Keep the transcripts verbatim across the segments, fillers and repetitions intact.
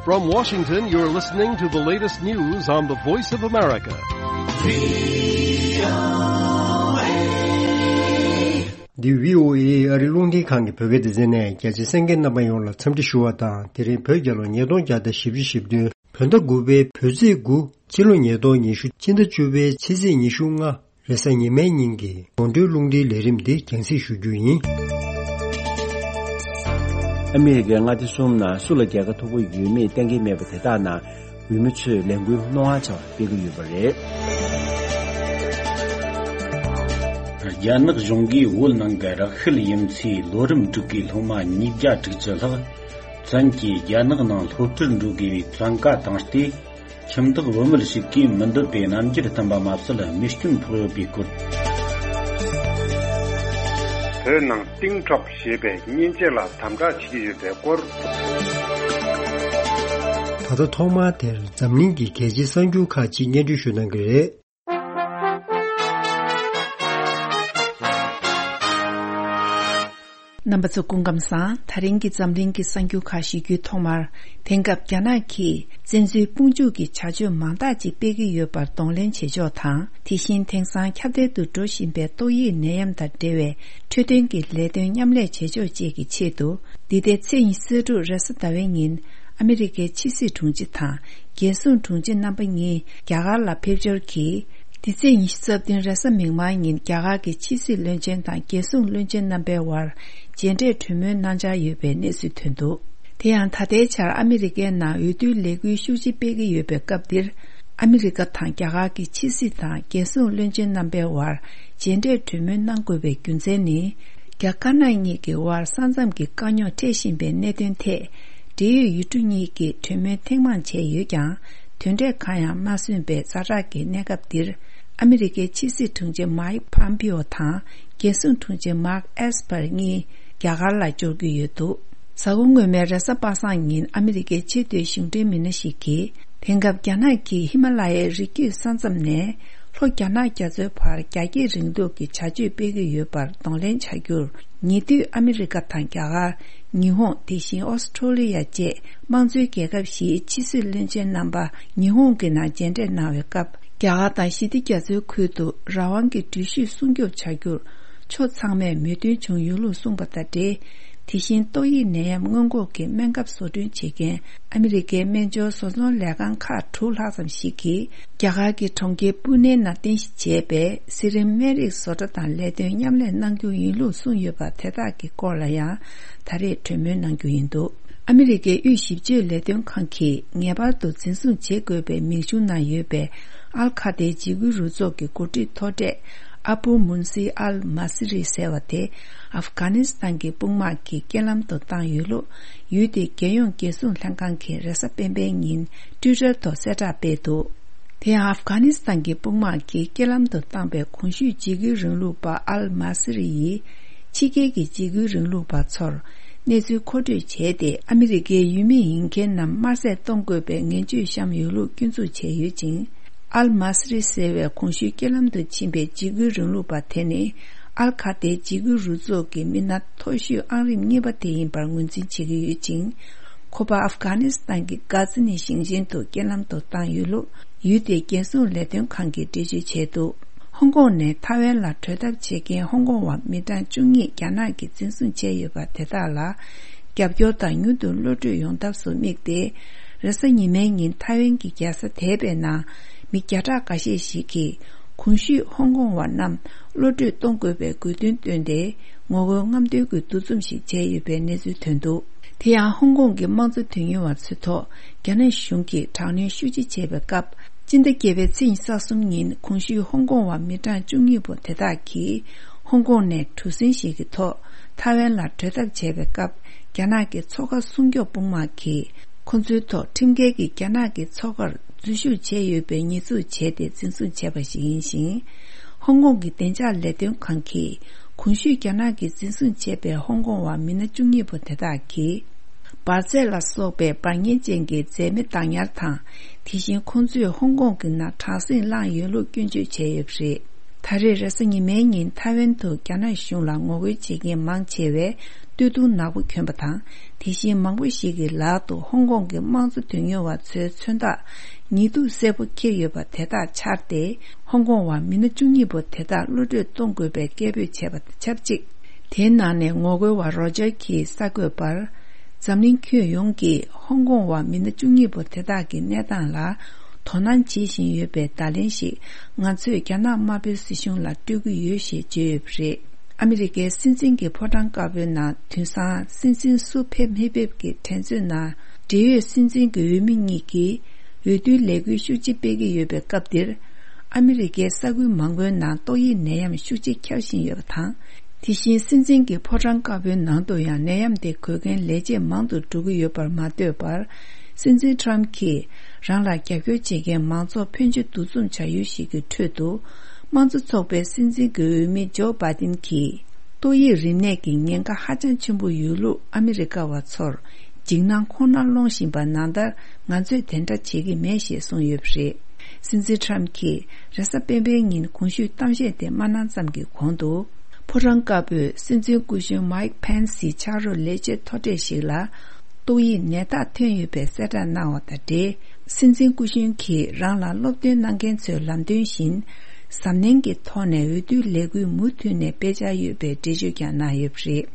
From Washington, you're listening to the latest news on the Voice of America. འདི་བྷི་ཨོ་ཨེ་ཨ་རིའི་རླུང་འཕྲིན་ཁང་གི་བོད་སྐད་སྡེ་ཚན་ནས། རྒྱ་ཆེ་གསན་མཁན་རྣམ་པ་ཡོངས་ལ་འཚམས་འདྲི་ཞུ་བ་དང་། དེ་རིང་བོད་རྒྱལ་ལོ་ཉིས་སྟོང་བརྒྱ་དང་བཞི་བཅུ་ཞེ་བདུན། བོད་ཟླ་དགུ་པའི་བོད་ཚེས་དགུ། ཕྱི་ལོ་ཉིས་སྟོང་ཉི་ཤུ། སྤྱི་ཟླ་བཅུ་པའི་ཕྱི་ཚེས་ཉི་ཤུ་ལྔ། རེས་གཟའ་ཉི་མའི་ཉིན་གྱི་དགོང་དྲོའི་རླུང་འཕྲིན་ལས་རིམ་འདི་རྒྱང་སྲིང་ཞུ་རྒྱུ་ཡིན། ཨ་མི་རི་ཀའི་མངའ་སྡེ་གསུམ་ནང་སུ་ལ་རྒྱལ་ཁ་ཐོབ་ཀྱི་ཡོད་མེད་གཏན་འཁེལ་མེད་པ་དེ་དག་ནང་འོས་མི་ཚོས་ལས་འགུལ་རྣོ་ངར་ཆེ་བ་སྤེལ་གྱི་ཡོད་པ་རེད། རྒྱ་ནག་གཞུང་གིས་བོད་ནང་གི་རགས་ཤུལ་ཡིན་ཚུལ་ལོ་རིམ་དྲུག་གི་སློབ་མ་ཉིས་བརྒྱ་དྲུག་ཅུ་ལྷག་བཙན་གྱིས་རྒྱ་ནག་ནང་སློབ་ཁྲིད་འགྲོ་དགོས་པའི་བཙན་བཀའ་བཏང་སྟེ། ཁྱིམ་བདག་བུད་མེད་ཞིག་གིས་མི་འདོད་པའི་རྣམ་འགྱུར་བསྟན་པ་མ་ཟད་རྨས་སྐྱོན་ཕོག་ཡོད་པའི་སྐོར། བོད་ནང་ཏིང་ཁྲོག་ཞེས་པའི་མཉེན་ཆས་ལ་དམ་དྲག་བྱེད་ཀྱི་ཡོད་པའི་སྐོར། ད་ལྟ་ཐོག་མར་དེར་འཛམ་གླིང་གི་གལ་ཆེའི་གསར་འགྱུར་ཁག་ཅིག་སྙན་སྒྲོན་ཞུ་གནང་གི་རེད། རྣམ་པ་ཚོ་སྐུ་ཁམས་བཟང་། ད་རིང་གི་འཛམ་གླིང་གི་གསར་འགྱུར་ཁག་ཞུ་རྒྱུའི་ཐོག་མར། དེང་སྐབས་རྒྱ་ནག་གིས་བཙན་འཛུལ་དཔུང་འཇུག་གི་བྱ་སྤྱོད་མང་དག་ཅིག་སྤེལ་གྱི་ཡོད་པར་གདོང་ལེན་བྱེད་ཕྱོགས་དང་། དེ་བཞིན་དེང་སང་ཁྱབ་གདལ་དུ་འགྲོ་བཞིན་པའི་ཏོག་དབྱིབས་ནད་ཡམས་དང་འབྲེལ་བའི་འཕྲོད་བསྟེན་གྱི་ལས་དོན་མཉམ་ལས་བྱེད་ཕྱོགས་བཅས་ཀྱི་ཆེད་དུ། འདི་ཟླའི་ཚེས་ཉི་ཤུ་རྩ་དྲུག་རེས་གཟའ་ཟླ་བའི་ཉིན། ཨ་མི་རི་ཀའི་ཕྱི་སྲིད་དྲུང་ཆེ་དང་རྒྱལ་སྲུང་དྲུང་ཆེ་རྣམ་པ་གཉིས་རྒྱ་གར་ལ་ཕེབས་འབྱོར་གྱིས། འདི་ཚེས་ཉི་ཤུ་རྩ་བདུན་རེས་གཟའ་མིག་དམར་ཉིན་རྒྱ་གར་གྱི་ཕྱི་སྲིད་བློན་ཆེན་དང་རྒྱལ་སྲུང་བློན་ཆེན་རྣམ་པའི་དབར་མཇལ་འཕྲད་གྲོས་མོལ་གནང་འཆར་ཡོད་པའི་གནས་ཚུལ་ཐོན་འདུག་དེ་ཡང་ད་ལྟའི་ཆར་ཨ་མི་རི་ཀའི་ནང་འོས་བསྡུའི་ལས་འགུལ་ཤུགས་ཆེ་སྤེལ་གྱི་ཡོད་པའི་སྐབས་འདིར། ཨ་མི་རི་ཀ་དང་རྒྱ་གར་གྱི་ཕྱི་སྲིད་དང་རྒྱལ་སྲུང་བློན་ཆེན་རྣམ་པའི་དབར་མཇལ་འཕྲད་གྲོས་མོལ་གནང་དགོས་པའི་རྒྱུ་མཚན་ནི། རྒྱ་དཀར་ནག་གཉིས་ཀྱི་དབར་ས་མཚམས་ཀྱི་དཀའ་རྙོག་འཕྲད་བཞིན་པའི་གནད་དོན་ཐད། འབྲེལ་ཡོད་ཡུལ་གྲུ་གཉིས་ཀྱིས་གྲོས་མོལ་ཐེངས་མང་བྱས་ཡོད་ཀྱང་། དོན་འབྲས་གང་ཡང་མ་སོན་པའི་ཛ་དྲག་གི་གནས་སྐབས་འདིར། ཨ་མི་རི་ཀའི་ཕྱི་སྲིད་དྲུང་ཆེ་མཱིག་ཕམ་པིའོ་དང་རྒྱལ་སྲུང་དྲུང་ཆེ་མཱག་ཨེས་པར་གཉིས་རྒྱ་གར་ལ་འབྱོར་གྱི་ཡོད་འདུག་གཟའ་འཁོར་སྔོན་མའི་རེས་གཟའ་པ་སངས་ཉིན་ཨ་མི་རི་ཀའི་ཆེས་མཐོའི་གཞུང་འབྲེལ་མི་སྣ་ཞིག་གིས། དེང་སྐབས་རྒྱ་ནག་གིས་ཧི་མ་ལ་ཡའི་རི་རྒྱུད་ས་མཚམས་ནས་ལྷོ་རྒྱ་ནག་རྒྱ་མཚོའི་བར་རྒྱ་སྐྱེད་རིང་ལུགས་ཀྱི་བྱ་སྤྱོད་སྤེལ་གྱི་ཡོད་པར་གདོང་ལེན་བྱ་རྒྱུར། ཉེ་དུས་ཨ་མི་རི་ཀ་དང་རྒྱ་གར། ཉི་ཧོང་། དེ་བཞིན་ཨོ་སི་ཁྲོ་ལི་ཡ་བཅས་དམངས་གཙོའི་རྒྱལ་ཁབ་བཞིའི་ཕྱི་སྲིད་བློན་ཆེན་རྣམ་པ་ཉི་ཧོང་གི་ནང་མཇལ་འཕྲད་གནང་བའི་སྐབས། རྒྱ་གར་དང་ཞི་བདེ་རྒྱ་མཚོའི་ཁུལ་དུ་རང་དབང་གི་འགྲུལ་བཞུད་སྲུང་སྐྱོབ་བྱ་རྒྱུར་ཕྱོགས་ཚང་མས་མོས་མཐུན་བྱུང་ཡོད་ལུགས་གསུངས་པ་དང་འབྲེལ། དེ་བཞིན་ཏོག་དབྱིབས་ནད་ཡམས་སྔོན་འགོག་གི་སྨན་ཁབ་བཟོ་སྐྲུན་བྱེད་མཁན་ཨ་མི་རི་ཀའི་སྨན་སྦྱོར་བཟོ་ཚོང་ལས་ཁང་ཁག་དྲུག་ལྷག་ཙམ་ཞིག་གིས། རྒྱ་གར་གྱི་གྲོང་ཁྱེར་པུ་ནེ་ནང་རྟེན་གཞི་བྱས་པའི་སི་རིམ་སྨན་རིགས་བཟོ་གྲྭ་དང་ལས་དོན་མཉམ་ལས་གནང་རྒྱུ་ཡིན་ལུགས་གསུངས་ཡོད་པ་དེ་དག་གི་སྐོར་ལ་ཡང་ད་རེས་གྲོས་མོལ་གནང་རྒྱུ་ཡིན་འདུག་ཨ་མི་རི་ཀའི་དབུས་ཞིབ་དཔྱོད་ལས་དོན་ཁང་གིས་ངེས་པར་དུ་འཛིན་བཟུང་བྱེད་དགོས་པའི་མིང་གཞུང་ནང་ཡོད་པའི་ཨལ་ཁ་ཏའི་འཇིགས་སྐུལ་རུ་ཚོགས་ཀྱི་འགོ་ཁྲིད་མཐོ་གྲས་ཨ་བུ་མུན་སི་ཨལ་མ་སི་རི་ཟེར་བ་དེ། ཨབ་གྷ་ནི་སི་ཐན་གྱི་དཔུང་དམག་གིས་རྐྱེན་ལམ་དུ་བཏང་ཡོད་ལུགས་ཡུལ་དེའི་རྒྱལ་ཡོངས་རྒྱལ་སྲུང་ལྷན་ཁང་གིས་རེས་གཟའ་སྤེན་པའི་ཉིན་ཊུའི་ཊར་ཐོག་གསལ་བསྒྲགས་སྤེལ་འདུག་དེ་ཡང་ཨབ་གྷ་ནི་སི་ཐན་གྱི་དཔུང་དམག་གིས་རྐྱེན་ལམ་དུ་བཏང་པའི་གོང་ཞུས་འཇིགས་སྐུལ་རིང་ལུགས་པ་ཨལ་མ་སི་རི་ཡིས། ཕྱི་རྒྱལ་གྱི་འཇིགས་སྐུལ་རིང་ལུགས་པ་ཚོར་གནས་ཚུལ་མཁོ་སྤྲོད་བྱས་ཏེ། ཨ་མི་རི་ཀའི་ཡུལ་མི་ཡིན་མཁན་རྣམས་དམར་བསད་གཏོང་དགོས་པའི་ངན་བྱུས་བཤམས་ཡོད་ལུགས་སྐྱོན་འཛུགས་བྱས་ཡོད་ཅིང་། ཨལ་མ་སི་རི་ཟེར་བའི་གོང་ཞུས་རྐྱེན་ལམ་དུ་ཕྱིན་པའི་འཇིགས་སྐུལ་རིང་ལུགས་པ་དེ་ནི། ཨལ་ཁ་ཏའི་འཇིགས་སྐུལ་རུ་ཚོགས་ཀྱི་མི་སྣ་མཐོ་ཤོས་ཨང་རིམ་གཉིས་པ་དེ་ཡིན་པར་ངོས་འཛིན་བྱེད་ཀྱི་ཡོད་ཅིང་། ཁོ་པ་ཨབ་གྷ་ནི་སི་ཐན་གྱི་གྷ་ཛི་ནི་ཞིང་ཆེན་དུ་རྐྱེན་ལམ་དུ་བཏང་ཡོད་ལུགས་ཡུལ་དེའི་རྒྱལ་སྲུང་ལས་དོན་ཁང་གིས་འགྲེལ་བརྗོད་བྱས་འདུག་ཧོང་ཀོང་ནས་ཐའེ་ཝན་ལ་བྲོས་ཐབས་བྱེད་མཁན་ཧོང་ཀོང་བ་མི་གྲངས་བཅུ་གཉིས་རྒྱ་ནག་གིས་འཛིན་བཟུང་བྱས་ཡོད་པ་དེ་དག་ལ། རྒྱབ་སྐྱོར་དང་མྱུར་དུ་གློད་གྲོལ་ཡོང་ཐབས་སུ་དམིགས་ཏེ། རེས་གཟའ་ཉི་མའི་ཉིན་ཐའེ་ཝན་གྱི་རྒྱལ་ས་དེ་པའི་ནང་མི་བརྒྱ་ཕྲག་འགའ་ཤས་ཤིག་གིས་གོང་ཞུས་ཧོང་ཀོང་བ་རྣམས་གློད་གྲོལ་གཏོང་དགོས་པའི་དགོས་འདུན་བཏོན་ཏེ། ངོ་རྒོལ་རྔམ་སྟོན་གྱི་འདུ་འཛོམས་ཤིག་བྱས་ཡོད་པའི་གནས་ཚུལ་ཐོན་འདུག་དེ་ཡང་ཧོང་ཀོང་གི་དམངས་གཙོ་དོན་གཉེར་བ་ཚོའི་ཐོག་རྒྱ་ནག་གཞུང་གིས་དྲག་གནོན་ཤུགས་ཆེ་བྱས་པའི་སྐབས། སྤྱི་ཟླ་བརྒྱད་པའི་ཚེས་ཉི་ཤུ་རྩ་གསུམ་ཉིན་གོང་ཞུས་ཧོང་ཀོང་བ་མི་གྲངས་བཅུ་གཉིས་པོ་དེ་དག་གིས་ཧོང་ཀོང་ནས་གྲུ་གཟིངས་ཤིག་གི་ཐོག་ཐའེ་ཝན་ལ་བྲོས་ཐབས་བྱས་པའི་སྐབས། རྒྱ་ནག་གི་མཚོ་ཁ་སྲུང་སྐྱོབ་དཔུང་དམག་གིས་ཁོ་ཚོའི་ཐོག་ཁྲིམས་འགལ་གྱིས་རྒྱ་ནག་གི་མཚོ་ཁར་འཛུལ་ཞུགས་བྱས་ཡོད་པའི་ཉེས་འཛུགས་བྱས་ཏེ་འཛིན་བཟུང་བྱས་པ་ཞིག་ཡིན་ཞིང་། ཧོང་ཀོང་གི་བདེ་འཇགས་ལས་དོན་ཁང་གིས་གོང་ཞུས་རྒྱ་ནག་གིས་འཛིན་བཟུང་བྱས་པའི་ཧོང་ཀོང་བ་མི་སྣ་བཅུ་གཉིས་པོ་དེ་དག་གིས། འབར་རྫས་ལ་སོགས་པའི་འབར་མཁན་ཅན་གྱི་རྫས་མེ་བཏང་ཉར་དང་། དེ་བཞིན་ཁོང་ཚོས་ཧོང་ཀོང་གི་ནང་དྲག་ཟིང་བསླངས་ཡོད་ལུགས་སྐྱོན་བརྗོད་བྱས་ཡོད་པ་རེད། ད་རེས་རེས་གཟའ་ཉི་མའི་ཉིན་ཐའེ་ཝན་དུ་རྒྱ་ནག་གཞུང་ལ་ངོ་རྒོལ་བྱེད་མཁན་མང་ཆེ་བས། སྟོད་ཐུང་ནག་པོ་གྱོན་པ་དང་། དེ་བཞིན་མང་པོ་ཞིག་གི་ལག་ཏུ་ཧོང་ཀོང་གི་དམངས་གཙོ་དོན་གཉེར་བ་ཚོའི་མཚོན་རྟགས་ཉི་གདུགས་སེར་པོ་འཁྱེར་ཡོད་པ་དེ་དག་འཕྱར་ཏེ། ཧོང་ཀོང་བ་མི་སྣ་བཅུ་གཉིས་པོ་དེ་དག་གློད་གྲོལ་གཏོང་དགོས་པའི་སྐད་འབོད་བྱས་པ་དང་ཆབས་ཅིག་དེའི་ནང་ནས་ངོ་རྒོལ་བ་རོ་ཇར་གྱིས་གསར་འགོད་པར། འཛམ་གླིང་ཁྱོན་ཡོངས་ཀྱིས་ཧོང་ཀོང་བ་མི་སྣ་བཅུ་གཉིས་པོ་དེ་དག་གི་གནས་སྟངས་ལ་དོ་སྣང་བྱེད་བཞིན་ཡོད་པའི་བརྡ་ལན་ཞིག་ང་ཚོས་རྒྱ་ནག་དམར་པོའི་སྲིད་གཞུང་ལ་སྤྲོད་ཀྱི་ཡོད་ཞེས་བརྗོད་ཡོད་པ་རེད། ཨ་མི་རི་ཀའི་སྲིད་འཛིན་གྱི་ཕོ་བྲང་དཀར་པོའི་ནང་དེང་སང་སྲིད་འཛིན་སུ་ཕེབས་མི་ཕེབས་ཀྱི་འགྲན་རྩོད་ནང་། འབྲེལ་ཡོད་སྲིད་འཛིན་གྱི་འོས་མི་གཉིས་ཀྱིས་འོས་བསྡུའི་ལས་འགུལ་ཤུགས་ཆེ་སྤེལ་གྱི་ཡོད་པའི་སྐབས་འདིར། ཨ་མི་རི་ཀའི་ས་ཁུལ་མང་པོའི་ནང་ཏོག་དབྱིབས་ནད་ཡམས་ཤུགས་ཆེ་ཁྱབ་བཞིན་ཡོད་པ་དང་། དེ་བཞིན་སྲིད་འཛིན་གྱི་ཕོ་བྲང་དཀར་པོའི་ནང་དུ་ཡང་ནད་ཡམས་དེ་འགོས་མཁན་ལས་བྱེད་མང་དུ་འགྲོ་གི་ཡོད་པར་མ་ལྟོས་པར། སྲིད་འཛིན་ཊམ་གྱིས་རང་ལ་རྒྱབ་སྐྱོར་བྱེད་མཁན་མང་ཚོགས་ཕོན་ཆེ་འདུ་འཛོམས་བྱ་ཡུལ་ཞིག་གི་ཁྲོད་དུ། དམངས་གཙོ་ཚོགས་པའི་སྲིད་འཛིན་གྱི་འོས་མི་ཇོ་བྷའི་ཏིན་གྱིས། ཏོག་དབྱིབས་རིམས་ནད་ཀྱི་ཉེན་ཁ་ཧ་ཅང་ཆེན་པོ་ཡོད་ལུགས་ཨ་མི་རི་ཀ་བ་ཚོར་འཇིགས་སྣང་ཁོང་ནར་སློང་བཞིན་པ་ནང་ལྟར། ང་ཚོས་དེ་འདྲ་བྱེད་ཀྱི་མེད་ཞེས་གསུངས་ཡོད་པ་རེད། སྲིད་འཛིན་ཊམ་གྱིས་རེས་གཟའ་སྤེན་པའི་ཉིན་གོང་ཞུས་གཏམ་བཤད་དེ་མ་གནང་ཙམ་གྱི་གོང་དུ། ཕོ་བྲང་དཀར་པོས་སྲིད་འཛིན་སྐུ་གཞོན་མའིག་ཕེན་སིའི་ཕྱག་རོགས་ལས་བྱེད་མཐོ་གྲས་ཤིག་ལ། ཏོག་དབྱིབས་ནད་རྟགས་ཐོན་ཡོད་པའི་གསལ་བསྒྲགས་གནང་བ་དང་འབྲེལ། སྲིད་འཛིན་སྐུ་གཞོན་གྱིས་རང་ལ་སློབ་སྟོན་གནང་མཁན་ཚོའི་ལམ་སྟོན་བཞིན། གཟབ་ནན་གྱི་ཐོག་ནས་འོས་བསྡུའི་ལས་འགུལ་མུ་མཐུད་ནས་སྤེལ་འཆར་ཡོད་པའི་འགྲེལ་བརྗོད་ཀྱང་གནང་ཡོད་པ་རེད།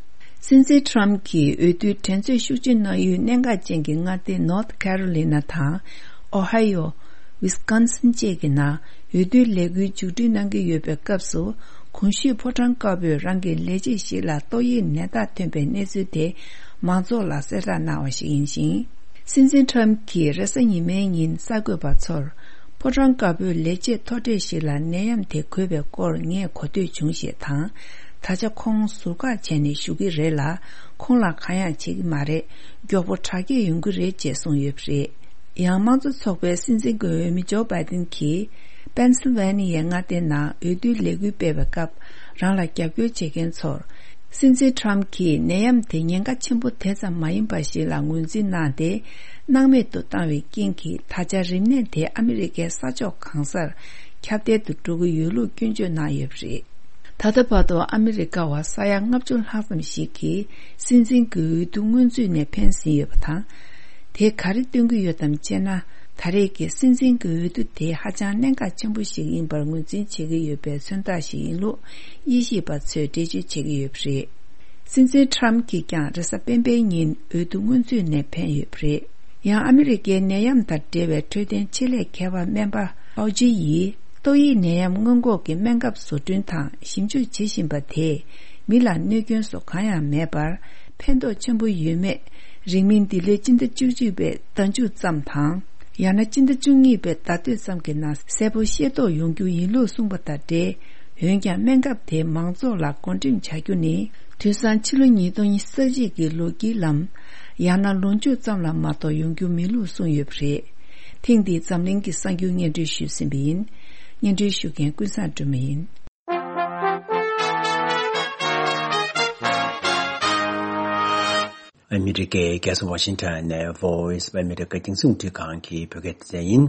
སྲིད་འཛིན་ཊམ་གྱིས་འོས་བསྡུའི་འགྲན་རྩོད་ཤུགས་ཆེ་གནང་ཡུལ་གནད་འགག་ཅན་གྱི་མངའ་སྡེ་ནོར་ཐི་ཁེ་རོ་ལི་ན་དང་། ཨོ་ཧའེ་ཡོ། ཝི་སི་ཀོན་སིན་བཅས་ཀྱི་ནང་འོས་བསྡུའི་ལས་འགུལ་མཇུག་སྒྲིལ་གནང་གི་ཡོད་པའི་སྐབས་སུ། གོང་ཞུས་ཕོ་བྲང་དཀར་པོས་རང་གི་ལས་བྱེད་ཞིག་ལ་ཏོག་དབྱིབས་ནད་རྟགས་ཐོན་པའི་གནས་ཚུལ་དེ་མང་ཚོགས་ལ་གསལ་བསྒྲགས་གནང་བ་ཞིག་ཡིན་ཞིང་། སྲིད་འཛིན་ཊམ་གྱིས་རེས་གཟའ་ཉི་མའི་ཉིན་གསར་འགོད་པ་ཚོར། ཕོ་བྲང་དཀར་པོའི་ལས་བྱེད་མཐོ་གྲས་ཤིག་ལ་ནད་ཡམས་དེ་འགོས་པའི་སྐོར་ངས་གོ་ཐོས་བྱུང་ཞེས་དང་། ད་ཆ་ཁོང་ཟུར་བཀག་བྱས་ནས་བཞུགས་ཀྱི་རེད་ལ། ཁོང་ལ་གང་ཡང་བྱེད་ཀྱི་མ་རེད། མགྱོགས་པོ་དྲག་སྐྱེད་ཡོང་གི་རེད་ཅེས་གསུངས་ཡོད་པ་རེད། ཡང་དམངས་གཙོ་ཚོགས་པའི་སྲིད་འཛིན་གྱི་འོས་མི་ཇོ་བྷའི་ཏིན་གྱིས། པེན་སིལ་ཝེ་ནི་ཡའི་མངའ་སྡེའི་ནང་འོས་བསྡུའི་ལས་འགུལ་སྤེལ་བའི་སྐབས། རང་ལ་རྒྱབ་སྐྱོར་བྱེད་མཁན་ཚོར། སྲིད་འཛིན་ཊམ་གྱིས་ནད་ཡམས་དེ་ཉེན་ཁ་ཆེན་པོ་དེ་ཙམ་མ་ཡིན་པ་ཞིག་ལ་ངོས་འཛིན་གནང་སྟེ། སྣང་མེད་དུ་བཏང་བའི་རྐྱེན་གྱིས། ད་ཆ་རིམས་ནད་དེ་ཨ་མི་རི་ཀའི་ས་ཕྱོགས་གང་སར་ཁྱབ་གདལ་དུ་འགྲོ་གི་ཡོད་ལུགས་སྐྱོན་བརྗོད་གནང་ཡོད་པ་རེད། ད་ལྟ་བར་དུ་ཨ་མི་རི་ཀ་བ་ས་ཡ་ལྔ་བཅུ་ལྷག་ཙམ་ཞིག་གིས་སྲིད་འཛིན་གྱི་འོས་བསྡུ་སྔོན་ཚུད་ནས་ཕན་ཟིན་ཡོད་པ་དང་། དེས་ག་རེ་སྟོན་གྱི་ཡོད་དམ་ཅེ་ན། ད་རེས་ཀྱི་སྲིད་འཛིན་གྱི་འོས་བསྡུ་དེ་ཧ་ཅང་གནད་འགག་ཆེན་པོ་ཞིག་ཡིན་པར་ངོས་འཛིན་བྱེད་ཀྱི་ཡོད་པའི་མཚོན་རྟགས་ཤིག་ཡིན་ལུགས་དབྱེ་ཞིབ་པ་ཚོས་འགྲེལ་བརྗོད་བྱེད་ཀྱི་ཡོད་པ་རེད། སྲིད་འཛིན་ཊམ་གྱིས་ཀྱང་རེས་གཟའ་སྤེན་པའི་ཉིན་འོས་བསྡུ་སྔོན་ཚུད་ནས་ཕན་ཡོད་པ་རེད། ཡང་ཨ་མི་རི་ཀའི་ནད་ཡམས་དང་འབྲེལ་བའི་འཕྲོད་བསྟེན་ཆེད་ལས་མཁས་པ་སྨན་པ་ཨའོ་ཇི་ཡིས། ཏོག་དབྱིབས་ནད་ཡམས་སྔོན་འགོག་གི་སྨན་ཁབ་བཟོ་སྐྲུན་དང་ཞིབ་འཇུག་བྱེད་བཞིན་པ་དེས། མི་ལ་གནོད་སྐྱོན་སོགས་གང་ཡང་མེད་པར། ཕན་ཐོགས་ཆེན་པོ་ཡོད་མེད། རིང་མིན་འདི་ལོའི་སྤྱི་ཟླ་བཅུ་གཅིག་པའི་ཟླ་མཇུག་ཙམ་དང་། ཡང་ན་སྤྱི་ཟླ་བཅུ་གཉིས་པའི་ཟླ་སྟོད་ཙམ་གྱི་ནང་གསལ་པོ་ཤེས་རྟོགས་ཡོང་རྒྱུ་ཡིན་ལུགས་གསུངས་པ་དང་འབྲེལ། འོན་ཀྱང་སྨན་ཁབ་དེ་མང་ཚོགས་ལ་བགོ་འགྲེམས་བྱ་རྒྱུ་ནི། དུས་སང་ཕྱི་ལོ་ཉིས་སྟོང་ཉི་ཤུ་རྩ་གཅིག་གི་ལོ་དཀྱིལ་ལམ། ཡང་ན་ལོ་མཇུག་ཙམ་ལ་མ་གཏོགས་ཡོང་རྒྱུ་མིན་ལུགས་གསུངས་ཡོད་པ་རེད། ཐེངས་འདིའི་འཛམ་གླིང་གི་གསར་འགྱུར་སྙན་སྒྲོན་ཞུས་ཟིན་པ་ཡིན། སྙན་སྒྲོན་ཞུ་མཁན་ཀུན་བཟང་སྒྲོལ་མ་ཡིན། ཨ་མི་རི་ཀའི་རྒྱལ་ས་ཝ་ཤིང་ཊོན་ནས་Voice of America་རྒྱང་སྲིང་རླུང་འཕྲིན་ཁང་གི་བོད་སྐད་སྡེ་ཚན་ཡིན།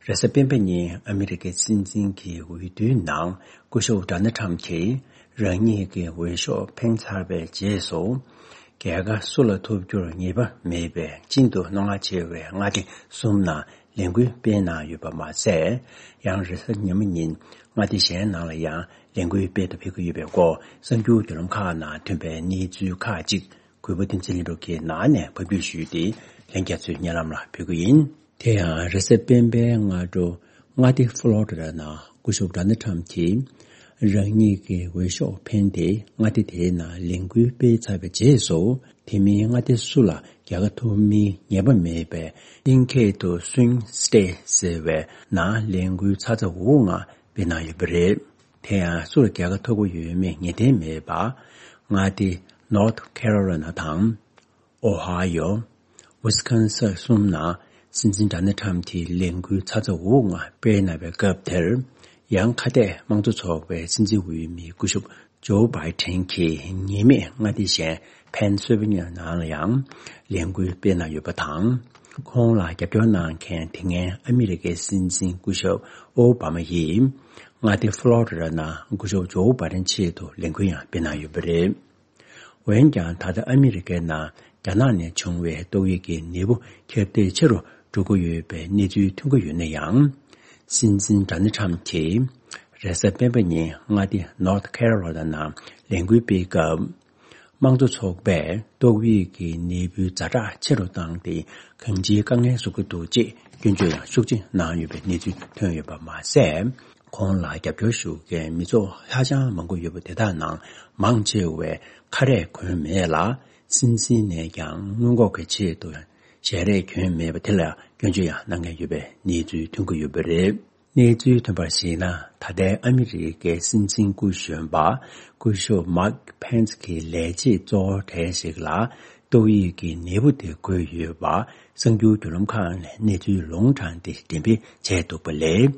རེས་གཟའ་སྤེན་པ་ཉིན་ཨ་མི་རི་ཀའི་སྲིད་འཛིན་གྱི་འོས་བསྡུའི་ནང་སྐུ་ཞབས་ཌོ་ནལ་ཊམ་གྱིས་རང་ཉིད་ཀྱི་འོས་ཤོག་འཕེན་ཚར་བའི་རྗེས་སུ། རྒྱལ་ཁ་སུ་ལ་ཐོབ་རྒྱུར་ངེས་པ་མེད་པའི་ཤིན་ཏུ་རྣོ་ངར་ཆེ་བའི་མངའ་སྡེ་གསུམ་ནང་ལས་འགུལ་སྤེལ་གནང་ཡོད་པ་མ་ཟད། ཡང་རེས་གཟའ་ཉི་མ་ཉིན་མངའ་སྡེ་གཞན་ནང་ལ་ཡང་ལས་འགུལ་སྤེལ་དུ་ཕེབས་ཀྱི་ཡོད་པའི་སྐོར་གསར་འགྱུར་བརྒྱུད་ལམ་ཁག་ནང་ཐོན་པའི་གནས་ཚུལ་ཁག་ཅིག་གུས་པ་བསྟན་འཛིན་ལྷུན་གྲུབ་ཀྱིས་ནང་ནས་ཕབ་སྒྱུར་ཞུས་ཏེ། ལྷན་རྒྱས་ཚོའི་སྙན་ལམ་ལ་ཕུལ་གྱི་ཡིན། དེ་ཡང་རེས་གཟའ་སྤེན་པའི་སྔ་དྲོ་མངའ་སྡེ་ཧྥ་ལོ་རི་ཌ་ནང་སྐུ་ཞབས་ཌོ་ནལ་ཊམ་གྱིས་རང་ཉིད་ཀྱི་འོས་ཤོག་འཕེན་ཏེ། མངའ་སྡེ་དེའི་ནང་ལས་འགུལ་སྤེལ་ཚར་བའི་རྗེས་སུ། དེ་མིན་མངའ་སྡེ་སུ་ལ་རྒྱལ་ཁ་ཐོབ་མིན་ངེས་པ་མེད་པའི་ཨིན་སྐད་དུ་Swing State་ཟེར་བའི་ནང་ལས་འགུལ་ཚ་ཚ་འུར་འུར་ངང་སྤེལ་གནང་ཡོད་པ་རེད། དེ་ཡང་སུར་རྒྱལ་ཁ་ཐོབ་ཀྱི་ཡོད་མེད་ངེས་གཏན་མེད་པ། མངའ་སྡེ་North Carolina་དང་། Ohio། Wisconsin་གསུམ་ནང་སྲིད་འཛིན་ཌོ་ནལ་ཊམ་གྱིས་ལས་འགུལ་ཚ་ཚ་འུར་འུར་ངང་སྤེལ་གནང་བའི་སྐབས་དེར། ཡང་ཁ་གཏད་དམངས་གཙོ་ཚོགས་པའི་སྲིད་འཛིན་འོས་མི་སྐུ་ཞབས་ཇོ་བྷའི་ཌེན་གྱིས་ཉེས་མེད་མངའ་སྡེ་གཞན་ཕེན་སིལ་ཝེ་ནི་ཡ་ནང་ལ་ཡང་ལས་འགུལ་སྤེལ་གནང་ཡོད་པ་དང་། ཁོང་ལ་རྒྱབ་སྐྱོར་གནང་མཁན་དེ་སྔའི་ཨ་མི་རི་ཀའི་སྲིད་འཛིན་སྐུ་ཞབས་ཨོ་བྷ་མ་ཡིས། མངའ་སྡེ་ཧྥ་ལོ་རི་ཌ་ནང་སྐུ་ཞབས་ཇོ་བྷའི་ཌེན་ཆེད་དུ་ལས་འགུལ་ཡང་སྤེལ་གནང་ཡོད་པ་རེད། འོན་ཀྱང་ད་ལྟ་ཨ་མི་རི་ཀའི་ནང་རྒྱ་ནག་ནས་བྱུང་བའི་ཏོག་དབྱིབས་ཀྱི་ནད་འབུ་ཁྱབ་གདལ་ཆེ་རུ་འགྲོ་གི་ཡོད་པའི་གནས་ཚུལ་ཐོན་གྱི་ཡོད་ན་ཡང་། སྲིད་འཛིན་ཌོ་ནལ་ཁྲམ་གྱིས་རེས་གཟའ་སྤེན་པ་ཉིན་མངའ་སྡེ་North Carolina ནང་ལས་འགུལ་སྤེལ་སྐབས། དམངས་གཙོ་ཚོགས་པས་ཏོག་དབྱིབས་ཀྱི་ནད་འབུའི་ཛ་དྲག་ཆེ་རུ་བཏང་སྟེ་གང་ཅིའི་དཀའ་ངལ་བཟོ་གི་འདུག་ཅེས་སྐྱོན་བརྗོད་ཡང་ཤུགས་ཆེ་གནང་ཡོད་པའི་གནས་ཚུལ་ཐོན་ཡོད་པ་མ་ཟད། ཁོང་ལ་རྒྱབ་སྐྱོར་ཞུ་མཁན་མི་ཚོགས་ཧ་ཅང་མང་པོ་ཡོད་པ་དེ་དག་ནང་མང་ཆེ་བས་ཁ་རས་གོན་མེད་ལ། སྲིད་འཛིན་ནས་ཀྱང་སྔོན་འགོག་གི་ཆེད་དུ་ཞལ་རས་གྱོན་མེད་པ་དེ་ལ་སྐྱོན་བརྗོད་ཡང་གནང་མཁན་ཡོད་པའི་གནས་ཚུལ་ཐོན་གྱི་ཡོད་པ་རེད། གནས་ཚུལ་ཐོན་པར་གཞིགས་ན། ད་ལྟའི་ཨ་མི་རི་ཀའི་སྲིད་འཛིན་སྐུ་གཞོན་པ་སྐུ་ཞབས་Mike Pence གྱི་ལས་བྱེད་གཙོ་བོ་གྲས་ཤིག་ལ་ཏོག་དབྱིབས་ཀྱི་ནད་འབུ་དེ་འགོས་ཡོད་པ་གསར་འགྱུར་བརྒྱུད་ལམ་ཁག་ནས་གནས་ཚུལ་ལུང་དྲངས་ཏེ་འགྲེམས་སྤེལ་བྱས་འདུག་པ་ལས།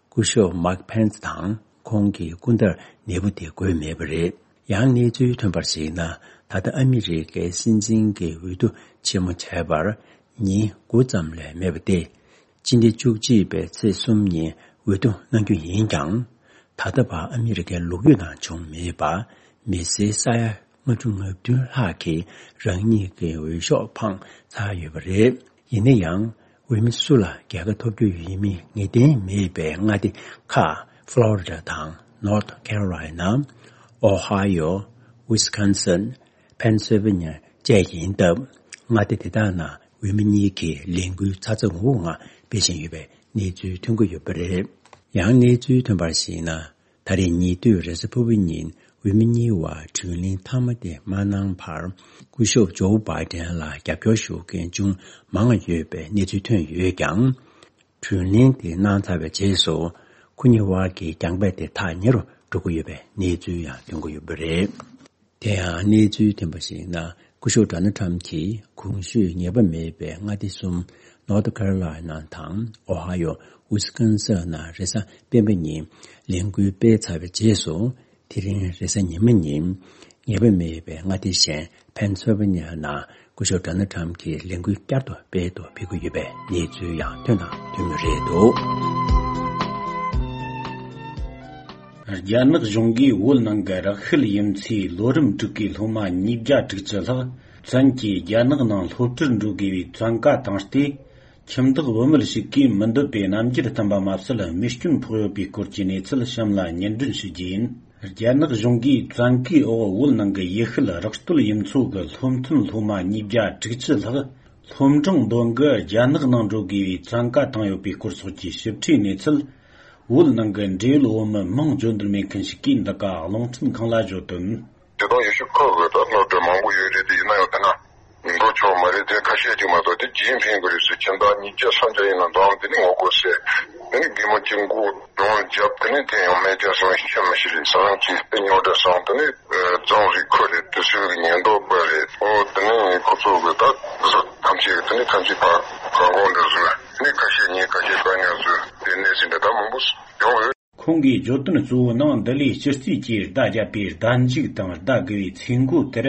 སྐུ་ཞབས་Mike Pence དང་ཁོང་གི་སྐུ་ཟླར་ནད་འབུ་དེ་འགོས་མེད་པ་རེད། ཡང་གནས་ཚུལ་ཐོན་པར་གཞིགས་ན། ད་ལྟ་ཨ་མི་རི་ཀའི་སྲིད་འཛིན་གྱི་འོས་བསྡུ་ཆེན་མོ་བྱས་པར་ཉིན་དགུ་ཙམ་ལས་མེད་པ་སྟེ། སྤྱི་ཟླ་བཅུ་གཅིག་པའི་ཚེས་གསུམ་ཉིན་འོས་བསྡུ་གནང་རྒྱུ་ཡིན་ཀྱང་། ད་ལྟ་བར་ཨ་མི་རི་ཀའི་ལོ་རྒྱུས་ནང་བྱུང་མེད་པ། མི་སེར་ས་ཡ་ལྔ་བཅུ་ང་བདུན་ལྷག་གིས་རང་ཉིད་ཀྱི་འོས་ཤོག་འཕངས་ཚར་ཡོད་པ་རེད། ཡིན་ན་ཡང་། འོས་མི་སུ་ལ་རྒྱལ་ཁ་ཐོབ་རྒྱུ་ཡིན་མིན་ངེས་གཏན་མེད་པའི་མངའ་སྡེ་ཁག་Florida དང་North Carolina། Ohio། Wisconsin། Pennsylvania བཅས་ཡིན་སྟབས། མངའ་སྡེ་དེ་དག་ནང་འོས་མི་གཉིས་ཀྱིས་ལས་འགུལ་ཚ་ཚ་འུར་འུར་ངང་སྤེལ་བཞིན་ཡོད་པའི་གནས་ཚུལ་ཐོན་གྱི་ཡོད་པ་རེད། ཡང་གནས་ཚུལ་ཐོན་པར་གཞིགས་ན། ད་རེས་ཉེ་དུས་རེས་གཟའ་ཕུར་བུ་ཉིན་འོས་མི་གཉིས་བར་དྲུང་ལན་མཐའ་མ་དེ་མ་གནང་བར། སྐུ་ཞབས་ཇོ་བྷའི་ཌེན་ལ་རྒྱབ་སྐྱོར་ཞུ་མཁན་ཅུང་མང་བ་ཡོད་པའི་གནས་ཚུལ་ཐོན་ཡོད་ཀྱང་། དྲུང་ལན་དེ་གནང་ཚར་བའི་རྗེས་སུ། ཁོ་གཉིས་དབར་གྱི་རྒྱང་འབེན་དེ་ཐག་ཉེ་རུ་འགྲོ་གི་ཡོད་པའི་གནས་ཚུལ་ཡང་ཐོན་གྱི་ཡོད་པ་རེད། དེ་ཡང་གནས་ཚུལ་ཐོན་པར་གཞིགས་ན། སྐུ་ཞབས་ཌོ་ནལ་ཁྲམ་གྱིས་གོང་ཞུས་ཉེས་པ་མེད་པའི་མངའ་སྡེ་གསུམ། North Carolina དང་Ohio། Wisconsin ནང་རེས་གཟའ་སྤེན་པ་ཉིན་ལས་འགུལ་སྤེལ་ཚར་བའི་རྗེས་སུ། དེ་རིང་རེས་གཟའ་ཉི་མ་ཉིན། ཉེས་པ་མེད་པའི་མངའ་སྡེ་གཞན་Pennsylvania ནང་སྐུ་ཞབས་ཌོ་ནལ་ཁྲམ་གྱིས་ལས་འགུལ་བསྐྱར་དུ་སྤེལ་དུ་ཕེབས་ཀྱི་ཡོད་པའི་གནས་ཚུལ་ཡང་ཐོན་དང་ཐོན་མུས་རེད་འདུག། རྒྱ་ནག་གཞུང་གིས་བོད་ནང་གི་རགས་ཤུལ་ཡུལ་ཚོའི་ལོ་རིམ་དྲུག་གི་སློབ་མ་ཉིས་བརྒྱ་དྲུག་ཅུ་ལྷག་བཙན་གྱིས་རྒྱ་ནག་ནང་སློབ་གྲྭར་འགྲོ་དགོས་པའི་བཙན་བཀའ་བཏང་སྟེ། ཁྱིམ་བདག་བུད་མེད་ཞིག་གིས་མི་འདོད་པའི་རྣམ་འགྱུར་བསྟན་པ་མ་ཟད། རྨས་སྐྱོན་ཕོག་ཡོད་པའི་སྐོར་གྱི་གནས་ཚུལ་གཤམ་ལ་སྙན་སྒྲོན་ཞུ་རྒྱུ་ཡིན། རྒྱ་ནག་གཞུང་གིས་བཙན་བཀའི་འོག་བོད་ནང་གི་ཡུལ་ཤུལ་རགས་སྟོད་ཡུལ་ཚོ་གི་སློབ་ཐོན་སློབ་མ་ཉིས་བརྒྱ་དྲུག་ཅུ་ལྷག་སློབ་འབྲིང་འདོན་གི་རྒྱ་ནག་ནང་འགྲོ་དགོས་པའི་བཙན་བཀའ་བཏང་ཡོད་པའི་སྐོར་སོགས་ཀྱི་ཞིབ་ཕྲའི་གནས་ཚུལ། བོད་ནང་གི་འབྲེལ་ཡོད་བོད་མི་མིང་བརྗོད་འདོད་མེད་མཁན་ཞིག་གིས་འདི་ག་རླུང་འཕྲིན་ཁང་ལ་བརྗོད་དོན། དེ་དང་ཡེ་ཤུ་ཁ་གི་ད་སློབ་གྲྭ་མང་པོ་ཡོད་རེད་དེ། ཡིན་ན་ཡང་དེ་ན་འགྲོ་ཆོག་མ་རེད་དེ། ཁ་ཤས་ཅིག་མ་གཏོགས་དེ་ཇི་ཡིན་ཕིང་གི་རེད་ཟེར། ཁྱིམ་བདག་ཉིས་བརྒྱ་སུམ་བརྒྱ་ཡིན་ན་འདང་དེ་ནི་ངོ་རྒོལ་ཟེར། དེ་ནི་རྒན་མོ་གཅིག་མགོ་གདོང་བརྒྱབ། དེ་ནི་དེ་ཡང་མེད་ཀྱང་སོང་ཤེས་མི་ཤེས་རེད། སང་ཅིག་དེ་ཉོ་འདྲ་སོང་། དེ་ནི་རྫོང་རིགས་ཁུལ་རེད། དེ་ཚོའི་ཉེན་རྟོག་པ་རེད། ཨོ་དེ་ནི་ཁོ་ཚོ་གི་ད་ཐམས་ཅད་དེ་ནི་ཐམས་ཅད་ཕ་གང་གོང་འདྲ་བཟོས། དེ་ནི་ཁ་ཤས་ཉེས་ཁ་ཤས་བཀག་ཉར་བཟོས། དེ་གནས་ཚུལ་འདི་ད་མང་པོ་ཡོང་ཡོད། ཁོང་གིས་བརྗོད་དོན་གཙོ་བོའི་ནང་འདི་ལས་སྤྱི་རྩིས་ཀྱིས་བརྡ་བརྒྱབ་པའི་བརྡ་འཇུག་དང་བརྡ་དགུ་བའི་ཚིག་མགོ་དེར།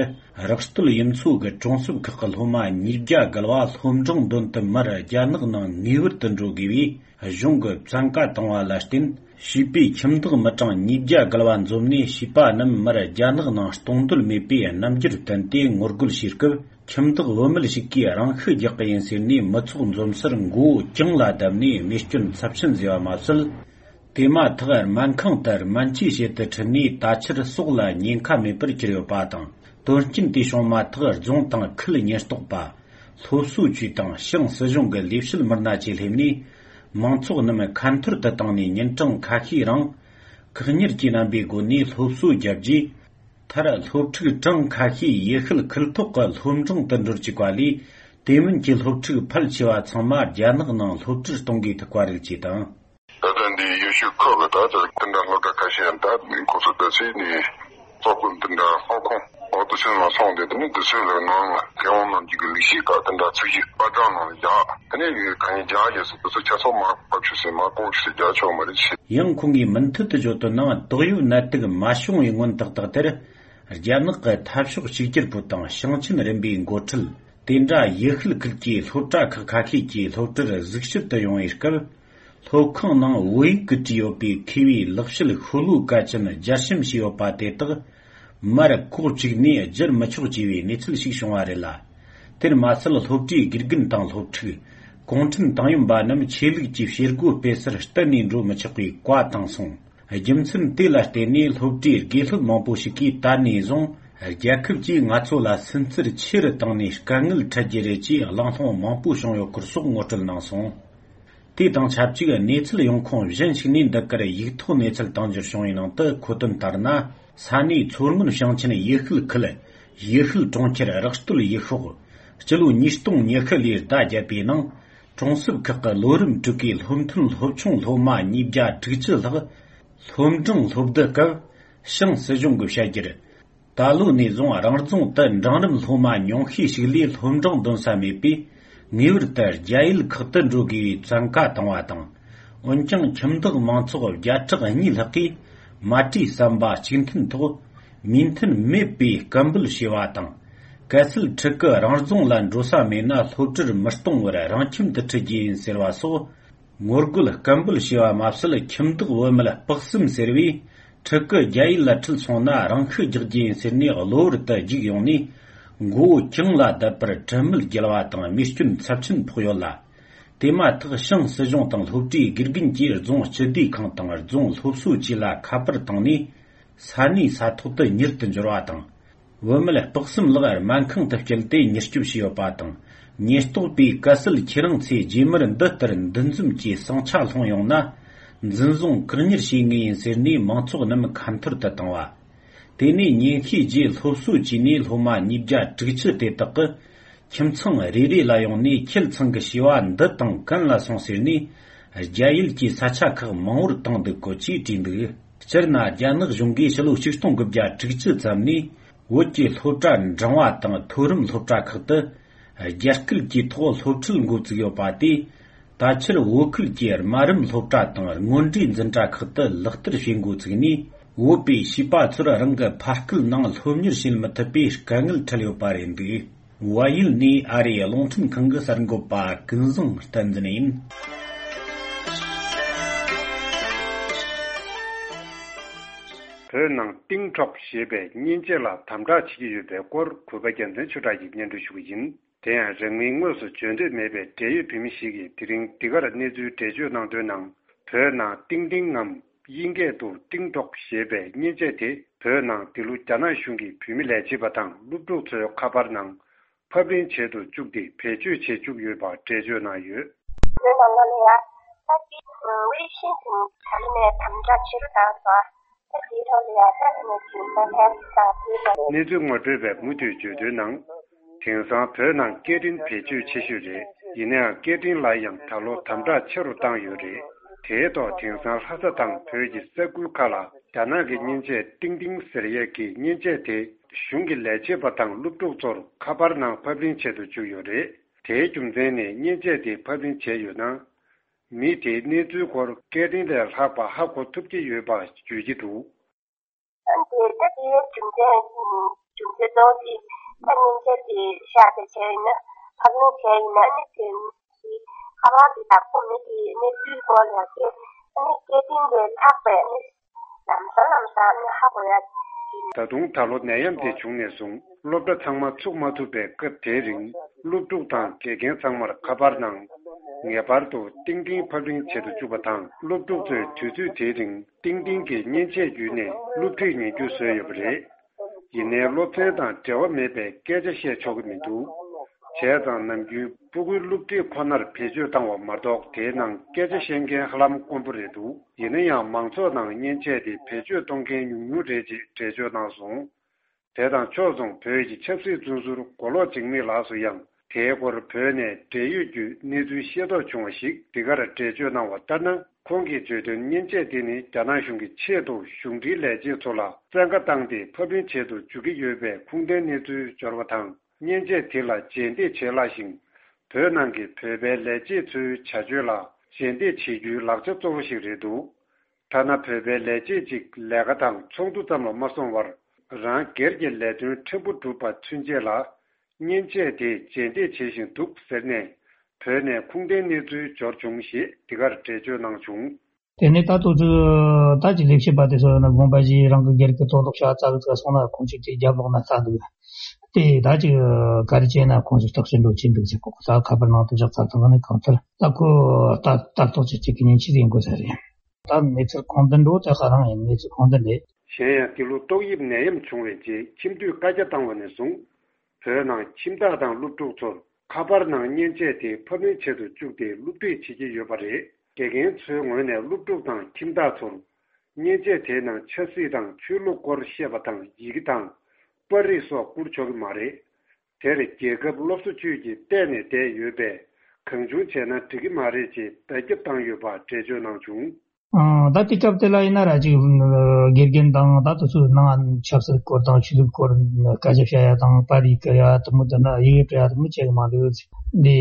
རགས་སྟོད་ཡུལ་ཚོ་གི་གྲོང་གསེབ་ཁག་གི་སློབ་མ་ཉིས་བརྒྱ་བརྒལ་བ་སློབ་འབྲིང་འདོན་དུ་མར་རྒྱ་ནག་ནང་ངེས་པར་དུ་འགྲོ་དགོས་པའི་གཞུང་གི་བཙན་བཀའ་བཏང་བ་ལ་བརྟེན། བྱིས་པའི་ཁྱིམ་བདག་མི་གྲངས་ཉིས་བརྒྱ་བརྒལ་བ་འཛོམས་ནས། བྱིས་པ་རྣམས་མར་རྒྱ་ནག་ནང་གཏོང་འདོད་མེད་པའི་རྣམ་འགྱུར་བསྟན་ཏེ་ངོ་རྒོལ་བྱས་སྐབས། ཁྱིམ་བདག་བུད་མེད་ཞིག་གིས་རང་ཤུགས་རྒྱག་གི་ཡིན་ཟེར་ནས་མི་ཚོགས་འཛོམས་སར་མགོ་བོ་གྱང་ལ་བརྡབས་ནས་རྨས་སྐྱོན་ཚབས་ཆེན་བཟོས་པ་མ་ཟད། དེ་མ་ཐག་སྨན་ཁང་དུ་སྨན་བཅོས་བྱེད་དུ་ཁྲིད་ནས་ད་ཆར་སྲོག་ལ་ཉེན་ཁ་མེད་པར་གྱུར་ཡོད་པ་དང་། དོན་རྐྱེན་དེ་བྱུང་མ་ཐག་རྫོང་དང་ཁུལ་ཉེན་རྟོག་པ། སློབ་གསོ་ཅུས་དང་ཞང་སྲིད་གཞུང་གི་ལས་བྱེད་མི་སྣ་བཅས་སླེབས་ནས། མང་ཚོགས་རྣམས་ཁ་འཐོར་དུ་བཏང་ནས་ཉིན་གྲངས་ཁ་ཤས་རིང་། བཀག་ཉར་གྱི་རྣམ་པའི་སྒོ་ནས་སློབ་གསོ་བརྒྱབ་རྗེས། མཐར་སློབ་ཕྲུག་གྲངས་ཁ་ཤས་ཡུལ་ཤུལ་ཁུལ་ཐོག་གི་སློབ་འབྲིང་དུ་འགྲོ་བཅུག་པ་ལས། དེ་མིན་གྱི་སློབ་ཕྲུག་ཕལ་ཆེ་བ་ཚང་མ་རྒྱ་ནག་ནང་སློབ་གྲྭར་གཏོང་དགོས་ཐུག་པ་རིགས་བཅས་དང་། ད་ལྟ་འདི་ཡུལ་ཤུལ་ཁག་གི་ད་ལྟ་དེ་འདྲ་སློབ་གྲྭ་ཁ་ཤས་ཡང་ད་ཁོ་ཚོ་ད་ཚེ་ནས་སློབ་དཔོན་དེ་འདྲ་སློབ་ཁོངས་འོག་ཏུ་ཕྱིན་ལ་སོང་སྟེ། དེ་ནས་དེ་ཚོའི་ལ་ནང་ལ་རྒྱལ་ཡོངས་ནང་གི་ལས་ཤིག་ག་དེ་འདྲ་ཚིག་གཞི་པར་སྒྲ་ནང་ལ་རྒྱག་དེ་ནས་ག་ནས་རྒྱག་རྒྱག་སོ་དེ་ཚོ་ཁྱད་མཚར་མ་ཕབ་ཆུ་སེ་མ་ལྐོག་ཆུ་སེ་རྒྱག་ཆོག་མ་རེད་ཆེ། ཡང་ཁོང་གིས་མུ་མཐུད་དུ་བརྗོད་དོན་ནང་། དོགས་ཡོད་ནད་དུག་མ་བྱུང་བའི་སྔོན་ཏག་ཏག་དེར། རྒྱ་ནག་གི་འཐབ་ཕྱོགས་གཅིག་གྱུར་པུའུ་དང་ཞིང་ཆེན་རིམ་པའི་འགོ་ཁྲིད། དེ་འདྲ་ཡུལ་ཤུལ་ཁུལ་གྱི་སློབ་གྲྭ་ཁག་ཁ་ཤས་ཀྱི་སློབ་གྲྭར་གཟིགས་ཞིབ་ཏུ་ཡོང་བའི་སྐབས། སློབ་ཁང་ནང་བོད་ཡིག་གིས་བྲིས་ཡོད་པའི་མཁས་པའི་ལེགས་བཤད་ཤོ་ལོ་ཀ་ཅན་རྒྱས་བཤད་བྱས་ཡོད་པ་དེ་དག་ མར་ཁོག་ཅིག་ནས་བསྒྱུར་མི་ཆོག་ཅེས་པའི་གནས་ཚུལ་ཞིག་བྱུང་བ་རེད་ལ། དེར་མ་ཟད་སློབ་གྲྭའི་དགེ་རྒན་དང་སློབ་ཕྲུག་གུང་ཁྲན་ཏང་ཡོན་པ་རྣམས་ཆོས་ལུགས་ཀྱི་བྱེད་སྒོ་སྤེལ་སར་གཏན་ནས་འགྲོ་མི་ཆོག་པའི་བཀའ་བཏང་སོང་། རྒྱུ་མཚན་དེ་ལ་བརྟེན་ནས་སློབ་གྲྭའི་དགེ་སློབ་མང་པོ་ཞིག་གིས་ད་ནས་བཟུང་རྒྱལ་ཁབ་ཀྱིས་ང་ཚོ་ལ་སུན་གཙེར་ཆེ་རུ་བཏང་ནས་དཀའ་ངལ་འཕྲད་རྒྱུ་རེད་ཅེས་གླེང་སློང་མང་པོ་བྱུང་ཡོད་སྐོར་སོགས་ངོ་སྤྲོད་གནང་སོང་། དེ་དང་ཆབས་ཅིག་གནས་ཚུལ་ཡོང་ཁུངས་གཞན་ཞིག་ནས་འདི་གར་ཡིག་ཐོག་གནས་ཚུལ་བཏང་འབྱོར་བྱུང་བའི་ནང་དུ་འཁོད་དོན་ལྟར་ན། ས་གནས་མཚོ་སྔོན་ཞིང་ཆེན་ཡུལ་ཤུལ་ཁུལ་ཡུལ་ཤུལ་གྲོང་ཁྱེར་རག་སྟོད་ཡུལ་ཤོག་སྤྱི་ལོ་ཉིས་སྟོང་ཉི་ཤུ་ལོའི་ཟླ་བརྒྱད་པའི་ནང་གྲོང་གསེབ་ཁག་གི་ལོ་རིམ་དྲུག་གི་སློབ་ཐོན་སློབ་ཆུང་སློབ་མ་ཉིས་བརྒྱ་དྲུག་ཅུ་ལྷག་སློབ་འབྲིང་སློབ་བསྡུ་སྐབས་ཞིང་སྲིད་གཞུང་གིས་བཤད་རྒྱུར། ད་ལོ་ནས་བཟུང་རང་རྫོང་དུ་འབྲིང་རིམ་སློབ་མ་ཉུང་ཤས་ཤིག་ལས་སློབ་འབྲིང་འདོན་ས་མེད་པས་ངེས་པར་དུ་རྒྱ་ཡུལ་ཁག་ཏུ་འགྲོ་དགོས་པའི་བཙན་བཀའ་བཏང་བ་དང་། འོན་ཀྱང་ཁྱིམ་བདག་མང་ཚོགས་བརྒྱ་ཕྲག་གཉིས་ལྷག་གིས་མ་བྲོས་བསམ་པ་གཅིག་མཐུན་ཐོག་མོས་མཐུན་མེད་པའི་སྐད་འབོད་བྱས་པ་དང་། གལ་སྲིད་ཕྲུ་གུ་རང་རྫོང་ལ་འགྲོ་ས་མེད་ན་སློབ་གྲྭར་མི་གཏོང་བར་རང་ཁྱིམ་དུ་ཁྲིད་རྒྱུ་ཡིན་ཟེར་བ་སོགས། ངོ་རྒོལ་སྐད་འབོད་བྱས་པ་མ་ཟད་ཁྱིམ་བདག་བུད་མེད་སྤག་གསུམ་ཟེར་བས་ཕྲུ་གུ་རྒྱ་ཡུལ་ལ་ཁྲིད་སོང་ན་རང་ཤི་རྒྱག་རྒྱུ་ཡིན་ཟེར་ནས་གློ་བུར་དུ་རྒྱུགས་ཡོང་ནས་མགོ་བོ་གྱང་ལ་བརྡབས་པར་དྲན་མེད་བརྒྱལ་བ་དང་རྨས་སྐྱོན་ཚབས་ཆེན་ཕོག་ཡོད་ལ། དེ་མ་ཐག་ཞིང་སྲིད་གཞུང་དང་སློབ་གྲྭའི་དགེ་རྒན་གྱིས་རྫོང་སྤྱི་བདེ་ཁང་དང་རྫོང་སློབ་གསོ་བཅས་ལ་ཁ་པར་བཏང་ནས་ས་གནས་ས་ཐོག་ཏུ་མྱུར་དུ་འབྱོར་བ་དང་། བུད་མེད་སྤག་གསུམ་ལགས་སྨན་ཁང་དུ་བསྐྱལ་ཏེ་མྱུར་སྐྱོབ་བྱས་ཡོད་པ་དང་། ཉེན་རྟོག་པས་གལ་སྲིད་ཁྱེད་རང་ཚོས་རྗེས་མར་འདི་ལྟར་འདུ་འཛོམས་ཀྱི་ཟིང་ཆ་སློང་ཡོང་ན། འཛིན་བཟུང་བཀག་ཉར་བྱེད་ངེས་ཡིན་ཟེར་ནས་མང་ཚོགས་རྣམས་ཁ་འཐོར་དུ་བཏང་བ། དེ་ནས་ཉེན་བཤེས་ཀྱིས་སློབ་གསོ་བྱས་ནས་སློབ་མ་ཉིས་བརྒྱ་དྲུག་ཅུ་དེ་དག་གི་ཁྱིམ་ཚང་རེ་རེ་ལ་ཡོང་ནས་ཁྱེད་ཚང་གི་བྱིས་པ་འདི་དང་གན་ལ་སོང་ཟེར་ནས་རྒྱ་ཡུལ་གྱི་ས་ཆ་ཁག་མང་བོར་བཏང་འདུག་གོ་ཅེས་བྲིས་འདུག་སྤྱིར་ན་རྒྱ་ནག་གཞུང་གིས་ཕྱི་ལོ་ཆིག་སྟོང་དགུ་བརྒྱ་དྲུག་ཅུ་ཙམ་ནས་བོད་ཀྱི་སློབ་གྲྭ་འབྲིང་བ་དང་མཐོ་རིམ་སློབ་གྲྭ་ཁག་ཏུ་རྒྱ་སྐད་ཀྱི་ཐོག་སློབ་ཁྲིད་འགོ་བཙུགས་ཡོད་པ་དེས། ད་ཕྱིར་བོད་ཁུལ་གྱི་དམའ་རིམ་སློབ་གྲྭ་དང་སྔོན་འགྲོའི་འཛིན་གྲྭ་ཁག་ཏུ་ལག་བསྟར་བྱེད་འགོ་བཙུགས་ནས། བོད་པའི་བྱིས་པ་ཚོར་རང་གི་ཕ་སྐད་ནང་སློབ་གཉེར་བྱེད་མི་ཐུབ་པའི་དཀའ་ངལ་འཕྲད་ཡོད་པ་རེད་འདུག་བལ་ཡུལ་ནས་ཨ་རིའི་རླུང་འཕྲིན་ཁང་གི་གསར་འགོད་པ་ཀུན་བཟང་བསྟན་འཛིན་ཡིན། བོད་ནང་ཏིང་ཁྲོག་ཞེས་པའི་མཉེན་ཆས་ལ་དམ་དྲག་བྱེད་ཀྱི་ཡོད་པའི་སྐོར་གུས་པ་རྒྱལ་མཚན་ཆོས་གྲགས་ཀྱིས་སྙན་སྒྲོན་ཞུ་གི་ཡིན། དེ་ཡང་རིང་མིན་དངོས་སུ་བརྗོད་འདོད་མེད་པའི་འབྲེལ་ཡོད་བོད་མི་ཞིག་གིས་དེ་རིང་འདི་གར་གནས་ཚུལ་འགྲེལ་བརྗོད་གནང་དོན་ནང་། བོད་ནང་ཏིང་ཏིང་ངམ་དབྱིན་སྐད་དུ་ཏིང་ཏོག་ཞེས་པའི་མཉེན་ཆས་དེ་བོད་ནང་འདི་ལོ་རྒྱ་ནག་གཞུང་གིས་བོད་མི་ལས་བྱེད་པ་དང་སློབ་ཕྲུག་ཚོའི་ཁ་པར་ནང་ཕབ་ལེན་བྱེད་དུ་བཅུག་སྟེ་བེད་སྤྱོད་བྱེད་བཅུག་ཡོད་པ་འགྲེལ་བརྗོད་གནང་ཡོད། བོད་ནང་ལ་ཡང་ད་ཏིང་ཝེ་ཤིན་ཏུ་ད་ལོ་ནས་དམ་དྲག་ཆེ་རུ་བཏང་སོང་། ད་དེའི་ཐོག་ལ་ཡང་ད་ནས་ཀྱི་ད་ཕན་དང་དེའི་ཐོག་གནས་ཚུལ་ངོ་སྤྲོད་པས་མུ་མཐུད་བརྗོད་དོན་ནང་། དེང་སང་བོད་ནང་སྐད་འཕྲིན་བེད་སྤྱོད་ཆེ་ཤོས་རེད། ཡིན་ནའང་སྐད་འཕྲིན་ལ་ཡང་ད་ལོ་དམ་དྲག་ཆེ་རུ་བཏང་ཡོད་རེད། དེའི་ཐོག་དེང་སང་ལྷ་ས་དང་བོད་ཀྱི་ས་ཁུལ་ཁག་ལ་རྒྱ་ནག་གི་མཉེན་ཆས་ཏིང་ཏིང་ཟེར་ཡས་ཀྱི་མཉེན་ཆས་དེ་གཞུང་གི་ལས་བྱེད་པ་དང་སློབ་ཕྲུག་ཚོར་ཁ་པར་ནང་ཕབ་ལེན་བྱེད་དུ་བཅུག་ཡོད་རེད། དེའི་རྒྱུ་མཚན་ནི་མཉེན་ཆས་དེ་ཕབ་ལེན་བྱས་ཡོད་ན། མི་དེའི་གནས་ཚུལ་སྐོར་སྐད་འཕྲིན་ལས་ལྷག་པ་ཧ་གོ་ཐུབ་ཀྱི་ཡོད་པ་བརྗོད་ཀྱི་འདུག་ཨ་ནི་དེ་ད་དེའི་རྒྱུ་མཚན་རྒྱུ་མཚན་གཙོ་བོ་དེ་ད་མཉེན་ཆས་དེ་བཞག་དེ་བྱས་ཡིན་ན་ཕབ་ལེན་བྱས་ཡིན་ན་ཨ་ནི་དེ་ཁ་པར་དེ་དང་པོ་མི་དེའི་གནས་ཚུལ་སྐོར་ལ་དེ་ཨ་ནི་སྐད་འཕྲིན་ལས་ལྷག་པའི་ཨ་ནི། ལམ་སང་ལམ་སང་ནི་ཧ་གོ་ཡ། ད་དུང་ད་ལོ་ནད་ཡམས་དེ་བྱུང་ནས་བཟུང་སློབ་གྲྭ་ཚང་མ་ཚུགས་མ་ཐུབ་པའི་སྐབས་དེའི་རིང་སློབ་ཕྲུག་དང་དགེ་རྒན་ཚང་མར་ཁ་པར་ནང་ངེས་པར་དུ་ཏིང་ཏིང་ཕབ་ལེན་བྱེད་དུ་བཅུག་པ་དང་སློབ་ཕྲུག་ཚོས་དུས་ཚོད་དེའི་རིང་ཏིང་ཏིང་གི་མཉེན་ཆས་བརྒྱུད་ནས་སློབ་ཁྲིད་ཉན་རྒྱུ་བཟོས་ཡོད་པ་རེད། ཡིན་ནའི་སློབ་ཚན་དང་འབྲེལ་བ་མེད་པའི་སྐད་ཆ་བཤད་ཆོག་གི་མི་འདུག་བྱས་ཙང་ནམ་རྒྱུན་སྤུ་གུའི་སློབ་ཁྲིད་ཁོ་ནར་བེད་སྤྱོད་བཏང་བ་མ་གཏོགས་དེའི་ནང་སྐད་ཆ་བཤད་མཁན་ཧ་ལམ་དཀོན་པོ་རེད་འདུག་ཡིན་ན་ཡང་མང་ཚོགས་ནང་མཉེན་ཆས་དེ་བེད་སྤྱོད་གཏོང་མཁན་ཉུང་ཉུང་རེད་ཅེས་འགྲེལ་བརྗོད་གནང་སོང་། དེ་དང་ཕྱོགས་མཚུངས་བོད་ཀྱི་ཆབ་སྲིད་བཙོན་ཟུར་མགོ་ལོག་འཇིགས་མེད་ལགས་སུ་ཡང་དེའི་སྐོར་བོད་ནས་འབྲེལ་ཡོད་བརྒྱུད་གནས་ཚུལ་ཤེས་རྟོགས་བྱུང་བ་ཞིག་འདི་གར་འགྲེལ་བརྗོད་གནང་བ་ལྟར་ན། ཁོང་གིས་བརྗོད་དོན་མཉེན་ཆས་དེ་ནི་རྒྱ་ནག་གཞུང་གི་ཆེད་དུ་གཞུང་འབྲེལ་ལས་བྱེད་ཚོ་ལ་བཙན་བཀའ་བཏང་སྟེ་ཕབ་ལེན་བྱེད་དུ་འཇུག་གི་ཡོད་པའི་ཁུངས་ལྡན་གནས་ཚུལ་འབྱོར་བ་དང་། མཉེན་ཆས་དེ་ལ་རྗེས་འདེད་བྱེད་སླ་ཞིང་། བོད་ནང་གི་བོད་པའི་ལས་བྱེད་ཚོའི་བྱ་སྤྱོད་ལ་རྗེས་འདེད་བྱེད་རྒྱུའི་ལག་ཆ་གཙོ་བོ་ཞིག་རེད་འདུག་ཐ་ན་བོད་པའི་ལས་བྱེད་ཅིག་ལས་ཀ་དང་ཚོགས་འདུ་ཙམ་ལ་མ་སོང་བར། རང་སྒེར་གྱི་ལས་དོན་ཕྲན་བུ་སྒྲུབ་པ་ཚུན་ཆད་ལ། མཉེན་ཆས་དེ་རྗེས་འདེད་བྱེད་བཞིན་འདུག་ཟེར་ནས། བོད་ནས་ཁུངས་ལྡན་གནས་ཚུལ་འབྱོར་བྱུང་ཞེས་འདི་གར་འགྲེལ་བརྗོད་གནང་བྱུང་། དེ་ནས་ད་ལྟ་ཚོ་ད་ཅིག་ལས་བྱེད་པ་དེ་ཚོ་ཡང་ན་དགོངས་པ་བཞེས། རང་གི་སྒེར་གྱི་དོན་དག་ཤ་ཚ་གི་ཚ་སོང་ན་ཁོང་ཚོས་དེ་རྒྱབ་ལོག་ན་ལྟ་འདུག་དེ་ད་ཅིག་ག་རེ་བྱས་ན་ཁོང་ཚོས་བརྟག་དཔྱད་འགྲོ་གྱིན་འདུག་ཟེར་གོ། ད་ཁ་པར་ནང་དུ་བཞག་ཚར་དང་ནི་གང་ལྟར་ད་ཁོ་ལྟ་ལྟ་རྟོག་བྱེད་ཀྱི་ཉིན་ཕྱེད་ཡིན་དགོས་ས་རེད། ད་གནས་ཚུལ་གང་འདྲ་འགྲོ་ད་ཧ་རང་ཡིན། གནས་ཚུལ་གང་འདྲ་རེད། གཞན་ཡང་འདི་ལོ་ཏོག་དབྱིབས་ནད་ཡམས་བྱུང་བའི་རྗེས་ཁྱིམ་དུད་བཀའ་རྒྱ་བཏང་བ་ནས་བཟུང་། བོད་ནང་ཁྱིམ་བདག་དང་སློབ་ཕྲུག་ཚོར་ཁ་པར་ནང་མཉེན་ཆས་དེ་ཕབ་ལེན་བྱེད་དུ་བཅུག་སྟེ་སློབ་ཁྲིད་བྱེད་ཀྱི་ཡོད་པ་རེད། དགེ་རྒན་ཚོའི་ངོས་ནས་སློབ་ཕྲུག་དང་ཁྱིམ་བདག་ཚོར་མཉེན་ཆས་དེའི་ནང་ཆབ་སྲིད་དང་ཆོས་ལུགས་སྐོར་བཤད་པ་དང་ཡི་གེ་དང་པར་རིས་སོགས་བསྐུར་ཆོག་གི་མ་རེད། དེར་རྒྱལ་ཁབ་སློབ་གསོ་ཅུས་ཀྱིས་བལྟས་ནས་བསྡད་ཡོད་པས། གང་བྱུང་བྱས་ན་འགྲིག་གི་མ་རེད་ཅེས་བརྡ་ཁྱབ་བཏང་ཡོད་པ་འགྲེལ་བརྗོད་གནང་བྱུང་། ཨང་། ད་དེ་སྐབས་དེ་ལ་ཡིན་ན་ར་ཅིག་དགེ་རྒན་དང་ད་དུ་ཚོའི་ནང་ཆབ་སྲིད་སྐོར་དང་ཆོས་ལུགས་སྐོར་སྐད་ཆ་བཤད་ཡ་དང་པར་རིས་བསྐུར་ཡ་དེ་མོ་དེ་ན་ཡི་གེ་སྤྲོད་ཡ་དེ་མོ་བྱེད་གི་མ་འདུག་འདི་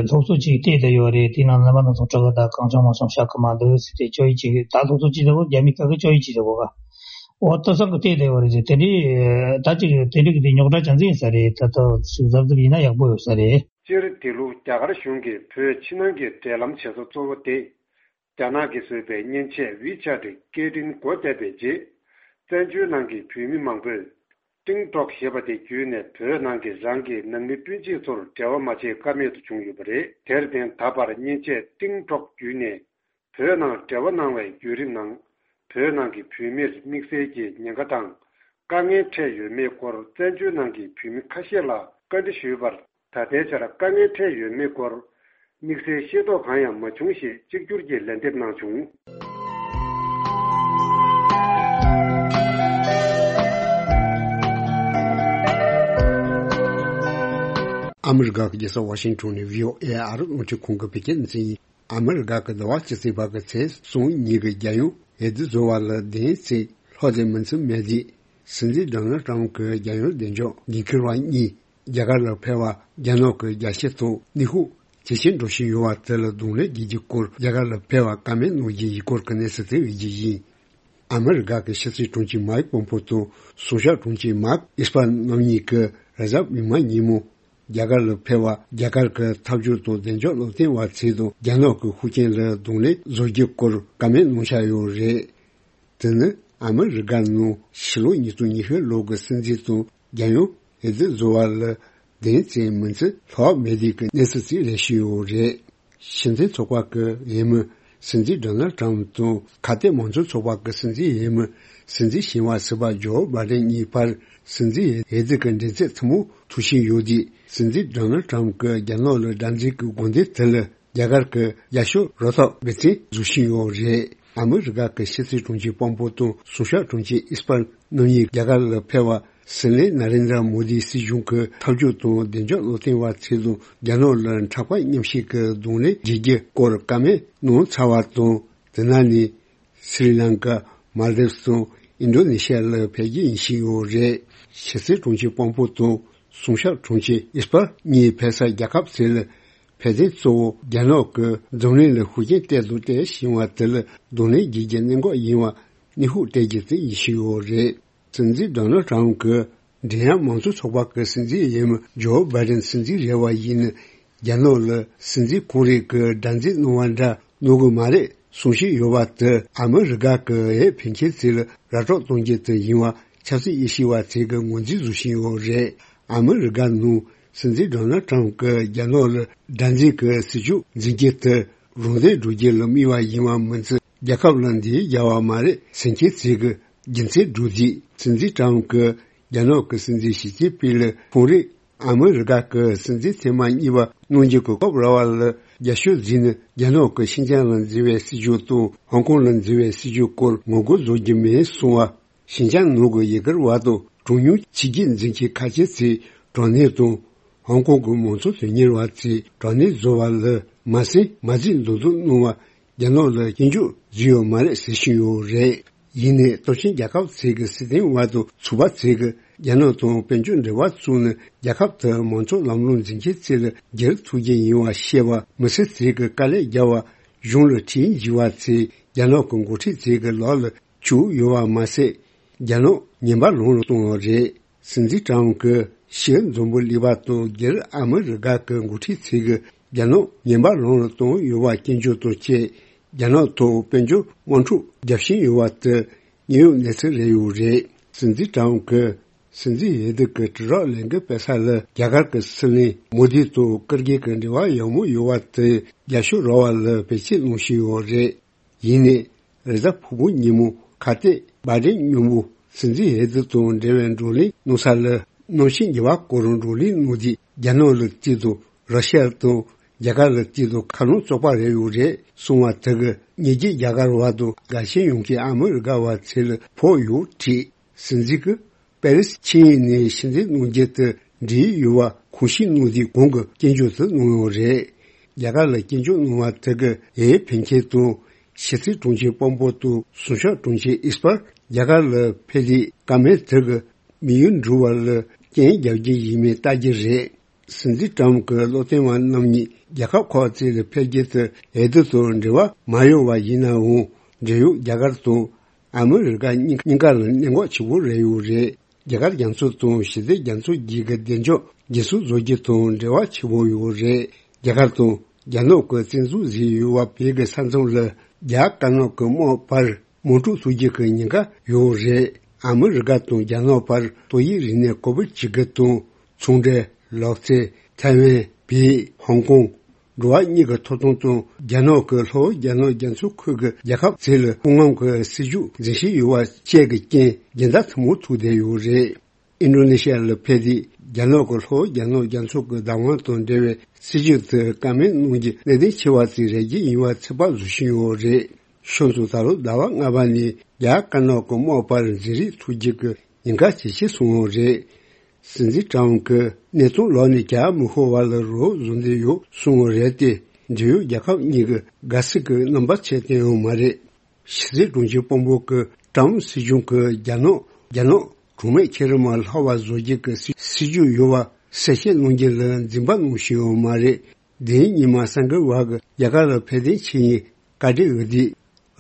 སློབ་གསོ་ཅིག་སྤྲད་དེ་ཡོད་རེད། དེ་ནང་ལ་མ་ནང་ཚོ་དྲི་གི་ད་གང་བྱུང་མང་བྱུང་བཤད་གི་མ་འདུག་ཟེར་ཏེ་ཅོ་ཡི་ཅིག་ད་སློབ་གསོ་ཅིག་ཟེར་བོ་རྒྱ་མི་སྐད་གི་ཅོ་ཡི་ཅིག་ཟེར་བོ་ག་འོ་ལྟ་ས་གི་སྤྲད་དེ་ཡོད་རེད་ཟེར། དེ་འདྲའི་ད་ཅིག་དེ་འདྲའི་གི་དེ་རྙོག་དྲ་ཅན་ཟིན་ས་རེད། ད་ལྟ་ཞིག་གཟབ་གཟབ་ཡིན་ན་ཡག་པོ་ཡོད་ས་རེད། སྤྱིར་འདི་ལོ་རྒྱ་གར་གཞུང་གིས་བོད་ཕྱི་ནང་གི་འབྲེལ་ལམ་བྱེད་ས་གཙོ་བོ་དེ། རྒྱ་ནག་གིས་བཟོས་པའི་མཉེན་ཆས་ཝི་ཆེ་ཊི་སྐད་འཕྲིན་སྒོ་བརྒྱབ་པའི་རྗེས། བཙན་བྱོལ་ནང་གི་བོད་མི་མང་པོས་ཀྲིང་ཀྲོག་ཞེས་པ་དེ་བརྒྱུད་ནས་བོད་ནང་གི་རང་གི་ནང་མི་སྤུན་མཆེད་ཚོར་འབྲེལ་བ་མ་བྱེད་ཀ་མེད་དུ་བྱུང་ཡོད་པ་རེད། དེར་བརྟེན་ད་བར་མཉེན་ཆས་ཀྲིང་ཀྲོག་བརྒྱུད་ནས་བོད་ནང་འབྲེལ་བ་གནང་བའི་བརྒྱུད་རིམ་ནང་། བོད་ནང་གི་བོད་མིར་དམིགས་བསལ་གྱི་ཉེན་ཁ་དང་དཀའ་ངལ་འཕྲད་ཡོད་མེད་སྐོར་བཙན་བྱོལ་ནང་གི་བོད་མི་ཁ་ཤས་ལ་བཀའ་འདྲི་ཞུས་པར། ད་ལྟའི་ཆར་དཀའ་ངལ་འཕྲད་ཡོད་མེད་སྐོར་དམིགས་བསལ་ཤེས་རྟོགས་གང་ཡང་མ་བྱུང་ཞེས་གཅིག་གྱུར་གྱིས་ལན་འདེབས་གནང་བྱུང་། ཨ་མི་རི་ཀ་གི་རྒྱལ་ས་ཝ་ཤིང་ཊོན་ནས་བྷི་ཨོ་ཨེ་ཨ་རི་རླུང་འཕྲིན་ཁང་གི་བོད་སྐད་སྡེ་ཚན་ཡིན། ཨ་མི་རི་ཀ་གི་ཟླ་བ་བཅུ་གཅིག་པ་གི་ཚེས་གསུམ་ཉིན་གྱི་རྒྱལ་ཡོངས་འོས་བསྡུ་བཟོ་བ་ལ་བདེན་ཚིག་ལྷོ་དེ་མི་ཚེ་མེད་དུས། སྲིད་འཛིན་ཌོ་ནལ་ཊམ་གྱི་རྒྱལ་ཡོངས་བདེ་འཇགས་འགན་འཁུར་བ་གཉིས་རྒྱ་གར་ལ་ཕེབས་པ། རྒྱ་ནག་གི་རྒྱལ་སྤྱི་ཐོག་ནུས་ཤུགས་ཇེ་ཆེར་འགྲོ་བཞིན་ཡོད་པ་དེ་ལ་གདོང་ལེན་བགྱིད་རྒྱུའི་སྐོར་རྒྱ་གར་ལ་ཕེབས་པ་བཀའ་མོལ་གནང་རྒྱུའི་ཡི་སྐོར་གྱི་གནས་ཚུལ་དེ་འོས་བསྡུ་ཡིན། ཨ་མི་རི་ཀ་གི་ཕྱི་སྲིད་དྲུང་ཆེ་མའིག་པོམ་པོ་དང་སྲུང་སྐྱོབ་དྲུང་ཆེ་མཱརྐ་ཨེས་པར་རྣམ་གཉིས་ཀྱིས་རེས་གཟའ་མིག་དམར་ཉིན་མོ། རྒྱ་གར་ལ་ཕེབས་པ། རྒྱ་གར་གྱི་འཐབ་ཇུས་དང་བདེ་འཇགས་བློ་བརྟན་པ་ཚོས་དང་རྒྱ་ནག་གི་ཤུགས་རྐྱེན་ལ་གདོང་ལེན་བཟོ་རྒྱུའི་སྐོར་བཀའ་མོལ་གནང་འཆར་ཡོད་རེད། དེ་ནི་ཨ་མི་རི་ཀ་ནང་ཕྱི་ལོ་ཉིས་སྟོང་ཉི་ཤུ་ལོ་གི་སྲིད་འཛིན་དང་རྒྱལ་ཡོངས་འོས་བསྡུ་བཟོ་བ་ལ་བདེན་ཚིག་མིན་ཚིག་ལྷག་མེད་དུས་ཀྱི་གནས་ཚུལ་ཞིག་རེད་བཞིན་ཡོད་རེད། སྤྱི་མཐུན་ཚོགས་པ་གི་འོས་མི་སྲིད་འཛིན་ཌོ་ནལ་ཊམ་དང་ཁ་གཏད་མང་གཙོ་ཚོགས་པ་གི་སྲིད་འཛིན་འོས་མི་སྲིད་འཛིན་ཞི་བ་སི་པ་ཇོ་བྷ་ཌེན་གཉིས་བར་སྲིད་འཛིན་འོས་བསྡུ་གི་འགྲན་རྩོད་ཐུང་མོ་འཐུང་བཞིན་ཡོད་དུས། སྲིད་འཛིན་ཌོ་ནལ་ཊམ་གྱི་རྒྱ་ནག་ལ་དགྲར་འཛིན་གྱི་དགོས་འདུན་དེ་ལ་རྒྱ་གར་གྱི་རྒྱབ་སྐྱོར་རོགས་ཐབས་དགེ་མཚན་བཟོ་བཞིན་ཡོད་རེད། ཨ་མི་རི་ཀ་གི་ཕྱི་སྲིད་དྲུང་ཆེ་པོམ་པོ་དང་སྲུང་སྐྱོབ་དྲུང་ཆེ་ཨིས་པར་རྣམ་གཉིས་རྒྱ་གར་ལ་ཕེབས་པ། སྲིད་བློན་ན་རེན་དྲ་མོ་དིའི་སྲིད་གཞུང་གི་འཐབ་ཇུས་དང་བདེ་འཇགས་བློ་བརྟན་པ་ཚོས་དང་རྒྱ་ནག་ལ་མཁྲེགས་པ་མཉམ་བཞག་གི་གདོང་ལེན་བྱེད་རྒྱུའི་སྐོར་བཀའ་མོལ་གནང་ཚར་བ་དང་། དེ་ནང་ནས་སི་རི་ལང་ཀ། མཱལ་དིབ་སི་དང་ཨིན་ཌོ་ནེ་ཤི་ཡ་ལ་ཕེབས་རྒྱུ་ཡིན་བཞིན་ཡོད་རེད། ཕྱི་སྲིད་དྲུང་ཆེ་པོམ་པོ་དང་སྲུང་སྐྱོབ་དྲུང་ཆེ་ཨིས་པར་གཉིས་ཕེབས་ས་རྒྱལ་ཁབ་ཚོ་ལ་ཕེབས་ཐོན་གཙོ་བོ་རྒྱ་ནག་གི་འཛམ་གླིང་ལ་ཤུགས་རྐྱེན་སྤྲད་དང་སྤྲད་བཞིན་པ་དེ་ལ་གདོང་ལེན་བྱེད་རྒྱུའི་གནད་འགག་ཡིན་པ་ནུས་ཤུགས་སྤྲད་རྒྱུ་དེ་ཡིན་བཞིན་ཡོད་རེད། སྲིད་འཛིན་ཌོ་ནལ་ཊམ་གྱི་འབྲེལ་ཡོད་མང་གཙོ་ཚོགས་པ་གི་སྲིད་འཛིན་འོས་མི་ཇོ་བྷ་ཌེན་སྲིད་འཛིན་རེད་པ་ཡིན་ན། རྒྱ་ནག་ལ་སྲིད་འཛིན་ཁོང་རང་གིས་དགྲར་འཛིན་གནང་བ་འདྲ་གནང་གི་མ་རེད་གསུང་བཞིན་ཡོད་པ་དེ་ཨ་མི་རི་ཀ་གི་འོས་འཕེན་མཁན་ཚོ་ལ་ར་སྤྲོད་གཏོང་རྒྱུ་དེ་ཡིན་པ་ཆབ་སྲིད་དབྱེ་ཞིབ་པ་ཚོས་ཀྱི་ངོས་འཛིན་བཟོ་བཞིན་ཡོད་རེད། ཨ་མི་རི་ཀ་ནང་སྲིད་འཛིན་ཌོ་ནལ་ཊམ་གྱིས་རྒྱ་ནག་ལ་དགྲར་འཛིན་གྱི་སྲིད་ཇུས་འཛིན་རྒྱུ་དེ་རང་དོན་སྒྲུབ་རྒྱུ་ལ་དམིགས་པ་ཡིན་པ་མིན་ཚེ་རྒྱལ་ཁབ་ལ་འདི་རྒྱལ་བ་མ་རེད་ཟེར་མཁན་ཚོས་ཀྱི་རྒྱུ་མཚན་སྒྲུབ་རྗེས། སྲིད་འཛིན་ཊམ་གྱིས་རྒྱ་ནག་གི་སྲིད་འཛིན་ཞི་ཅིན་ཕིང་ལ་ཁོང་རང་ཨ་མི་རི་ཀ་གི་སྲིད་འཛིན་ཐེངས་མ་གཉིས་པ་གནང་རྒྱུ་གི་སྐབས་ར་བ་ལ་རྒྱབ་སྐྱོར་བྱས་ནས་རྒྱ་ནག་གི་ཤིན་ཅང་ལ་འཛིན་པའི་སྲིད་ཇུས་དང་ཧོང་ཀོང་ལ་འཛིན་པའི་སྲིད་ཇུས་སྐོར་ངོ་རྒོལ་བཟོ་རྒྱུ་མིན་གསུངས་པ། ཤིན་ཅང་ནང་གི་ཡུ་གུར་བ་དང་གྲངས་ཉུང་ཕྱི་རྒྱལ་འཛིན་མཁན་ཁ་ཆེ་ཚོས་དྲག་གནོན་དང་། ཧོང་ཀོང་གི་མང་གཙོ་དོན་གཉེར་བ་ཚོས་དྲག་གནོན་བཟོ་བ་ལ་མ་ཟད་མ་རྩིས་མདོར་བསྡུས་གནང་བ། རྒྱ་ནག་ལ་སྐྱོན་བརྗོད་བཟོས་ཡོད་མ་རེད་ཟེར་བཞིན་ཡོད་རེད། ཡིན་ནའི་སྟོབས་ཆེན་རྒྱལ་ཁབ་ཚོ་གི་སྲིད་དོན་བ་དང་ཚོགས་པ་ཚོས་ཀྱི་རྒྱ་ནག་དང་དཔལ་འབྱོར་འབྲེལ་བ་བཙུགས་ནས་རྒྱལ་ཁབ་དེར་མང་གཙོ་ལམ་ལུགས་འཛིན་མཁན་ཚོ་ལ་སྒེར་ཐུགས་རྗེ་ཡིན་པ་བཤད་པ། མི་སེར་ཚོས་ཀྱི་དཀའ་ལས་རྒྱབ་པ། གཞུང་ལ་ཁྲིམས་འཇིག་པ་ཚོས་རྒྱ་ནག་གི་འགོ་ཁྲིད་ཚོ་གི་ལག་ལ་བཅུག་ཡོད་པ་མ་ཟད། རྒྱ་ནག་ངན་པ་ལམ་ལ་གཏོང་བ་རེད། སྲིད་འཛིན་ཀྲམ་གྱིས་ཕྱིའི་འཛམ་བུ་གླིང་པ་དང་སྒེར་ཨ་མི་རི་ཀ་གི་འགོ་ཁྲིད་ཚོས་ཀྱི་རྒྱ་ནག་ངན་པ་ལམ་ལ་གཏོང་ཡོད་པ་སྐྱོན་བརྗོད་དང་བཅས། རྒྱ་ནག་ཐོག་དཔལ་འབྱོར་དམག་འཁྲུག་བརྒྱབ་བཞིན་ཡོད་པ་དེ་དངོས་ཡོད་གནས་ཚུལ་རེད་ཡོད་རེད། སྲིད་འཛིན་ཀྲམ་གྱིས་སྲིད་འཛིན་ཡེ་དུ་གི་དྲིལ་བསྒྲགས་ལས་འགུལ་སྤེལ་ས་ལ་རྒྱ་གར་གྱི་སྲིད་བློན་མོ་དི་དང་ཀིར་གི་གི་འབྲེལ་བ་ཡག་མོ་ཡོད་པ་དེ་རྒྱབ་སྐྱོར་རག་པ་ལ་བེད་སྤྱོད་གནང་བཞིན་ཡོད་རེད། ཡིན་ནའི། རེས་གཟའ་ཕུར་བུ་ཉིན་མོ་ཁ་གཏད་བྷ་རེན་མཉམ་པོ་སྲིད་འཛིན་ཧེ་ཙི་དང་འབྲེལ་བའི་བགྲོ་གླེང་གནང་ས་ལ། གནམ་གཤིས་ཉེ་བ་སྐོར་བགྲོ་གླེང་གནང་དུས། རྒྱ་ནག་ལ་དཀྱིལ་དུ་ར་ཤི་ཡ་དང་རྒྱ་གར་ལ་དཀྱིལ་དུ་ཁ་ལོང་བཙོག་པ་རེད་ཡོད་རེད་གསུངས་པ་དེ་གིས་ཉེ་རྒྱུད་རྒྱ་གར་བ་དང་དགའ་ཞེན་ཡོང་མཁན་ཨ་མི་རི་ཀ་བ་ཚོ་ལ་ཕོག་ཡོད་བྲིས། སྲིད་འཛིན་གྱིས་པེ་རིས་ཆིངས་ཡིག་ནས་ཕྱིར་འཐེན་གནང་རྒྱུ་དེ་འབྲེལ་ཡོད་པ་ཁུངས་ཤིག་གནང་དུས་གོང་གི་སྐྱོན་བརྗོད་དེ་གནང་ཡོད་རེད། རྒྱ་གར་ལ་སྐྱོན་བརྗོད་གནང་བ་དེ་གིས་ཡེ་ཕན་ཁེ་དང་ཕྱི་སྲིད་དྲུང་ཆེ་པོམ་པོ་དང་གསུང་ཆོས་དྲུང་ཆེ་ཨིས་པར་རྒྱ་གར་ལ་ཕེབས་དུས་བཀའ་མོལ་དེ་གིས་དམིགས་ཡུལ་འགྲུབ་པ་ལ་རྐྱེན་རྒྱག་རྒྱུ་ཡིན་མིན་ལྟ་རྒྱུ་རེད། སྲིད་འཛིན་ཀྲམ་གྱི་བློ་བསྟན་པ་རྣམ་གཉིས་རྒྱལ་ཁབ་ཁག་ཅིག་ལ་ཕེབས་རྒྱུ་དེ་ཡེ་དུ་དང་འབྲེལ་བ་མ་ཡོད་པ་ཡིན་ནའང་། འབྲེལ་ཡོད་རྒྱ་གར་དང་ཨ་མི་རི་ཀ་གཉིས་གཉིས་ཀ་ལ་གནད་འགག་ཆེ་པོ་རེད་ཡོད་རེད། རྒྱ་གར་རྒྱ་མཚོ་དང་ཞི་བདེ་རྒྱ་མཚོ་བརྒྱུད་ཀྱི་བདེ་འཇགས་རྒྱུན་སྲུང་བཟོ་རྒྱུ་དང་འབྲེལ་བ་ཆེ་པོ་ཡོད་རེད། རྒྱ་གར་དང་རྒྱ་ནག་གི་བཙན་འཛུལ་བཟོས་ཡོད་པ་བོད་ཀྱི་ས་མཚམས་ལ་རྒྱ་དཀར་ནག་གི་དམག་བར་དམག་འཁྲུག་བཟོ་རྒྱུ་གི་ཉེན་ཁ་ཡོད་རེད། ཨ་མི་རི་ཀ་དང་རྒྱ་ནག་བར་ཏོག་དབྱིབས་རིམས་ནད་ཀོ་བིད་བཅུ་དགུ་དང་། ཚོང་འབྲེལ། ལག་རྩལ། ཐའེ་ཝན། བོད། ཧོང་ཀོང་། འགྲོ་བ་གཉིས་ཀྱི་ཐོབ་ཐང་དང་། རྒྱ་ནག་གི་ལྷོ་རྒྱ་ནག་རྒྱ་མཚོའི་ཁུལ་གྱི་རྒྱལ་ཁབ་ཚོ་ལ་སྐུ་ངམ་གྱི་སྲིད་ཇུས་འཛིན་བཞིན་ཡོད་པ་བཅས་ཀྱི་རྐྱེན་རྒྱུན་ཟླ་ཐུང་ངུ་ཐུག་བསྡད་ཡོད་རེད། ཨིན་ཌོ་ནེ་ཤི་ཡ་ལ་ཕེབས་དུས་རྒྱ་ནག་གི་ལྷོ་རྒྱ་ནག་རྒྱ་མཚོ་གི་བདག་དབང་དང་འབྲེལ་བའི་སྲིད་ཇུས་དེ་བཀའ་མོལ་གནང་རྒྱུ་གནད་དོན་ཆེ་བ་ཞིག་རེད་རྒྱུ་ཡིན་པ་ཚོད་དཔག་བཟོ་བཞིན་ཡོད་རེད། ཤོག་ཚུགས་ད་ལོ་ཟླ་བ་ལྔ་པ་ནས་རྒྱ་དཀར་ནག་གི་དམག་བར་འཛིང་རེས་ཐུག་རྒྱུ་གི་ཉེན་ཁ་ཇེ་ཆེ་སོང་བ་རེད། སྲིད་འཛིན་ཀྲམ་གྱིས་གནས་སྟངས་ལོགས་ནས་རྒྱག་མི་ཤོར་བ་ལ་རོགས་བཟོ་འདོད་ཡོད་གསུངས་པ་རེད་དེ། འབྲེལ་ཡོད་རྒྱལ་ཁབ་གཉིས་ཀྱི་དགའ་སྲིད་ཀྱི་རྣམ་པ་ཆེ་བསྟན་ཡོད་མ་རེད། ཕྱི་སྲིད་དྲུང་ཆེ་པོམ་པོ་གིས་ཀྲམ་སྲིད་གཞུང་གིས་རྒྱ་ནག་རྒྱ་ནག་གྲོགས་མེད་ཁེ་རི་མ་ལྷག་པ་བཟོ་རྒྱུ་གི་སྲིད་སྲིད་ཇུས་ཡོད་པ་གསལ་བཤད་གནང་རྒྱུ་ལ་འཛེམ་པ་གནང་བཞིན་ཡོད་མ་རེད། དེ་རིང་ཉི་མ་སང་གི་བར་གྱི་རྒྱ་གར་ལ་ཕེབས་ཐོན་བྱས་ཡིན། བཀའ་ཁྲིད་འོས་བསྡུ།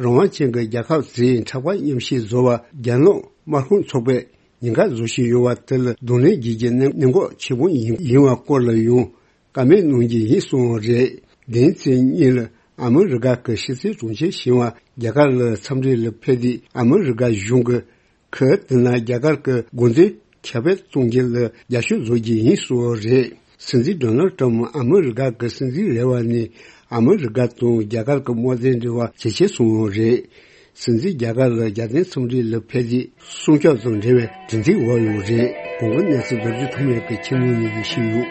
རང་དབང་ཅན་གྱི་རྒྱལ་ཁབ་ཚོས་འཁྲབ་ཁ་མཉམ་བཞེས་བཟོ་བར་རྒྱ་ནག་དམར་ཤོག་ཚོགས་པས་ཉེན་ཁ་བཟོ་བཞིན་ཡོད་པ་དེ་ལ་གདོང་ལེན་བྱེད་རྒྱུ་གནད་གནད་འགག་ཆེ་པོ་ཡིན་ཡིན་པ་སྐོར་ལ་ཡང་བཀའ་མོལ་གནང་རྒྱུ་ཡིན་གསུངས་པ་རེད། དེང་ཚེས་གཉིས་ལ་ཨ་མི་རི་ཀ་གི་ཕྱི་སྲིད་དྲུང་ཆེ་ཞི་བ་རྒྱ་གར་ལ་འཚམས་འདྲི་ལ་ཕེབས་དུས་ཨ་མི་རི་ཀ་གཞུང་གིས་ཁོས་དེ་ན་རྒྱ་གར་གྱི་དགོས་འདུན་ཁྱབ་སྤེལ་གཏོང་རྒྱུ་ལ་རྒྱབ་སྐྱོར་བཟོ་རྒྱུ་ཡིན་གསུངས་པ་རེད། སྲིད་འཛིན་ཌོ་ནལ་ཊམ་ཨ་མི་རི་ཀ་གི་སྲིད་འཛིན་རེད་པ་ནས་ཨ་མི་རི་ཀ་དང་རྒྱ་གར་གྱི་དམག་དོན་འབྲེལ་བ་ཇེ་ཆེ་སོང་བ་རེད། སྲིད་འཛིན་རྒྱ་གར་ལ་རྒྱལ་བསྟན་འཚམས་འདྲི་ལ་ཕེབས་དུས་སྲུང་སྐྱོབ་དང་འབྲེལ་བའི་དྲི་འཛིན་འོག་ཡོད་རེད། གོང་གི་གནས་ཚུལ་རྡོ་རྗེ་ཐོགས་མེད་ཀྱིས་ཁྱེར་ནས་ཉན་གྱི་ཞུས་ཡོད།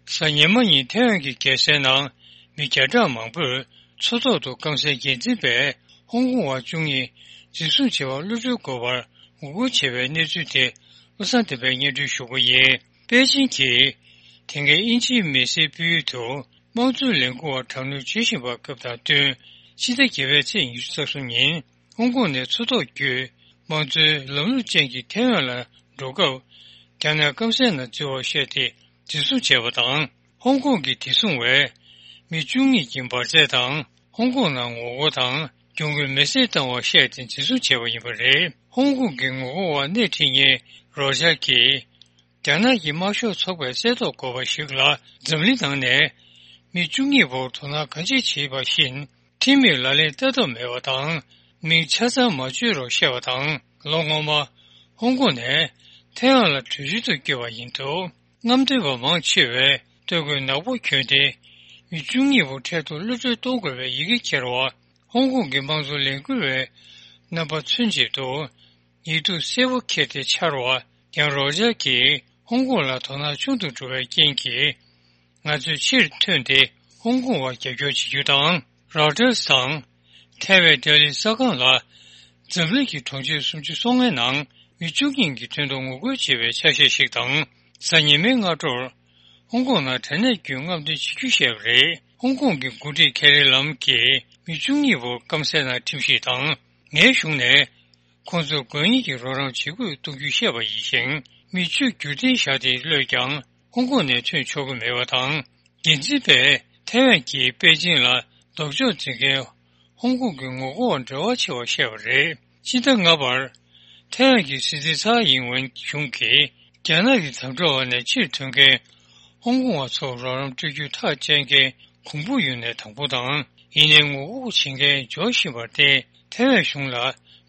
གཟའ་ཉི་མ་ཉིན་ཐའེ་ཝན་གྱི་རྒྱལ་སའི་ནང་མི་བརྒྱ་ཕྲག་མང་པོས་མཚོ་ཐོག་ཏུ་སྐམ་སའི་འགན་འཛིན་པས་ཧོང་ཀོང་བ་བཅུ་གཉིས་འཛིན་བཟུང་བྱས་པར་གློད་གྲོལ་དགོས་པར་ངོ་རྒོལ་བྱས་པའི་གནས་ཚུལ་དེ་བློ་བཟང་བསྟན་པས་སྙན་སྒྲོན་ཞུ་རྒྱུ་ཡིན། པེ་ཅིང་གིས་དེ་སྔའི་དབྱིན་ཇིའི་མི་སེར་སྤོ་ཡུལ་དུ་དམངས་གཙོའི་ལས་འགུལ་བ་དྲག་གནོན་བྱེད་བཞིན་པ་སྐབས་དང་བསྟུན། ཕྱི་ཟླ་བརྒྱད་པའི་ཚེས་ཉི་ཤུ་རྩ་གསུམ་ཉིན་ཧོང་ཀོང་ནས་མཚོ་ཐོག་བརྒྱུད་དམངས་གཙོའི་ལམ་ལུགས་ཅན་གྱི་ཐའེ་ཝན་ལ་འགྲོ་སྐབས་རྒྱ་ནག་སྐམ་སའི་ནང་འཛུལ་བར་བཤད་དེ་འཛིན་བཟུང་བྱས་པ་དང་། ཧོང་ཀོང་གི་བདེ་སྲུང་བས་མི་བཅུ་གཉིས་ཀྱི་འབར་རྫས་དང་ཧོང་ཀོང་ནང་ངོ་རྒོལ་དང་གྱོང་གུན་མེ་སྲེག་བཏང་བར་བཤད་དེ་འཛིན་བཟུང་བྱས་པ་ཡིན་པ་རེད། ཧོང་ཀོང་གི་ངོ་རྒོལ་བ་སྣེ་ཁྲིད་མཁན་རོ་ཇར་གྱིས། རྒྱ་ནག་གི་དམར་ཤོག་ཚོགས་པས་གསལ་རྟོགས་དགོས་པ་ཞིག་ལ་འཛམ་གླིང་ནང་ནས་མི་བཅུ་གཉིས་བོར་དོ་སྣང་གང་ཆེ་བྱས་པ་བཞིན། ཁྲིམས་མེད་ལག་ལེན་ལྟ་ཐབས་མེད་པ་དང་མིང་ཆ་ཚང་མ་བརྗོད་རོགས་བཤད་པ་དང་། ལོ་སྔོན་མ་ཧོང་ཀོང་ནས་ཐའེ་ཝན་ལ་བྲོས་བྱོལ་དུ་བསྐྱོད་པ་ཡིན་འདུག་རྔམ་སྟོན་པ་མང་ཆེ་བས་སྟོད་གོས་ནག་པོ་གྱོན་ཏེ་མི་བཅུ་གཉིས་པོ་འཕྲལ་དུ་གློད་གྲོལ་གཏོང་དགོས་པའི་ཡི་གེ་འཁྱེར་བ། ཧོང་ཀོང་གི་དམངས་གཙོ་ལས་འགུལ་བའི་རྣམ་པ་མཚོན་བྱེད་དུ་ཡིག་ཐོག་སེར་པོ་འཁྱེར་ཏེ་འཕྱར་བ། ཡང་རོ་ཇར་གྱིས་ཧོང་ཀོང་ལ་དོ་སྣང་ཆུང་དུ་འགྲོ་བའི་རྐྱེན་གྱིས། ང་ཚོས་ཕྱིར་ཐོན་ཏེ་ཧོང་ཀོང་བར་རྒྱབ་སྐྱོར་བྱེད་རྒྱུ་དང་། རོ་ཊར་སི་དང་། ཐའེ་ཝན་ལྡི་ལི་ས་ཁང་ལ་འཛམ་གླིང་གི་གྲོང་ཁྱེར་སུམ་ཅུ་སོ་ལྔའི་ནང་མི་བཅུ་གཉིས་ཀྱི་དོན་དུ་ངོ་རྒོལ་བྱེད་པའི་ཆ་ཤས་ཤིག་དང་། གཟའ་ཉི་མའི་སྔ་དྲོར་ཧོང་ཀོང་ནང་དྲ་གནས་བརྒྱུད་རྔམ་སྟོན་བྱེད་རྒྱུ་བཤད་པ་རེད། ཧོང་ཀོང་གི་འགོ་ཁྲིད་ཁེ་རི་ལམ་གྱིས་མི་བཅུ་གཉིས་བོར་སྐམ་སའི་ནང་ཁྲིམས་ཞིབ་དང་། ངའི་གཞུང་ནས་ཁོང་ཚོར་དགོས་ངེས་ཀྱི་རོགས་རམ་བྱེད་དགོས་གཏུག་རྒྱུ་བཤད་པ་ཡིན་ཞིང་། མི་བཅུ་བརྒྱུད་འཐེན་བཞག་སྟེ་གློད་ཀྱང་ཧོང་ཀོང་ནས་ཐོན་ཆོག་གི་མེད་པ་དང་། འགན་འཛིན་པས་ཐའེ་ཝན་གྱིས་པེ་ཅིང་ལ་ལྡོག་ཕྱོགས་འཛིན་མཁན་ཧོང་ཀོང་གི་ངོ་རྒོལ་བ་འབྲེལ་བ་ཆེ་བ་བཤད་པ་རེད། ཕྱི་ཟླ་ལྔ་པར་ཐའེ་ཝན་གྱི་སྲིད་འཛིན་ཚའེ་ཡིན་ཝེན་གཞུང་གིས་རྒྱ་ནག་གི་དམ་དྲག་འོག་ནས་ཕྱིར་ཐོན་མཁན་ ཧོང་ཀོང་བ་ཚོར་རོགས་རམ་སྤྲོད་རྒྱུའི་ཐག་བཅད་མཁན་གོང་བུ་ཡོད་ནས་དང་པོ་དང་། ཡིན་ནའི་ངོ་རྒོལ་བྱེད་མཁན་འབྱོར་བཞིན་པར་བརྟེན། ཐའེ་ཝན་གཞུང་ལ་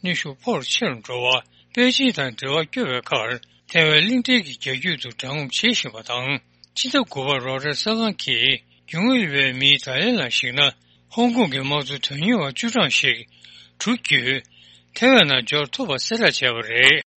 གནོན་ཤུགས་ཕོར་ཆེ་རུ་འགྲོ་བ། པེ་ཅིང་དང་འབྲེལ་བ་བསྐྱུར་བའི་ཁར། ཐའེ་ཝན་གླིང་ཕྲན་གྱི་རྒྱ་རྒྱུད་དུ་འདྲ་མཉམ་བྱེད་བཞིན་པ་དང་། ཕྱི་ཟླ་དགུ་པར་རོའུ་ཊར་གསར་ཁང་གིས་རྒྱུས་མངའ་ཡོད་པའི་མིའི་བརྡ་ལན་ལ་གཞིགས་ན། ཧོང་ཀོང་གི་དམངས་གཙོ་དོན་གཉེར་བ་བཅུ་གྲངས་ཤིག་གྲུ་བརྒྱུད་ཐའེ་ཝན་ནང་འབྱོར་ཐུབ་པ་གསལ་བསྒྲགས་བྱས་པ་རེད།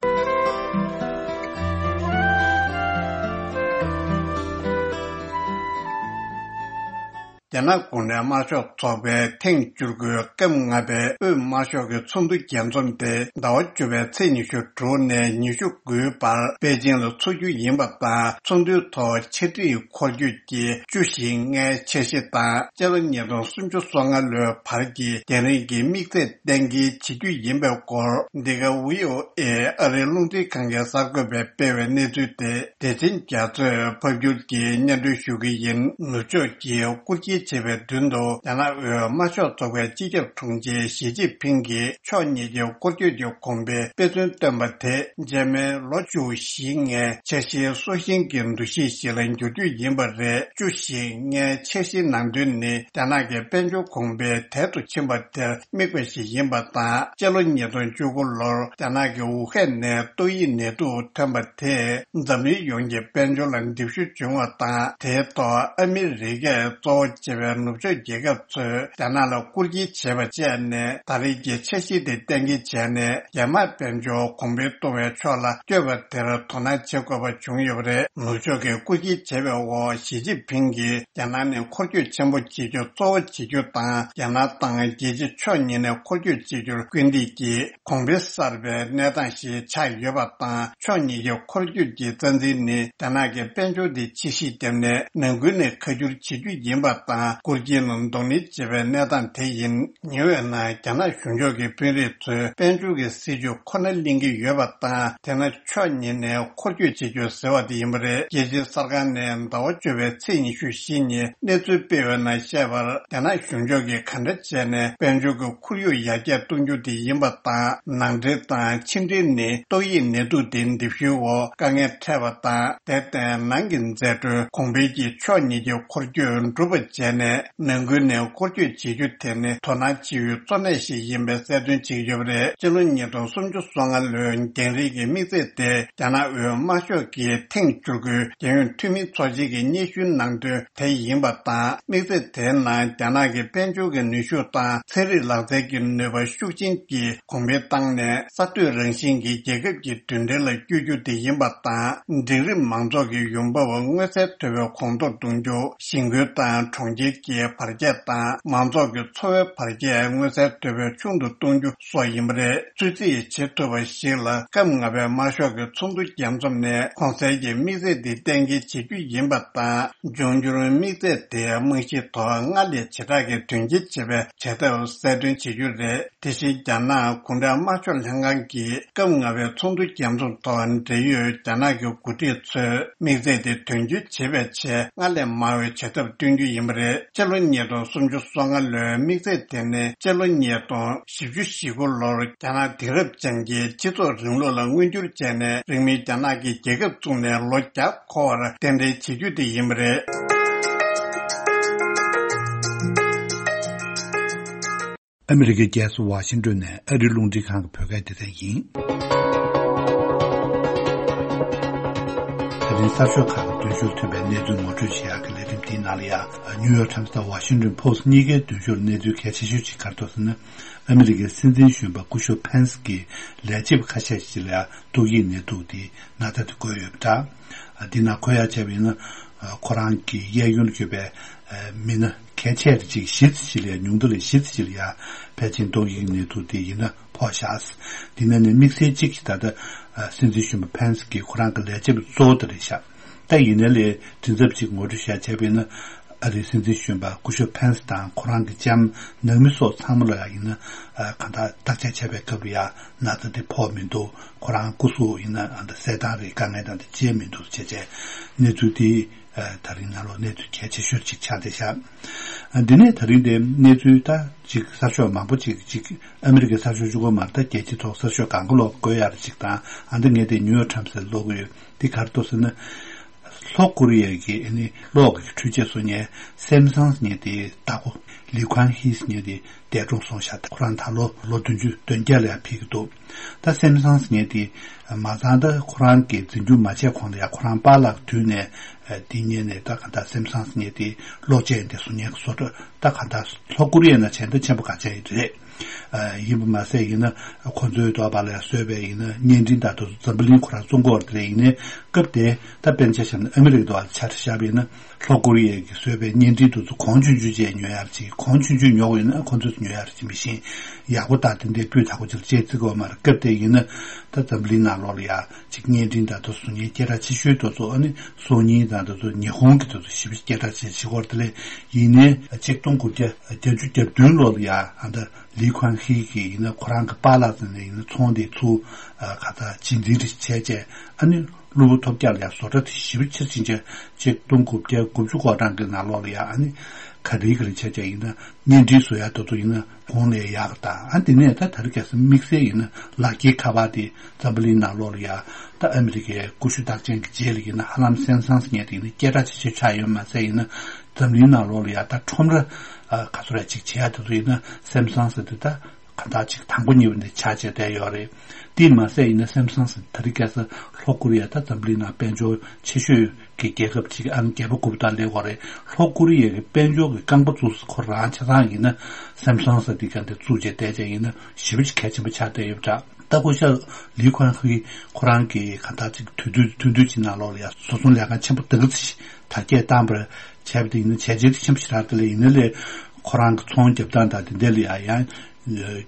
རྒྱ་ནག་གུང་ཁྲན་དམར་ཤོག་ཚོགས་པའི་ཐེངས་བཅུ་དགུའི་སྐབས་ལྔ་པའི་དབུས་དམར་ཤོག་གི་ཚོགས་འདུ་རྒྱས་འཛོམས་དེ་ཟླ་བ་བཅུ་པའི་ཚེས་ཉི་ཤུ་དྲུག་ནས་ཉི་ཤུ་དགུའི་བར་པེ་ཅིང་ལ་འཚོགས་རྒྱུ་ཡིན་པ་དང་། ཚོགས་འདུའི་ཐོག་ཕྱི་དྲིལ་འཁོར་སྐྱོད་ཀྱི་བཅུ་བཞི་ལྔའི་འཆར་གཞི་དང་། སྤྱི་ལོ་ཉིས་སྟོང་སུམ་ཅུ་སོ་ལྔ་ལོའི་བར་གྱི་རྒྱང་རིང་གི་དམིགས་ཚད་གཏན་འཁེལ་བྱེད་རྒྱུ་ཡིན་པའི་སྐོར། འདི་ག་བྷི་ཨོ་ཨེ་ཨ་རིའི་རླུང་འཕྲིན་ཁང་གི་གསར་འགོད་པས་སྤེལ་བའི་གནས་ཚུལ་དེ། བདེ་ཆེན་རྒྱ་མཚོས་ཕབ་སྒྱུར་གྱིས་སྙན་སྒྲོན་ཞུ་གི་ཡིན། ནུབ་ཕྱོགས་ཀྱིས་སྐུལ་ཁྱེད་བྱེད་པའི་མདུན་དུ། རྒྱ་ནག་དབུས་དམར་ཤོག་ཚོགས་པའི་སྤྱི་ཁྱབ་དྲུང་ཆེ་ཞི་ཅིན་ཕིང་གིས་ཕྱོགས་གཉིས་ཀྱི་སྐོར་སྐྱོད་ཀྱི་གོང་འཕེལ་དཔེ་མཚོན་བཏོན་པ་དེ། རྗེས་མའི་ལོ་བཅུ་བཞི་ལྔའི་འཆར་གཞིའི་སྲོག་ཤིང་གི་འདུ་ཤེས་ཤིག་ལ་འགྱུར་རྒྱུ་ཡིན་པ་རེད། བཅུ་བཞི་ལྔའི་འཆར་གཞིའི་ནང་དོན་ནི། རྒྱ་ནག་གི་དཔལ་འབྱོར་གོང་འཕེལ་དལ་དུ་ཕྱིན་པ་དེར་དམིགས་པ་ཞིག་ཡིན་པ་དང་། སྤྱི་ལོ་ཉིས་སྟོང་བཅུ་དགུ་ལོར་རྒྱ་ནག་གི་ཝུ་ཧན་ནས་ཏོག་དབྱིབས་ནད་དུག་ཐོན་པ་དེས་འཛམ་གླིང་ཡོངས་ཀྱི་དཔལ་འབྱོར་ལ་འདེབས་ཤུགས་བྱུང་བ་དང་། དེའི་ཐོག་ཨ་མི་རི་ཀས་གཙོ་བོ་བྱས་པའི་ནུབ་ཕྱོགས་རྒྱལ་ཁབ་ཚོས་རྒྱ་ནག་ལ་སྐུལ་ཁྱེད་བྱས་པ་བཅས་ནས། ད་རེས་ཀྱི་འཆར་གཞི་དེ་གཏན་འཁེལ་བྱས་ནས། རྒྱ་དམར་དཔལ་འབྱོར་གོང་འཕེལ་གཏོང་བའི་ཕྱོགས་ལ་བསྐྱོད་པ་དེར་དོ་སྣང་བྱེད་དགོས་པ་བྱུང་ཡོད་པ་རེད། ནུབ་ཕྱོགས་ཀྱིས་སྐུལ་ཁྱེད་བྱས་པའི་འོག་ཞི་ཅིན་ཕིང་གིས། རྒྱ་ནག་ནི་འཁོར་སྐྱོད་ཆེན་པོ་བྱེད་རྒྱུ་གཙོ་བོ་བྱེད་རྒྱུ་དང་། རྒྱ་ནག་དང་རྒྱལ་སྤྱི་ཕྱོགས་གཉིས་ནས་འཁོར་སྐྱོད་བྱེད་རྒྱུར་སྐུལ་འདེད་ཀྱིས། གོང་འཕེལ་གསར་པའི་གནས་སྟངས་ཤིག་ཆགས་ཡོད་པ་དང་། ཕྱོགས་གཉིས་ཀྱི་འཁོར་སྐྱོད་ཀྱི་རྩ་འཛིན་ནི། རྒྱ་ནག་གི་དཔལ་འབྱོར་དེ་ཕྱིས་བཤིག་བརྒྱབ་ནས་ནང་ཁུལ་ནས་ཁ་བསྒྱུར་བྱེད་རྒྱུ་ཡིན་པ་དང་། སྐུལ་འདེད་ནང་གདོང་ལེན་བྱེད་པའི་གནས་སྟངས་དེ་ཡིན། ཉེ་བའི་ནང་རྒྱ་ནག་གཞུང་ཕྱོགས་ཀྱི་དཔོན་རིགས་ཚོས་དཔལ་འབྱོར་གྱི་སྲིད་ཇུས་ཁོ་ན་གླེང་གི་ཡོད་པ་དང་། དེས་ན་ཕྱོགས་གཉིས་ནས་འཁོར་སྐྱོད་བྱེད་རྒྱུ་ཟེར་བ་དེ་ཡིན་པ་རེད། རྒྱལ་སྤྱིའི་གསར་ཁང་ནས་ཟླ་བ་བཅུ་པའི་ཚེས་ཉི་ཤུ་བཞི་ཉིན་གནས་ཚུལ་སྤེལ་བའི་ནང་བཤད་པར། རྒྱ་ནག་གཞུང་ཕྱོགས་ཀྱིས་ག་འདྲ་བྱས་ནས་དཔལ་འབྱོར་གྱི་ཁོར་ཡུག་ཡར་རྒྱས་གཏོང་རྒྱུ་དེ་ཡིན་པ་དང་། ནང་འདྲེན་དང་ཕྱི་འབྲེལ་ནི་ཏོག་དབྱིབས་ནད་དུག་དེ་འདེབས་ཤུགས་འོག་དཀའ་ངལ་འཕྲད་པ་དང་། དེར་བརྟེན་ནང་གི་འཛད་སྤྲོད་གོང་འཕེལ་གྱིས་ཕྱོགས་གཉིས་ཀྱི་འཁོར་སྐྱོད་འགྲུབ་པ་བྱས་ནས། ནང་ཁུལ་ནས་འཁོར་སྐྱོད་བྱེད་རྒྱུ་དེ་ནི་དོ་སྣང་བྱེད་ཡུལ་གཙོ་གནད་ཞིག་ཡིན་པའི་གསལ་སྟོན་བྱེད་ཀྱི་ཡོད་པ་རེད། སྤྱི་ལོ་ཉིས་སྟོང་སུམ་ཅུ་སོ་ལྔ་ལོའི་རྒྱང་རིང་གི་དམིགས་ཚད་དེ། རྒྱ་ནག་དབུས་དམར་ཤོག་གི་ཐེངས་བཅུ་དགུའི་རྒྱལ་ཡོངས་འཐུས་མི་ཚོགས་ཆེན་གྱི་སྙན་ཞུའི་ནང་དོན་དེ་ཡིན་པ་དང་། དམིགས་ཚད་དེའི་ནང་རྒྱ་ནག་གི་དཔལ་འབྱོར་གྱི་ནུས་ཤུགས་དང་ཚན་རིག་ལག་རྩལ་གྱི་ནུས་པ་ཤུགས་ཆེན་གྱིས་གོང་འཕེལ་བཏང་ནས། གསར་གཏོད་རང་བཞིན་གྱི་རྒྱལ་ཁབ་ཀྱི་མདུན་གྲལ་ལ་བསྐྱོད་རྒྱུ་དེ་ཡིན་པ་དང་། འབྲིང་རིམ་མང་ཚོགས་ཀྱི་ཡོང་འབབ་མངོན་གསལ་དོད་པོས་གོང་མཐོར་གཏོང་རྒྱུ། ཞིང་ཁུལ་དང་གྲོང་ཁྱེར་གྱི་བར་ཁྱད་དང་མང་ཚོགས་ཀྱི་འཚོ་བའི་བར་ཁྱད་མངོན་གསལ་དོད་པོས་ཆུང་དུ་གཏོང་རྒྱུ་སོགས་ཡིན་པ་རེད། ཚོད་རྩིས་བྱེད་ཐུབ་པ་ཞིག་ལ། སྐབས་ལྔ་པའི་དམར་ཤོག་གི་ཚོགས་འདུ་རྒྱས་འཛོམས་ནས་གོང་གསལ་གྱི་དམིགས་ཚད་འདི་གཏན་འཁེལ་བྱེད་རྒྱུ་ཡིན་པ་དང་། འབྱུང་འགྱུར་དམིགས་ཚད་དེའི་རྨང་གཞིའི་ཐོག་སྔར་ལས་ཇེ་དྲག་གི་དོན་འཁྱོལ་བྱེད་པའི་བྱེད་ཐབས་གསལ་སྟོན་བྱེད་རྒྱུ་རེད། དེ་བཞིན་རྒྱ་ནག་གུང་ཁྲན་དམར་ཤོག་ལྷན་ཁང་གིས་སྐབས་ལྔ་པའི་ཚོགས་འདུ་རྒྱས་འཛོམས་ཐོག་འབྲེལ་ཡོད་རྒྱ་ནག་གི་འགོ་ཁྲིད་ཚོས་དམིགས་ཚད་དེ་དོན་འཁྱོལ་བྱེད་པའི་ཆེད་སྔར་ལས་མང་བའི་བྱེད་ཐབས་བསྟུན་རྒྱུ་ཡིན་པ་རེད། སྤྱི་ལོ་ཉིས་སྟོང་སུམ་ཅུ་སོ་ལྔ་ལོའི་དམིགས་ཚད་དེ་ནི་སྤྱི་ལོ་ཉིས་སྟོང་བཞི་བཅུ་ཞེ་དགུ་ལོར་རྒྱ་ནག་དེང་རབས་ཅན་གྱི་སྤྱི་ཚོགས་རིང་ལུགས་ལ་མངོན་འགྱུར་བྱས་ནས། རིང་མིན་རྒྱ་ནག་གིས་རྒྱལ་ཁབ་བཙུགས་ནས་ལོ་བརྒྱ་འཁོར་བར་རྟེན་འབྲེལ་བྱེད་རྒྱུ་དེ་ཡིན་པ་རེད། ཨ་མི་རི་ཀའི་རྒྱལ་ས་ཝ་ཤིང་ཏོན་ནས་ཨ་རིའི་རླུང་འཕྲིན་ཁང་གི་བོད་སྐད་སྡེ་ཚན་ཡིན། ད་རིང་གསར་ཤོག་ཁག་གི་འདོན་ཞུར་ཐོན་པའི་གནས་ཚུལ་ངོ་སྤྲོད་བྱེད་ཡག་གི་ལས་རིམ་འདིའི་ནང་ལ་ཡ། ནིའུ་ཡོག་ཊའིམ་སི་དང་ཝ་ཤིང་ཏོན་ཕོ་སི་ཊི་གཉིས་ཀའི་འདོན་ཞུར་གནས་ཚུལ་གལ་ཆེ་ཤོས་ཅིག་ག་རེ་འདུག་ཟེར་ན། ཨ་མི་རི་ཀའི་སྲིད་འཛིན་གཞོན་པ་སྐུ་ཞབས་ཕེན་སི་གིས་ལས་བྱེད་པ་ཁ་ཤས་ཤིག་ལ་ཡ་ཏོག་དབྱིབས་ནད་དུག་དེའི་ན་ཚ་དེ་འགོས་ཡོད་པ་འདྲ། འདི་ནང་འཁོད་ཡ་བྱས་པ་ཡིན་ན། ཁོ་རང་གི་གཡས་གཡོན་ལ་ཡོད་པའི་མི་སྣ་གལ་ཆེ་རིགས་ཅིག་བཞི་ཙམ་ཞིག་ལ་ཡ། ཉུང་མཐའ་ལ་བཞི་ཙམ་ཞིག་ལ་ཡ་ཕལ་ཆེར་ཏོག་དབྱིབས་ནད་དུག་དེ་ཡིན་ན་ཕོག་བཞག་འདི་ནས་ནི་དམིགས་བསལ་གཅིག་ད་ལྟ་སྲིད་འཛིན་གཞོན་པ་ཕེན་སི་གིས་ཁོ་རང་གི་ལས་བྱེད་པ་གཙོ་བོ་དེ་རེད་ཤག་ད་ཡིན་ནའི་ལས་མགྲིན་ཚབ་ཅིག་ངོ་སྤྲོད་བྱས་བྱས་པ་ཡིན་ན། ཨ་རིའི་སྲིད་འཛིན་གཞོན་པ་སྐུ་ཞབས་ཕེན་སི་དང་ཁོ་རང་གི་ལྕམ་ནང་མི་སོགས་ཚང་མ་ལ་ཡ་ཡིན་ན། གང་ལྟར་བརྟག་དཔྱད་བྱས་པའི་སྐབས་ལ་ཡ་ན་ཚ་དེ་ཕོག་མི་འདུག་ཁོ་རང་སྐུ་གཟུགས་ཡིན་ན་ཨ་ད་གསལ་ཐང་རེད། དཀའ་ངལ་དང་དེ་ཅི་ཡང་མི་འདུག་བྱས་བྱས་གནས་ཚུལ་དེ། ད་རིང་ནང་ལོགས་གནས་ཚུལ་གལ་ཆེ་ཤོས་ཅིག་ཆགས་བསྡད་ཤག་འདི་ནས་ད་རིང་དེ་གནས་ཚུལ་ད་ཅིག་གསར་ཤོག་མང་པོ་ཅིག་ཅིག་ཨ་མི་རི་ཀའི་གསར་ཤོག་གཅིག་པོ་མ་རེད། ད་རྒྱལ་སྤྱིའི་ཐོག་གསར་ཤོག་གང་ག་ལོག་བཀོད་ཡག་རེད་ཅིག་དང་། ཨ་ད་ངས་དེ་ནིའུ་ཡོག་ཊའིམ་སི་ལ་ཀློག་གི་ཡོད། དེ་ག་རེ་འདུག་ཟེར་ན། ལྷོ་ཀོ་རི་ཡ་གི་ཨ་ནི་གློག་གི་འཕྲུལ་ཆས་བཟོ་མཁན་སེམ་སང་ཟེར་མཁན་དེ་བདག་པོ་ལི་ཁུང་ཧི་ཟེར་མཁན་དེ་འདས་གྲོངས་སོང་ཤག་ཁོ་རང་ད་ལོ་ལོ་བདུན་ཅུ་དོན་བརྒྱད་ལ་ཡང་ཕེབས་ཀྱི་འདུག་ད་སེམ་སང་ཟེར་མཁན་དེ་མ་ཚང་ད་ཁོ་རང་གི་འཛིན་སྐྱོང་མ་བྱས་གོང་ལ་ཡང་ཁོ་རང་པཱ་ལགས་དུས་ནས་དེ་ཉིད་ནས་ད་ག་ད་སེམ་སང་ཟེར་མཁན་དེ་གློག་ཆས་དེ་བཟོ་མཁན་གྱི་བཟོ་གྲྭ་ད་ག་ད་ལྷོ་ཀོ་རི་ཡ་ན་བྱས་ན་ཆེན་པོ་ག་ཆགས་ཡོད་རེད། ཡིན་པ་མ་ཟད་ཡིན་ན་ཁོ་ཚོའི་ཐོག་པ་ལ་བཟོས་པའི་ཡིན་ན་བརྙན་འཕྲིན་དང་དེ་ཚོ་འཛམ་བུ་གླིང་ཁོ་རང་བཙོང་གི་ཡོད་རེད། ཡིན་ནའི་སྐབས་དེ་ད་དཔེར་ན་ཆ་བཞག་ན་ཨ་མི་རི་ཀའི་ཐོག་ལ་ཆ་བཞག་པ་ཡིན་ན་ལྷོ་ཀོ་རི་ཡ་གིས་བཟོས་པའི་བརྙན་འཕྲིན་དེ་ཚོ་གོང་ཆུང་ཆུང་བཅས་ཉོ་ཡག་ཅིག་གོང་ཆུང་ཆུང་ཉོ་དགོས་ཡིན་ན་ཁོ་ཚོས་ཉོ་ཡག་ཅིག་མི་ཤེས། ཡག་པོ་དང་དེ་འདྲའི་སྤུས་དག་པོ་ཅིག་ལ་བཅས་བརྩི་དགོས་མ་རེད། སྐབས་དེ་ཡིན་ན་ད་འཛམ་བུ་གླིང་ནང་ལོགས་ལ་ཡ་ཅིག་བརྙན་འཕྲིན་དང་དེ་ཚོ་བཟོ་མཁན་སྐད་གྲགས་ཆེ་ཤོས་དེ་ཚོ་ཨ་ནི་སོ་ཉིན་དང་དེ་ཚོ་ཉི་ཧོང་གི་དེ་ཚོ་ཞེ་པོ་སྐད་གྲགས་ཆེ་ཆེ་སྐོར་དེ་ལས་ཡིན་ནའི་ཆིག་སྟོང་དགུ་བརྒྱ་བརྒྱད་ཅུ་གྱ་བདུན་ལོ་ལ་ཡ་ཨ་ད་ལི་ཁུང་ཧི་གིས་ཡིན་ན་ཁོ་རང་གི་པཱ་ལགས་ཚོ་ནས་ཡིན་ན་ཚོང་དེ་ཚུར་ག་ད་རྗེས་འཛིན་རེ་བྱས་བྱས་ཨ་ནི་གློ་བུར་ཐོལ་རྒྱག་ལ་ཡ་བཟོ་གྲྭ་དེ་ཞེ་པོ་ཆེར་ཕྱིན་བྱས་ཆིག་སྟོང་དགུ་བརྒྱ་དགུ་བཅུ་གོ་གྲངས་ཀྱི་ནང་ལོགས་ལ་ཡ་ཨ་ནི་ག་རེ་ག་རེ་བྱས་བྱས་ཡིན་ན་བརྙན་འཕྲིན་བཟོ་ཡ་དེ་ཚོ་ཡིན་ན་གོང་ལས་ཡག་ག་ད་ཨ་དེ་ནས་ད་ད་རེས་ཁ་སང་དམིགས་བསལ་ཡིན་ན་ལག་འཁྱེར་ཁ་པར་དེ་འཛམ་བུ་གླིང་ནང་ལོགས་ལ་ཡ་ད་ཨ་མི་རི་ཀའི་ཀུ་ཤུ་རྟགས་ཅན་གྱི་རྗེས་ལ་ཡིན་ན་ཧ་ལམ་སེམ་སང་ཟེར་མཁན་དེ་ཡིན་ན་སྐད་གྲགས་ཆེ་ཆེ་ཆགས་ཡོད་མ་ཟད་ཡིན་ན། འཛམ་གླིང་ནང་ལོགས་ལ་ཡ་ད་ཁྲོམ་ར་ཨ་ག་ཚོད་ར་ཅིག་བྱེད་ཡ་དེ་ཚོ་ཡིན་ན་སེམ་སང་ཟེར་དུས་ད་ག་འདྲ་ཅིག་དང་པོ་གཉིས་པ་འདི་ཆགས་བྱས་བསྡད་ཡོད་རེད། དེས་མ་ཟད་ཡིན་ན་སེམ་སང་ཟེར་ད་རེས་ཁ་སང་ལྷོ་ཀོ་རི་ཡ་ད་འཛམ་གླིང་ནང་དཔལ་འབྱོར་ཆེ་ཤོས་ཀྱི་རྒྱལ་ཁབ་ཅིག་ཨང་བརྒྱད་པ་དགུ་པ་དང་སླེབས་ཡོད་རེད། ལྷོ་ཀོ་རི་ཡ་གི་དཔལ་འབྱོར་གྱི་རྐང་པ་བཙུགས་ས་ཁོ་རང་ཆ་ཚང་ཡིན་ན་སེམ་སང་ཟེར་འདི་ག་འདི་བཙུགས་བྱས་བསྡད་བྱས་ཡིན་ན་ཞེ་པོ་ཅིག་གལ་ཆེན་པོ་ཆགས་བསྡད་ཡོད་པ་འདྲ། ད་སྐུ་ཞབས་ལི་ཁུང་ཧི་ཁོ་རང་གིས་ག་འདྲ་ཅིག་དུས་དུས་ཐུང་ཐུང་ཅིག་ནང་ལོགས་ལ་ཡ་བཟོ་ཚོང་ལས་ཁང་ཆེན་པོ་དེ་ག་ཚོད་དར་རྒྱས་བཏང་བར་བྱས་པ་དེ་ཡིན་ན་བྱས་རྗེས་དེ་ཆེན་པོ་ཞེ་དྲག་དེ་ལས་ཡིན་ན་ལས་ཁོ་རང་གི་ཚོང་རྒྱབ་སྟངས་དང་དེ་འདྲ་ལ་ཡ་ཡང་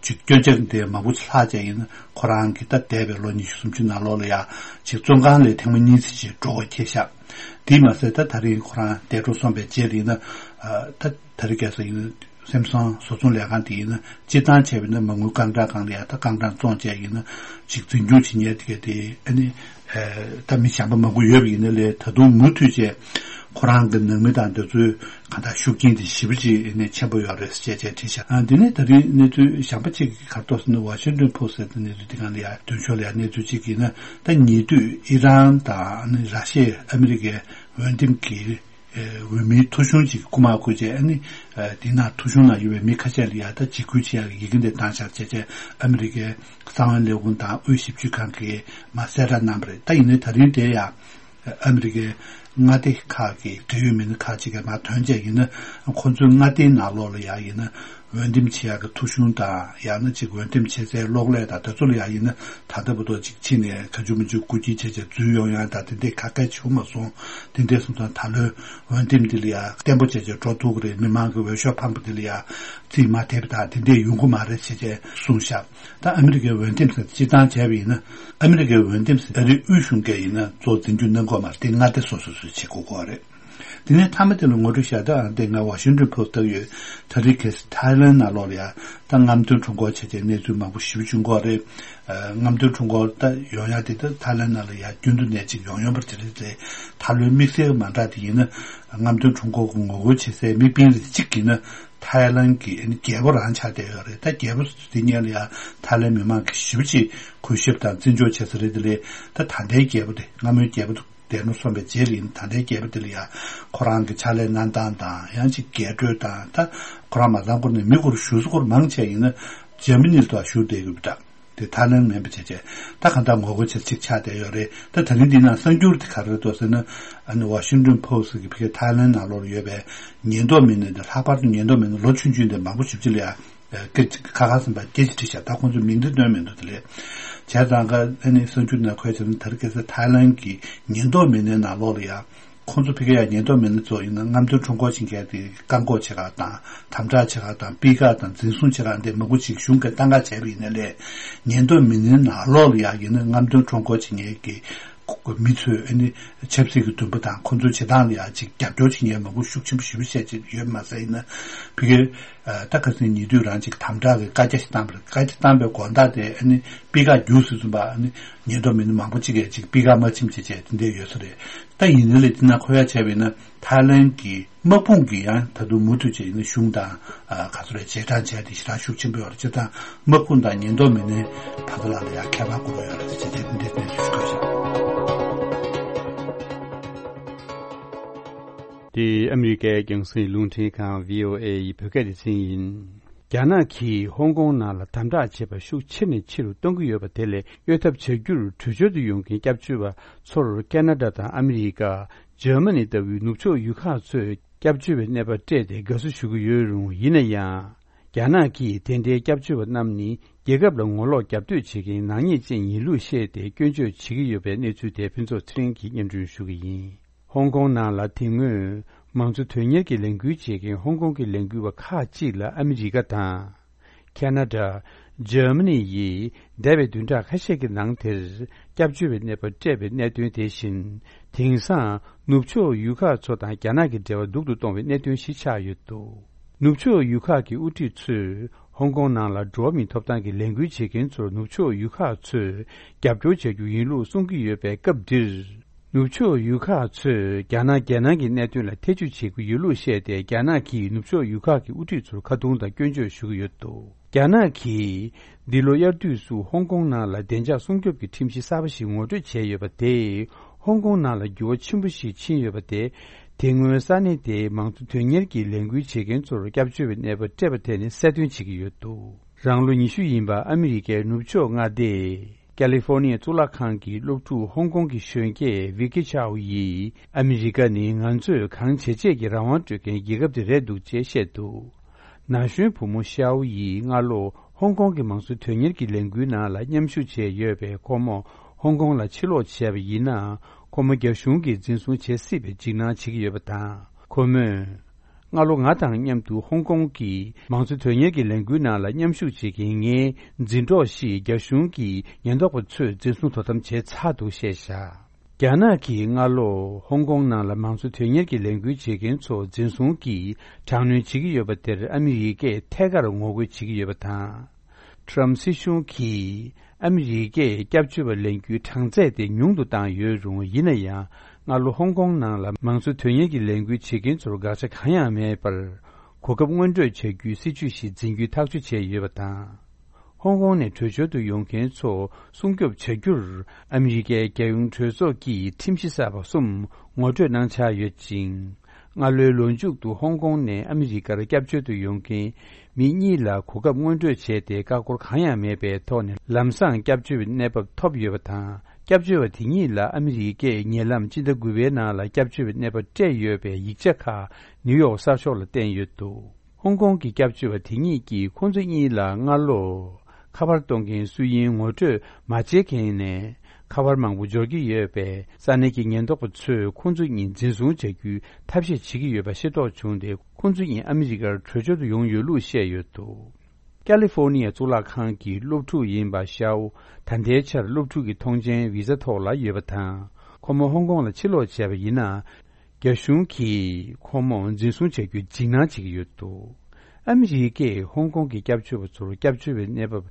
ཅིག་སྐྱོན་ཆ་དེ་མང་པོ་ཅིག་ལྷག་བྱས་ཡིན་ན་ཁོ་རང་གིས་ད་འདས་པའི་ལོ་ཉི་ཤུ་སུམ་ཅུ་ནང་ལོགས་ལ་ཡ་ཅིག་བཙོན་ཁང་ལས་ཐེངས་མ་གཉིས་ཙམ་ཅིག་འགྲོ་དགོས་ཁེལ་ཤག་དེས་མ་ཟད་ད་ད་རིང་ཁོ་རང་འདས་གྲོངས་སོང་བའི་རྗེས་ལ་ཡིན་ན་ད་ད་རེས་ཁ་སང་ཡིན་ན། སེམ་སང་བཟོ་ཚོང་ལས་ཁང་དེ་ཡིན་ན་སྤྱིར་བཏང་བྱས་པ་ཡིན་ན་མ་དངུལ་རྐང་གྲངས་སྒང་ལ་ཡ་ད་རྐང་གྲངས་བཙོང་བྱས་ཡིན་ན་ཅིག་འཛིན་སྐྱོང་བྱེད་མཁན་དེ་ག་དེ་ཨ་ནི་ད་མི་གཞན་པ་མང་པོ་ཡོད་པ་ཡིན་ན་ལས་ད་དུང་མུ་མཐུད་བྱས་ཁོ་རང་གི་ནང་མི་དང་དེ་ཚོའི་གང་ལྟར་ཤུགས་རྐྱེན་དེ་ཞེ་པོ་ཅིག་ཨ་ནི་ཆེན་པོ་ཡོད་རེད་ཟེར་བྱས་བྱས་བྲིས་ཤག་ཨ་འདི་ནས་ད་རིང་གནས་ཚུལ་གཞན་པ་ཅིག་ག་རེ་འདུག་ཟེར་ན་ཝ་ཤིང་ཏོན་ཕོ་སི་ཊི་ཟེར་གནས་ཚུལ་དེ་སྒང་ལ་ཡ་མདུན་ཕྱོགས་ལ་ཡ་གནས་ཚུལ་ཅིག་ཡིན་ན་ད་ཉེ་དུས་ཨི་རན་དང་ཨ་ནི་ར་ཤི་ཡ་ཨ་མི་རི་ཀའི་འོས་འདེམས་ཀྱི། འོས་མིའི་ཐོ་གཞུང་ཅིག་རྐུ་མ་བརྐུས་བྱས་ཨ་ནི། དེ་ནང་ཐོ་གཞུང་ནང་ཡོད་པའི་མི་ཁ་ཤས་ལ་ཡ་ད་འཇིགས་སྐུལ་བྱེད་ཡག་གི་ཡི་གེ་འདི་བཏང་བཞག་བྱས་བྱས་ཨ་མི་རི་ཀའི་གསང་བའི་ལས་ཁུངས་དང་དབུས་ཞིབ་དཔྱོད་ཁང་གིས་མར་གསལ་བསྒྲགས་གནང་བ་རེད། ད་ཡིན་ནའི་ད་རིང་དེ་ཡ་ཨ་མི་རི་ཀའི་མངའ་སྡེ་ཁག་གི་འབྲེལ་ཡོད་མི་སྣ་ཁག་ཅིག་གིས་མར་ཐོན་བྱས་ཡིན་ན་ཁོ་ཚོའི་མངའ་སྡེའི་ནང་ལོགས་ལ་ཡ་ཡིན་ན། འོས་འདེམས་བྱེད་ཡག་གི་ཐོ་གཞུང་དང་ཡང་ན་ཅིག་འོས་འདེམས་བྱེད་སའི་གློག་ཀླད་དང་དེ་ཚོ་ལ་ཡང་ཡིན་ན་ད་ལྟ་བར་དུ་ཅིག་ཕྱི་ནས་ག་ཅུ་མི་ཅུ་རྐུ་འཁྱེར་བྱས་བྱས་འཛུལ་ཡོང་ཡག་དང་དེ་འདྲའི་ག་གེ་བྱུང་མ་སོང་། དེ་འདྲའི་སོང་ཙང་ད་ལོའི་འོས་འདེམས་འདི་ལ་ཡང་བརྟན་པོ་བྱས་བྱས་འགྲོ་ཐུབ་ཀྱི་རེད། མི་མང་གི་འོས་ཤོག་འཕངས་པ་འདི་ལ་ཡང་རྩིས་མ་ཐེབས་དང་དེ་འདྲའི་ཡོང་གི་མ་རེད་ཟེར་བྱས་གསུངས་ཤག་ད་ཨ་མི་རི་ཀའི་འོས་འདེམས་ཟེར་སྤྱིར་བཏང་བྱས་པ་ཡིན་ན་ཨ་མི་རི་ཀའི་འོས་འདེམས་ཟེར་ཨ་རིའི་དབུས་གཞུང་གིས་ཡིན་ན་གཙོ་བོ་འཛིན་སྐྱོང་གནང་དགོས་མ་རེད། དེ་མངའ་སྡེ་སོ་སོ་སོས་བྱེད་དགོས་ཀྱི་རེད། དེ་ནས་མཐའ་མ་དེ་ལ་ངོ་སྤྲོད་བྱ་དགོས། ཨ་དེ་སྔ་ཝ་ཤིང་ཏོན་ཕོ་སི་ཊི་ལྟ་གི་ཡོད། ད་རེས་ཁ་སང་ཐའི་ལན་ནང་ལོགས་ལ་ཡ་ད་རྔམ་སྟོན་ཁྲོམ་སྐོར་བྱས་བྱས་གནས་ཚུལ་མང་པོ་ཞེ་པོ་བྱུང་གི་ཡོད་རེད། ཨ་རྔམ་སྟོན་ཁྲོམ་སྐོར་ད་ཡོང་ཡ་དེ་ད་ཐའི་ལན་ནང་ལ་ཡ་རྒྱུན་དུ་ནས་ཅིག་ཡོང་ཡོང་པ་རེད་དེ་རེད། ད་ལོའི་དམིགས་བསལ་མ་འདྲ་དེ་ཡིན་ན་རྔམ་སྟོན་ཁྲོམ་སྐོར་གྱི་ངོ་རྒོལ་བྱེད་སའི་དམིགས་འབེན་རེ་གཅིག་ཡིན་ན་ཐའི་ལན་གྱི་ཨ་ནི་རྒྱལ་པོ་རང་ཆགས་བསྡད་ཡོད་རེད། ད་རྒྱལ་པོ་དེ་སྔོན་ལ་ཡ་ཐའི་ལན་མི་མང་གིས་ཞེ་པོ་ཅིག་གུས་ཞབས་དང་བརྩི་འཇོག་བྱེད་ས་རེད་དེ་རེད། ད་ད་ལྟའི་རྒྱལ་པོ་དེ་སྔ་མོའི་རྒྱལ་པོ་དེ། འདས་གྲོངས་སོང་བའི་རྗེས་ལ་ཡིན་ད་ལྟའི་རྒྱལ་པོ་དེ་ལ་ཡང་ཁོ་རང་གི་ཕྱག་ལས་གནང་སྟངས་དང་ཡང་ཅིག་རྒྱས་སྤྲོས་དང་ད་ཁོ་རང་མ་ཚང་སྐོར་ནས་མི་སྐོར་ཞུ་སྐོར་མང་ཆེ་ཡིན་ན་འཇར་མ་ནི་ལ་ཐོག་བཞུགས་བསྡད་ཡོད་པ་འདྲ། དེ་ཐའི་ལན་མིན་པ་བྱས་བྱས་ད་གང་ལྟར་ངོ་རྒོལ་བྱེད་ཅིག་ཆགས་བསྡད་ཡོད་རེད། ད་ད་རིང་འདི་ནང་གསར་འགྱུར་དེ་ག་རེ་རེད་འདུག་ཟེར་ན་ཨ་ནི་ཝ་ཤིང་ཏོན་ཕོ་སི་ཊི་གི་ཕ་གིའི་ཐའི་ལན་ནང་ལོགས་ལ་ཡོད་པའི་ཉེན་རྟོག་མི་སྣ་འདི་ལྷག་པར་དུ་ཉེན་རྟོག་མི་སྣ་ལོ་ཆུང་ཆུང་འདི་མང་པོ་ཞེ་པོ་ཅིག་ལ་ཡང་། སྐད་ཁ་ཁ་ཟིན་པ་སྐད་ཆ་དྲིས་ཤག་ད་ཁོང་ཚོས་མིང་འདི་བཏོན་མི་འདུག་དེ་ལས་བྱས་ཙང་ཀ་ཨ་ནི་གསར་འགྱུར་ནང་འཁོད་བྱས་ན་ད་རེས་ཁ་སང་ཐའི་ལན་གྱི་ཉེན་རྟོག་མི་སྣའི་ནང་ལོགས་ལ་ཡང་ཁོང་ཚོ་ཕ་གི་ཡང་ཉེན་རྟོག་མི་སྣ་ཚོ་ཡིན་ན་རྔམ་སྟོན་ཁྲོམ་སྐོར་བྱེད་མཁན་དེ་བཀག་འགོག་བྱེད་ག་དང་དམ་དྲག་བྱེད་ག་དང་སྤུས་ཀ་དང་འཛིན་བཟུང་བྱེད་ག་འདི་མང་པོ་ཅིག་གཞུང་གིས་བཏང་ག་བྱས་པ་ཡིན་ན་ལས་ཉེན་རྟོག་མི་སྣའི་ནང་ལོགས་ལ་ཡང་ཡིན་ན་རྔམ་སྟོན་ཁྲོམ་སྐོར་བྱེད་མཁན་གྱི་མི་ཚོས་ཨ་ནི་ཆབ་སྲིད་ཀྱི་འདུན་པ་དང་ཁོང་ཚོའི་བྱེད་སྟངས་ལ་ཡང་ཅིག་རྒྱབ་སྐྱོར་བྱེད་མཁན་མང་པོ་ཤུགས་ཆེན་པོ་ཞེ་པོ་བཤད་ཅིག་ཡོད་མ་ཟད་ཡིན་ན་ཕ་གིར་ད་ཁ་སང་ཉེ་དུས་རང་ཅིག་དམ་དྲག་གི་བཀའ་རྒྱ་ཞིག་བཏང་བ་རེད། བཀའ་རྒྱ་བཏང་པའི་དགོངས་དག་དེ་ཨ་ནི་སྤུས་ཀ་རྒྱུགས་ཟེར་ཙམ་པ་ཨ་ནི་ཉེན་རྟོག་མི་སྣ་མང་པོ་ཅིག་གིས་ཅིག་སྤུས་ཀ་མ་ཕྱིན་བྱས་བྱས་དེ་འདྲས་ཡོད་ས་རེད། ད་ཡིན་ནའི་ལས་དེ་ན་ཁོ་ཡ་བྱས་པ་ཡིན་ན་ཐའི་ལན་གྱི་དམག་དཔུང་གིས་ཡང་ད་དུང་མུ་མཐུད་བྱས་ཡིན་ན་གཞུང་དང་ག་ཚོད་རེད་རྗེས་འབྲང་བྱས་ཏེ་ཞེ་དྲག་ཤུགས་ཆེན་པོ་ཡོད་རེད། སྤྱིར་བཏང་དམག་དཔུང་དང་ཉེན་རྟོག་མི་སྣའི་བར་དུ་ལ་ལ་ཡང་ཁྱད་པར་དགོས་པ་ཡོད་རེད་ཅེས་དེ་འདྲའི་གནས་ཚུལ་ཞིག་བཀོད་བཞག་འདི་ཨ་མི་རི་ཀའི་རྒྱང་སྲིང་རླུང་འཕྲིན་ཁང་བྷི་ཨོ་ཨེ་ཡི་བོད་སྐད་སྡེ་ཚན་ཡིན། རྒྱ་ནག་གིས་ཧོང་ཀོང་ནང་ལ་དམ་དྲག་བྱེད་པ་ཤུགས་ཆེ་ནས་ཆེ་རུ་གཏོང་གི་ཡོད་པ་དེ་ལས་གཡོལ་ཐབས་བྱ་རྒྱུར་བྲོས་བྱོལ་དུ་ཡོང་མཁན་སྐྱབས་བཅོལ་བ་ཚོར་ཁེ་ན་ཌ་དང་ཨ་མི་རི་ཀ། འཇར་མ་ནི་ལྟ་བུའི་ནུབ་ཕྱོགས་ཡུལ་ཁག་ཚོས་སྐྱབས་བཅོལ་བའི་གནས་བབ་སྤྲད་དེ་དགའ་བསུ་ཞུ་གི་ཡོད་རུང་། ཡིན་ན་ཡང་། རྒྱ་ནག་གིས་དེ་འདྲའི་སྐྱབས་བཅོལ་བ་རྣམས་ནི་རྒྱལ་ཁབ་ལ་ངོ་ལོག་རྒྱབ་གཏོད་བྱེད་མཁན་ནག་ཉེས་ཅན་ཡིན་ལུགས་བཤད་དེ་སྐྱོན་བརྗོད་བྱེད་ཀྱི་ཡོད་པའི་གནས་ཚུལ་དེ་ཕུན་ཚོགས་ཚེ་རིང་གིས་སྙན་སྒྲོན་ཞུ་གི་ཡིན། ཧོང་ཀོང་ནང་ལ་དེ་སྔོན་མང་གཙོ་དོན་གཉེར་གྱི་ལས་འགུལ་བྱེད་མཁན་ཧོང་ཀོང་གི་ལས་འགུལ་བ་ཁག་ཅིག་ལ་ཨ་མི་རི་ཀ་དང་། ཁེ་ན་ཌ། འཇར་མ་ནི་ཡིས་འདས་པའི་བདུན་ཕྲག་ཁ་ཤས་ཀྱི་ནང་དེར་སྐྱབས་བཅོལ་བའི་གནས་བབ་སྤྲད་པའི་གནད་དོན་དེ་བཞིན། དེང་སང་ནུབ་ཕྱོགས་ཡུལ་ཁག་ཚོ་དང་རྒྱ་ནག་གི་འབྲེལ་བ་སྡུག་ཏུ་གཏོང་བའི་གནད་དོན་ཞིག་ཆགས་ཡོད་འདུག་ནུབ་ཕྱོགས་ཡུལ་ཁག་གི་དབུ་ཁྲིད་ཚོས་ཧོང་ཀོང་ནང་ལ་འགྲོ་བ་མིའི་ཐོབ་ཐང་གི་ལས་འགུལ་བྱེད་མཁན་ཚོར་ནུབ་ཕྱོགས་ཡུལ་ཁག་ཚོས་རྒྱབ་སྐྱོར་བྱ་རྒྱུ་ཡིན་ལུགས་གསུང་གི་ཡོད་པའི་སྐབས་འདིར། ནུབ་ཕྱོགས་ཡུལ་ཁག་ཚོས་རྒྱ་ནག་རྒྱལ་ནང་གི་གནད་དོན་ལ་ཐེ་བྱུས་བྱེད་ཀྱི་ཡོད་ལུགས་བཤད་དེ། རྒྱ་ནག་གིས་ནུབ་ཕྱོགས་ཡུལ་ཁག་གི་དབུ་ཁྲིད་ཚོར་ཁ་རྡུང་དང་སྐྱོན་བརྗོད་ཞུ་གི་ཡོད་འདུག་རྒྱ་ནག་གིས་འདི་ལོ་དབྱར་དུས་སུ་ཧོང་ཀོང་ནང་ལ་བདེ་འཇགས་སྲུང་སྐྱོབ་ཀྱི་ཁྲིམས་གཞི་གསར་པ་ཞིག་ངོ་སྤྲོད་བྱས་ཡོད་པ་དེས། ཧོང་ཀོང་ནང་ལ་འགྱུར་བ་ཆེན་པོ་ཞིག་ཕྱིན་ཡོད་པ་དེ། དེ་སྔོན་ས་གནས་དེའི་མང་གཙོ་དོན་གཉེར་གྱི་ལས་འགུལ་བྱེད་མཁན་ཚོར་སྐྱབས་བཅོལ་བའི་གནས་བབ་སྤྲད་པ་དེ་ནི་གསལ་སྟོན་བྱེད་ཀྱི་ཡོད་འདུག་རང་ལོ་ཉི་ཤུ་ཡིན་པ་ཨ་མི་རི་ཀའི་ནུབ་ཕྱོགས་མངའ་སྡེ་ཀ་ལི་ཧྥོར་ནི་ཡའི་གཙུག་ལག་ཁང་གི་སློབ་ཕྲུག་ཧོང་ཀོང་གི་གཞོན་སྐྱེས་ཝི་ཀི་ཆའོ་ཡིས། ཨ་མི་རི་ཀ་ནི་ང་ཚོས་གང་བྱེད་བྱེད་ཀྱི་རང་དབང་སྤྲོད་མཁན་རྒྱལ་ཁབ་དེ་རེད་འདུག་ཅེས་བཤད་འདུག་ན་གཞོན་བུ་མོ་ཤའོ་ཡིས་སྔ་ལོ་ཧོང་ཀོང་གི་མང་གཙོ་དོན་གཉེར་གྱི་ལས་འགུལ་ནང་ལ་མཉམ་ཞུགས་བྱས་ཡོད་པས། ཁོ་མོ་ཧོང་ཀོང་ལ་ཕྱིར་ལོག་བྱས་པ་ཡིན་ན། ཁོ་མོ་རྒྱ་གཞུང་གིས་འཛིན་བཟུང་བྱེད་སྲིད་པའི་འཇིགས་སྣང་བྱེད་ཀྱི་ཡོད་པ་དང་། ཁོ་མོས། སྔ་ལོ་ང་དང་མཉམ་དུ་ཧོང་ཀོང་གི་མང་གཙོ་དོན་གཉེར་གྱི་ལས་འགུལ་ནང་ལ་མཉམ་ཞུགས་བྱེད་མཁན་ངའི་འཛིན་གྲོགས་ཤིག་རྒྱ་གཞུང་གི་ཉེན་རྟོག་པ་ཚོས་འཛིན་བཟུང་དོ་དམ་བྱས་ཚར་འདུག་བཤད་བཞག་རྒྱ་ནག་གིས་སྔ་ལོ་ཧོང་ཀོང་ནང་ལ་མང་གཙོ་དོན་གཉེར་གྱི་ལས་འགུལ་བྱེད་མཁན་ཚོ་འཛིན་བཟུང་གིས་དྲག་གནོན་བྱེད་ཀྱི་ཡོད་པ་དེར་ཨ་མི་རི་ཀས་ཐད་ཀར་ངོ་རྒོལ་བྱེད་ཀྱི་ཡོད་པ་དང་། ཊྲམ་སྲིད་གཞུང་གིས་ཨ་མི་རི་ཀས་སྐྱབས་བཅོལ་བ་ལེན་རྒྱུའི་གྲངས་ཚད་དེ་ཉུང་དུ་བཏང་ཡོད་རུང་། ཡིན་ན་ཡང་། སྔ་ལོ་ཧོང་ཀོང་ནང་ལ་མང་གཙོ་དོན་གཉེར་གྱི་ལས་འགུལ་བྱེད་མཁན་ཚོར་དགག་བྱ་གང་ཡང་མེད་པར། གོ་སྐབས་སྔོན་སྤྲོད་བྱ་རྒྱུའི་སྲིད་ཇུས་ཤིག་འཛིན་རྒྱུའི་ཐག་གཅོད་བྱས་ཡོད་པ་དང་། ཧོང་ཀོང་ནས་བྲོས་བྱོལ་དུ་ཡོང་མཁན་ཚོ་སྲུང་སྐྱོབ་བྱ་རྒྱུར། ཨ་མི་རི་ཀའི་རྒྱལ་ཡོངས་གྲོས་ཚོགས་ཀྱིས་ཁྲིམས་གཞི་གསར་པ་གསུམ་ངོ་སྤྲོད་གནང་འཆར་ཡོད་ཅིང་། སྔ་ལོའི་ལོ་མཇུག་ཏུ་ཧོང་ཀོང་ནས་ཨ་མི་རི་ཀར་སྐྱབས་བཅོལ་དུ་ཡོང་མཁན་མི་གཉིས་ལ་གོ་སྐབས་སྔོན་སྤྲོད་བྱས་ཏེ། ཀ་ཀོར་གང་ཡང་མེད་པའི་ཐོག་ནས་ལམ་སང་སྐྱབས་བཅོལ་བའི་གནས་བབ་ཐོབ་ཡོད་པ་དང་། སྐྱབས་བཅོལ་བ་དེ་གཉིས་ལ་ཨ་མི་རི་ཀས་ཉེ་ལམ་སྤྱི་ཟླ་དགུ་པའི་ནང་ལ་སྐྱབས་བཅོལ་བའི་གནས་བབ་སྤྲད་ཡོད་པའི་ཡིག་ཆ་ཁག་ནིའུ་ཡོག་གསར་ཤོག་ལ་བསྟན་ཡོད་འདུག་ཧོང་ཀོང་གི་སྐྱབས་བཅོལ་བ་དེ་གཉིས་ཀྱིས་ཁོང་ཚོ་གཉིས་ལ་སྔ་ལོ་ཁ་པར་གཏོང་མཁན་སུ་ཡིན་ངོ་སྤྲོད་མ་བྱེད་མཁན་ནས་ཁ་པར་མང་པོ་འབྱོར་གྱི་ཡོད་པས། ས་གནས་ཀྱི་ཉེན་རྟོག་པ་ཚོས་ཁོང་ཚོ་གཉིས་འཛིན་བཟུང་བྱ་རྒྱུའི་ཐབས་ཤེས་བྱེད་ཀྱི་ཡོད་པ་ཤེས་རྟོགས་བྱུང་སྟེ། ཁོང་ཚོ་གཉིས་ཨ་མི་རི་ཀར་བྲོས་བྱོལ་དུ་ཡོང་ཡོད་ལུགས་བཤད་ཡོད་འདུག་ཀ་ལི་ཧྥོར་ནི་ཡའི་གཙུག་ལག་ཁང་གི་སློབ་ཕྲུག་ཡིན་པ་ཤའོ། ད་ལྟའི་ཆར་སློབ་ཕྲུག་གི་མཐོང་མཆན་བི་ཟ་ཐོག་ལ་ཡོད་པ་དང་། ཁོ་མོ་ཧོང་ཀོང་ལ་ཕྱིར་ལོག་བྱས་པ་ཡིན་ན། རྒྱ་གཞུང་གིས་ཁོ་མོ་འཛིན་བཟུང་བྱ་རྒྱུའི་འཇིགས་སྣང་བྱེད་ཀྱི་ཡོད་འདུག་ཨ་མི་རི་ཀས་ཧོང་ཀོང་གི་སྐྱབས་བཅོལ་བ་ཚོར་སྐྱབས་བཅོལ་བའི་གནས་བབ་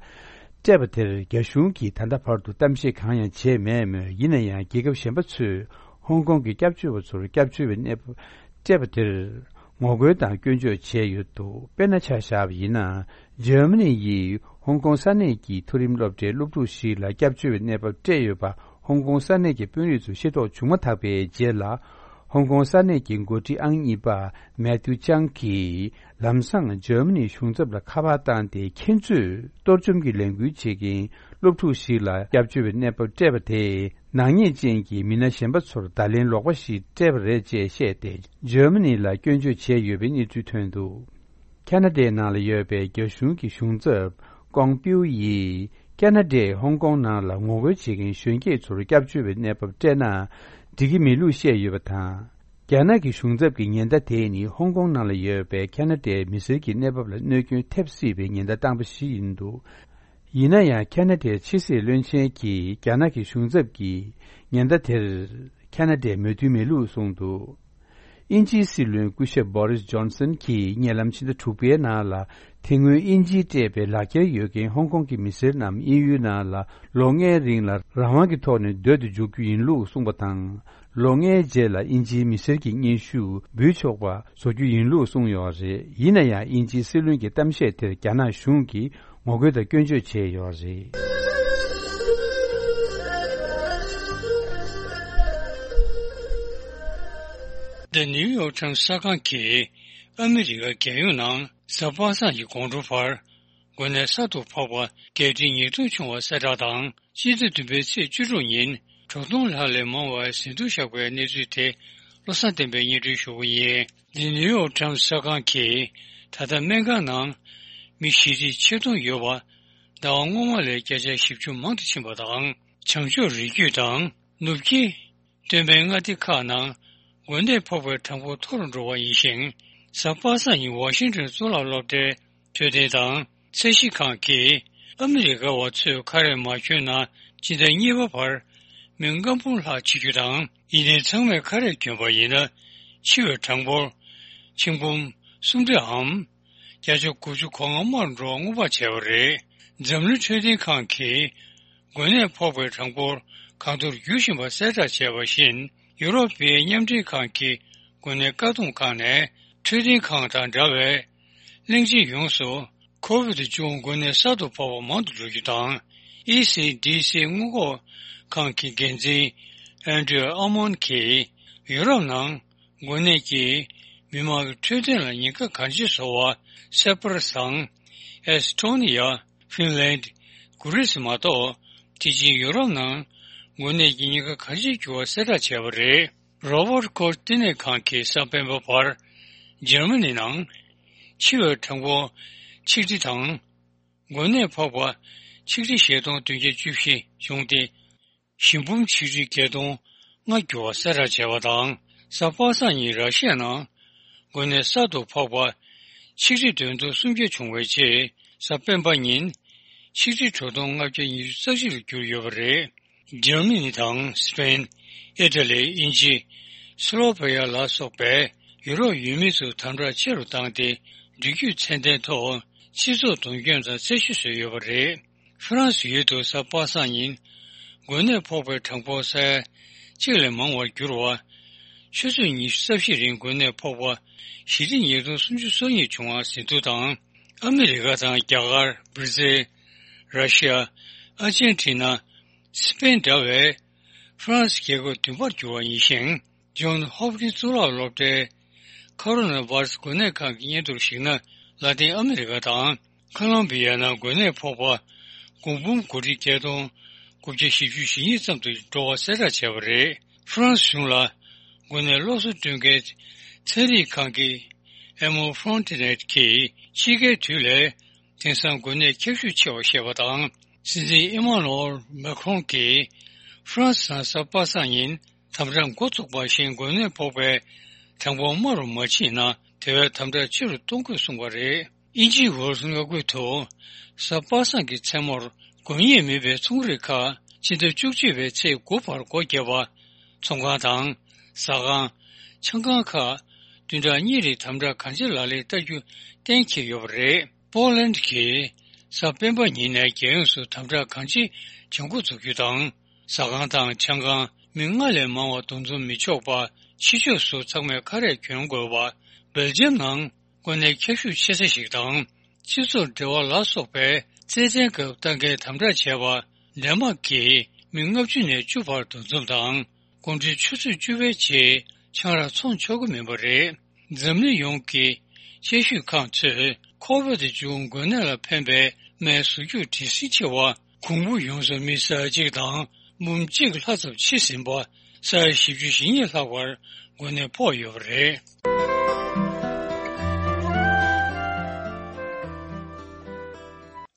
སྤྲད་པ་དེར། རྒྱ་གཞུང་གིས་ད་ལྟ་བར་དུ་གཏམ་བཤད་གང་ཡང་བྱས་མེད་མོད། ཡིན་ན་ཡང་། རྒྱལ་ཁབ་གཞན་པ་ཚོས་ཧོང་ཀོང་གི་སྐྱབས་བཅོལ་བ་ཚོར་སྐྱབས་བཅོལ་བའི་གནས་བབ་སྤྲད་པ་དེར་ངོ་རྒོལ་དང་སྐྱོན་བརྗོད་བྱས་ཡོད་འདུག་དཔེར་ན་ཆ་བཞག་པ་ཡིན་ན། འཇར་མ་ནི་ཡིས་ཧོང་ཀོང་ས་གནས་ཀྱི་མཐོ་རིམ་སློབ་གྲྭའི་སློབ་ཕྲུག་ཞིག་ལ་སྐྱབས་བཅོལ་བའི་གནས་བབ་སྤྲད་ཡོད་པ་ཧོང་ཀོང་ས་གནས་ཀྱི་དཔོན་རིགས་ཚོས་ཤེས་རྟོགས་བྱུང་མ་ཐག་པའི་རྗེས་ལ། ཧོང་ཀོང་ས་གནས་ཀྱི་འགོ་ཁྲིད་ཨང་གཉིས་པ་མེ་ཐིའུ་ཅང་གིས་ལམ་སང་འཇར་མ་ནིའི་གཞུང་ཚབ་ལ་ཁ་པར་བཏང་སྟེ། ཁྱེད་ཚོས་གཏོར་བཅོམ་གྱི་ལས་འགུལ་བྱེད་མཁན་སློབ་ཕྲུག་ཞིག་ལ་སྐྱབས་བཅོལ་བའི་གནས་བབ་སྤྲད་པ་དེས། ནག་ཉེས་ཅན་གྱི་མི་སྣ་གཞན་པ་ཚོར་བརྡ་ལན་ལོག་པ་ཞིག་སྤྲད་པ་རེད་ཅེས་བཤད་དེ། འཇར་མ་ནི་ལ་སྐྱོན་བརྗོད་བྱས་ཡོད་པའི་གནས་ཚུལ་ཐོན་འདུག་ཁ་ན་ཌའི་ནང་ལ་ཡོད་པའི་རྒྱ་གཞུང་གི་གཞུང་ཚབ་ཀོང་པིའུ་ཡིས། ཁ་ན་ཌས་ཧོང་ཀོང་ནང་ལ་ངོ་རྒོལ་བྱེད་མཁན་གཞོན་སྐྱེས་ཚོར་སྐྱབས་བཅོལ་བའི་གནས་བབ་སྤྲད་ན་འགྲིག་གི་མེད་ལུགས་བཤད་ཡོད་པ་དང་། རྒྱ་ནག་གི་གཞུང་ཚབ་ཀྱི་ཉེན་བརྡ་དེ་ནི་ཧོང་ཀོང་ནང་ལ་ཡོད་པའི་ཁ་ན་ཌའི་མི་སེར་གྱི་གནས་བབ་ལ་གནོད་སྐྱོན་ཐེབས་སྲིད་པའི་ཉེན་བརྡ་བཏང་པ་ཞིག་ཡིན་འདུག་ཡིན་ན་ཡང་། ཁ་ན་ཌའི་ཕྱི་སྲིད་བློན་ཆེན་གྱིས་རྒྱ་ནག་གི་གཞུང་ཚབ་ཀྱི་ཉེན་བརྡ་དེར་ཁ་ན་ཌས་མོས་མཐུན་མེད་ལུགས་གསུངས་འདུག་དབྱིན་ཇིའི་སྲིད་བློན་སྐུ་ཞབས་བྷོ་རིས་ཇོན་སན་གྱིས་ཉེ་ལམ་ཕྱི་ཟླ་དྲུག་པའི་ནང་ལ། དེ་སྔོན་དབྱིན་ཇིས་སྤྲད་པའི་ལག་འཁྱེར་ཡོད་མཁན་ཧོང་ཀོང་གི་མི་སེར་རྣམས་དབྱིན་ཡུལ་ནང་ལ་ལོ་ལྔའི་རིང་ལ་རང་དབང་གི་ཐོག་ནས་སྡོད་དུ་འཇུག་རྒྱུ་ཡིན་ལུགས་གསུངས་པ་དང་། ལོ་ལྔའི་རྗེས་ལ་དབྱིན་ཇིའི་མི་སེར་གྱི་སྙན་ཞུ་འབུལ་ཆོག་པ་བཟོ་རྒྱུ་ཡིན་ལུགས་གསུངས་ཡོད་རེད། ཡིན་ན་ཡང་། དབྱིན་ཇིའི་སྲིད་བློན་གྱི་གཏམ་བཤད་དེར་རྒྱ་ནག་གཞུང་གིས་ངོ་རྒོལ་དང་སྐྱོན་བརྗོད་བྱས་ཡོད་རེད། The New York Times གསར་ཁང་གིས་ཨ་མི་རི་ཀ་རྒྱལ་ཡོངས་ནང་གཟའ་པ་སངས་ཀྱི་དགོང་དྲོ་བར་འགོས་ནད་གསར་དུ་ཕོག་པ་བརྒྱད་ཁྲི་ཉིས་སྟོང་བྱུང་བ་གསལ་བསྒྲགས་དང་། སྤྱི་ཟླ་བདུན་པའི་ཚེས་བཅུ་དྲུག་ཉིན་དྲུག་སྟོང་ལྷག་ལས་མང་བ་ཟིན་ཐོར་བཞག་པའི་གནས་ཚུལ་དེ་བློ་བཟང་བསྟན་པས་སྙན་སྒྲོན་ཞུ་གི་ཡིན། The New York Times གསར་ཁང་གིས་ད་ལྟ་སྨན་ཁང་ནང་མི་བཞི་ཁྲི་ཆིག་སྟོང་ཡོད་པ། ཟླ་བ་སྔོན་མ་ལས་བརྒྱ་ཆ་བཞི་བཅུ་མང་དུ་ཕྱིན་པ་དང་། བྱང་ཕྱོགས་རི་རྒྱུད་དང་ནུབ་ཀྱི་སྟོད་སྨད་མངའ་སྡེ་ཁག་ནང་འགོས་ནད་ཕོག་པའི་གྲངས་འབོར་མཐོ་རུ་འགྲོ་བ་ཡིན་ཞིང་། གཟའ་པ་སངས་ཉིན་ཝ་ཤིང་ཏོན་གཙུག་ལག་སློབ་གྲྭའི་འཕྲོད་བསྟེན་དང་ཚད་གཞི་ཁང་གིས་ཨ་མི་རི་ཀ་བ་ཚོས་ཁ་རས་མ་གྱོན་ན་སྤྱི་ཟླ་གཉིས་པ་བར་མི་ལྔ་འབུམ་ལྷག་འཆི་རྒྱུ་དང་། ཡིན་ནའི་ཚང་མས་ཁ་རས་གྱོན་པ་ཡིན་ན་འཆི་བའི་གྲངས་འབོར་ཆིག་འབུམ་སུམ་བརྒྱའམ་བརྒྱ་ཆ་དགུ་བཅུ་གོ་ལྔ་དམའ་རུ་འགྲོ་བ་སྔོན་དཔག་བྱས་པ་རེད། འཛམ་གླིང་འཕྲོད་བསྟེན་ཁང་གིས་འགོས་ནད་ཕོག་པའི་གྲངས་འབོར་གང་མཐོར་འགྱུར་བཞིན་པ་གསལ་བསྒྲགས་བྱས་པ་བཞིན། ཡུ་རོབ་པའི་མཉམ་འབྲེལ་ཁང་གི་འགོས་ནད་བཀག་སྡོམ་ཁང་ནས་འཕྲོད་བསྟེན་ཁང་དང་འདྲ་བའི་གླིང་ཆེན་ཡོངས་སུ་ཁོ་བིད་བཅུ་དགུ་འགོས་ནད་གསར་དུ་ཕོག་པ་མང་དུ་འགྲོ་རྒྱུ་དང་། ཨི་སི་ཌི་སི་སྔོན་འགོག་ཁང་གི་འགན་འཛིན་ཨན་ཌྲིའུ་ཨ་མོན་གྱིས་ཡུ་རོབ་ནང་འགོས་ནད་ཀྱིས་མི་མང་གི་འཕྲོད་བསྟེན་ལ་ཉེན་ཁ་གང་ཆེ་བཟོ་བ་སེ་པ་ར་དང་ཨེ་སི་ཊོ་ནི་ཡ། ཧྥིན་ལན། གུ་རིས་མ་གཏོགས་དེ་བཞིན་ཡུ་རོབ་ནང་འགོས་ནད་ཀྱི་ཉེན་ཁ་གང་ཆེར་གྱུར་བ་གསལ་བསྒྲགས་བྱས་པ་རེད། རོ་བར་ཁོ་ཆ་བསྟི་གནས་ཁང་གིས་གཟའ་སྤེན་པ་བར་འཇར་མ་ནི་ནང་འཆི་བའི་གྲངས་འབོར་ཆིག་ཁྲི་དང་། འགོས་ནད་ཕོག་པ་ཆིག་ཁྲི་བཞི་སྟོང་བདུན་བརྒྱ་བཅུ་བཞི་བྱུང་སྟེ། ཞི་འབུམ་ཆིག་ཁྲི་བརྒྱད་སྟོང་ལྔ་འགྱུར་བ་གསལ་བསྒྲགས་བྱས་པ་དང་། གཟའ་པ་སངས་ཉིན་ར་ཤི་ཡ་ནང་འགོས་ནད་གསར་དུ་ཕོག་པ་ཆིག་ཁྲི་བདུན་སྟོང་སུམ་བརྒྱ་བྱུང་བའི་རྗེས། གཟའ་སྤེན་པ་ཉིན་ཆིག་ཁྲི་དྲུག་སྟོང་ལྔ་བརྒྱ་ཉི་ཤུ་རྩ་གཅིག་ལ་གྱུར་ཡོད་པ་རེད། འཇར་མ་ནི་དང་སི་པེན། ཨི་ཊ་ལི། དབྱིན་ཇི། སི་ལོ་བྷེ་ཡ་ལ་སོགས་པའི་ཡུ་རོབ་ཡུལ་མི་ཚོས་དམ་དྲག་ཆེ་རུ་བཏང་སྟེ། འབྲེལ་མཐུད་ཚད་ལྡན་ཐོག་སྤྱི་ཚོགས་གདུང་སྐྱོང་དང་རྩད་ཞིབ་བཟོས་ཡོད་པ་རེད། ཧྥ་རན་སི་ཡུལ་དུ་གཟའ་པ་སངས་ཉིན་འགོས་ནད་ཕོག་པའི་གྲངས་འབོར་ས་ཡ་གཅིག་ལས་མང་བར་གྱུར་བ། ཆུ་ཚོད་ཉི་ཤུ་རྩ་བཞི་རིང་འགོས་ནད་ཕོག་པ་བཞི་ཁྲི་ཉིས་སྟོང་སུམ་ཅུ་སོ་གཉིས་བྱུང་བ་ཟིན་ཐོ་དང་། ཨ་མི་རི་ཀ་དང་རྒྱ་གར། བྷི་ར་ཛིལ། ར་ཤི་ཡ། ཨར་ཇན་ཊི་ན། སི་པེན་འདྲ་བའི་ཧྥ་རན་སི་རྒྱལ་ཁབ་བདུན་པར་གྱུར་བ་ཡིན་ཞིང་། ཇོན་ཧོབ་ཀིན་གཙུག་ལག་སློབ་གྲྭའི་ཁོ་རོ་ན་ཝེ་ར་སི་འགོས་ནད་ཁང་གི་སྙན་ཐོར་གཞིགས་ན། ལ་ཏིན་ཨ་མི་རི་ཀ་དང་ཁོ་ལོམ་བི་ཡ་ནང་འགོས་ནད་ཕོག་པ་དགུ་འབུམ་དགུ་ཁྲི་བརྒྱད་སྟོང་དགུ་བརྒྱ་བཞི་བཅུ་ཞེ་གཉིས་ཙམ་དུ་འགྲོ་བ་གསལ་བསྒྲགས་བྱས་པ་རེད། ཧྥ་རན་སི་གཞུང་ལ་འགོས་ནད་སློབ་གསོ་སྐྲུན་མཁན་ཚན་རིག་ཁང་གི་ཨེ་མོ་ཧྥོན་ཊི་ནེ་ཊི་གིས་དཔྱིད་ཀའི་དུས་ལས་དེང་སང་འགོས་ནད་ཁྱབ་ཤུགས་ཆེ་བར་བཤད་པ་དང་། སྲིད་འཛིན་ཨི་མ་ནུ་ཨེལ་མེ་ཁོན་གྱིས་ཧྥ་རན་སི་ནང་གཟའ་པ་སངས་ཉིན་དམ་དྲག་འགོ་ཚུགས་པ་བཞིན་འགོས་ནད་ཕོག་པའི་གྲངས་འབོར་དམའ་རུ་མ་ཕྱིན་ན། དེ་བས་དམ་དྲག་ཆེ་རུ་གཏོང་དགོས་གསུངས་པ་རེད། དབྱིན་ཇིའི་ཝེལ་སི་མངའ་ཁུལ་དུ་གཟའ་པ་སངས་ཀྱི་མཚན་མོར་དགོས་ངེས་མེད་པའི་ཚོང་རིགས་ཁག་སྤྱི་ཟླ་བཅུ་གཅིག་པའི་ཚེས་དགུ་བར་སྒོ་བརྒྱབ་པ། ཚོང་ཁང་དང་། ཟ་ཁང་། ཆང་ཁང་ཁག་བདུན་ཕྲག་གཉིས་རིང་དམ་དྲག་གང་ཆེ་ལག་ལེན་བསྟར་རྒྱུ་གཏན་འཁེལ་ཡོད་པ་རེད། པོ་ལན་གྱིས་གཟའ་སྤེན་པ་ཉིན་ནས་རྒྱལ་ཡོངས་སུ་དམ་དྲག་གང་ཆེ་བྱེད་འགོ་འཛུགས་རྒྱུ་དང་། ཟ་ཁང་དང་ཆང་ཁང་མི་ལྔ་ལས་མང་བ་འདུ་འཛོམས་མི་ཆོག་པ། ཕྱི་ཕྱོགས་སུ་ཚང་མས་ཁ་རས་གྱོན་དགོས་པ། སྦེལ་ཇམ་ནང་འགོས་ནད་ཁྱབ་ཤུགས་ཆེ་ས་ཞིག་དང་། སྤྱི་ཚོགས་འབྲེལ་བ་ལ་སོགས་པའི་རྩེད་འགྲན་སྐབས་ལྟ་མཁན་དམ་དྲག་བྱས་པ། ཌེན་མཱག་གིས་མི་ལྔ་བཅུ་ནས་བཅུ་བར་འདུ་འཛོམས་དང་། དགོང་དྲོའི་ཆུ་ཚོད་བཅུ་པའི་རྗེས་ཆང་རག་འཚོང་ཆོག་གི་མིན་པ་རེད། འཛམ་གླིང་ཡོངས་ཀྱི་དཔྱད་ཞིབ་ཁང་ཚོས་ཁོ་བིད་བཅུ་འགོས་ནད་ལ་ཕན་པའི་སྨན་ཟུར་འཇུག་བྲེལ་ཟིང་ཆེ་བ། གོང་བུ་ཡོངས་སུ་མི་ས་ཡ་གཅིག་དང་འབུམ་གཅིག་ལྷག་ཙམ་འཆི་ཟིན་པ། ས་ཡ་བཞི་བཅུ་ཞེ་གཉིས་ལྷག་པར་འགོས་ནད་ཕོག་ཡོད་པ་རེད།